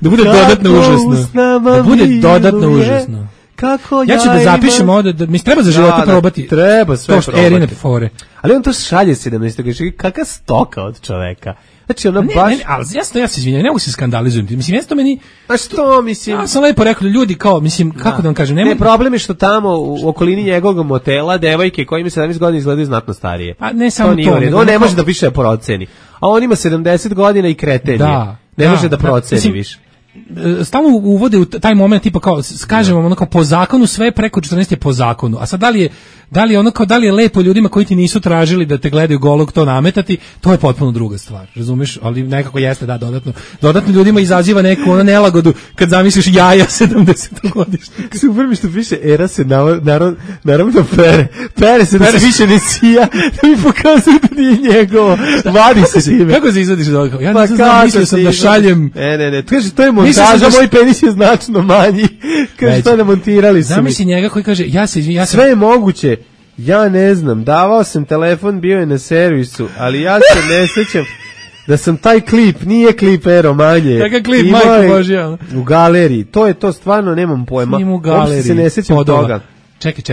Speaker 5: Da bude dodatno užasno. Da bude dodatno užasno.
Speaker 6: Kako
Speaker 5: ja ću da zapišem ovde, mi treba za života probati.
Speaker 6: Treba sve probati.
Speaker 5: Erine fore.
Speaker 6: Ali on to šalje 17. Kakva stoka od čoveka. Znači ona baš...
Speaker 5: ali ja se izvinjam, ne mogu se skandalizujem. Mislim, jeste to meni...
Speaker 6: A što, mislim...
Speaker 5: Ja sam lepo rekao, ljudi kao, mislim, kako da vam kažem...
Speaker 6: Ne, problem je što tamo u okolini njegovog motela devojke koje ima 17 godina izgledaju znatno starije.
Speaker 5: Pa ne samo to.
Speaker 6: On ne može da više proceni. A on ima 70 godina i kreten je. Ne može da proceni više.
Speaker 5: Stalno uvode u taj moment tipa kao kažemo ono kao po zakonu sve preko 14 je po zakonu. A sad da li je lepo ljudima koji ti nisu tražili da te gledaju golog to nametati, to je potpuno druga stvar. Razumeš? Ali nekako jeste dodatno ljudima izaziva neku ono nelagodu kad zamisliš jaja 70-godišnjaka.
Speaker 6: Super mi što piše Era se naravno pere se da se više ne sija, da mi pokazuje da nije njegovo. Vadi se time.
Speaker 5: Kako se izvadiš od ovoga? Ja ne znam, mislio sam da šaljem.
Speaker 6: Ne, kaže to je montaža, moj penis je značno manji. Kaže to namontirali su mi.
Speaker 5: Zamisli njega koji kaže
Speaker 6: sve je moguće. Ja ne znam, davao sam telefon, bio je na servisu, ali ja se ne sjećam da sam taj klip, nije klip Ero manje.
Speaker 5: Kakav klip, majko Božja?
Speaker 6: U galeriji, to je to stvarno, nemam pojma.
Speaker 5: Snim u galeriji.
Speaker 6: Uopšte se ne sjećam toga.
Speaker 5: Čekaj.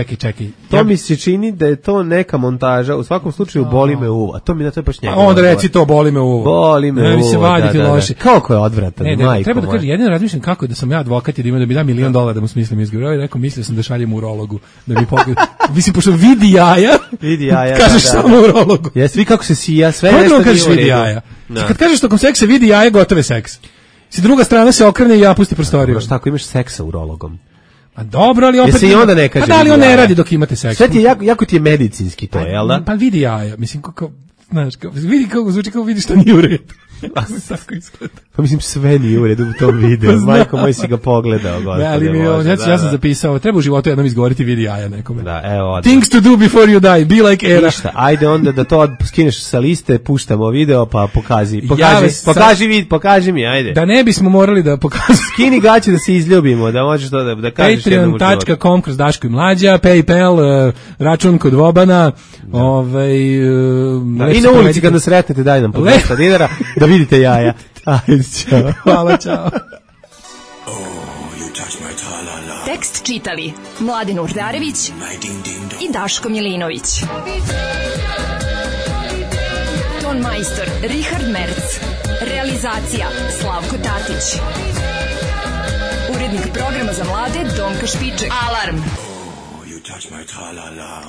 Speaker 6: To mi se čini da je to neka montaža, u svakom slučaju boli me uvo, a to mi na to je baš njega.
Speaker 5: Onda reci to, boli me uvo.
Speaker 6: Boli me uvo,
Speaker 5: mi se vaditi loše.
Speaker 6: Kako je odvratan, majko.
Speaker 5: Treba da kažem, jedino razmišljam kako je da sam ja advokat i da mi da $1 milion da mu smislim izgovor. I rekao, mislio sam da šaljem urologu, da mi pogleda. Mislim, pošto vidi jaja, kažeš samo urologu.
Speaker 6: Jesi, vi kako se sija, sve
Speaker 5: nešto kažeš vidi jaja. Kad kažeš tokom seksa vidi jaja, gotove seks. Si druga strana se okrene i ja pusti prostoriju.
Speaker 6: Šta ako imaš seksa urologom?
Speaker 5: A dobro, ali opet...
Speaker 6: Jesi i onda ne kaže
Speaker 5: da li on ne radi dok imate seks?
Speaker 6: Sve ti je jako ti je medicinski to, jel da?
Speaker 5: Pa vidi jaja, mislim, vidi kako zvuči, kako vidi što nije u redu. Tako izgleda.
Speaker 6: Pa mislim, sve nije u redu u tom videu. Majko moj si ga pogledao, gospode.
Speaker 5: Ja sam zapisao, treba u životu jednom izgovoriti vidi jaja nekome.
Speaker 6: Da, evo.
Speaker 5: Things to do before you die, be like Era.
Speaker 6: Ništa, ajde onda da to skineš sa liste, puštamo video, pa pokaži mi, ajde.
Speaker 5: Da ne bismo morali da pokažemo.
Speaker 6: Skini gaće da se izljubimo, da možeš to da kažeš jednom u životu.
Speaker 5: Patreon.com kroz Daško i Mlađa, PayPal, račun kod Vobana,
Speaker 6: i na ulici kad nas sretnete, daj nam po $200 da vidite jaja. Ajde, čao.
Speaker 5: Hvala, čao.
Speaker 2: Tekst čitali Mladen Urdarević i Daško Milinović. Ton majstor Richard Merc. Realizacija Slavko Tatić. Urednik programa za mlade Donka Špiček. Alarm! You touch my tra-la-la.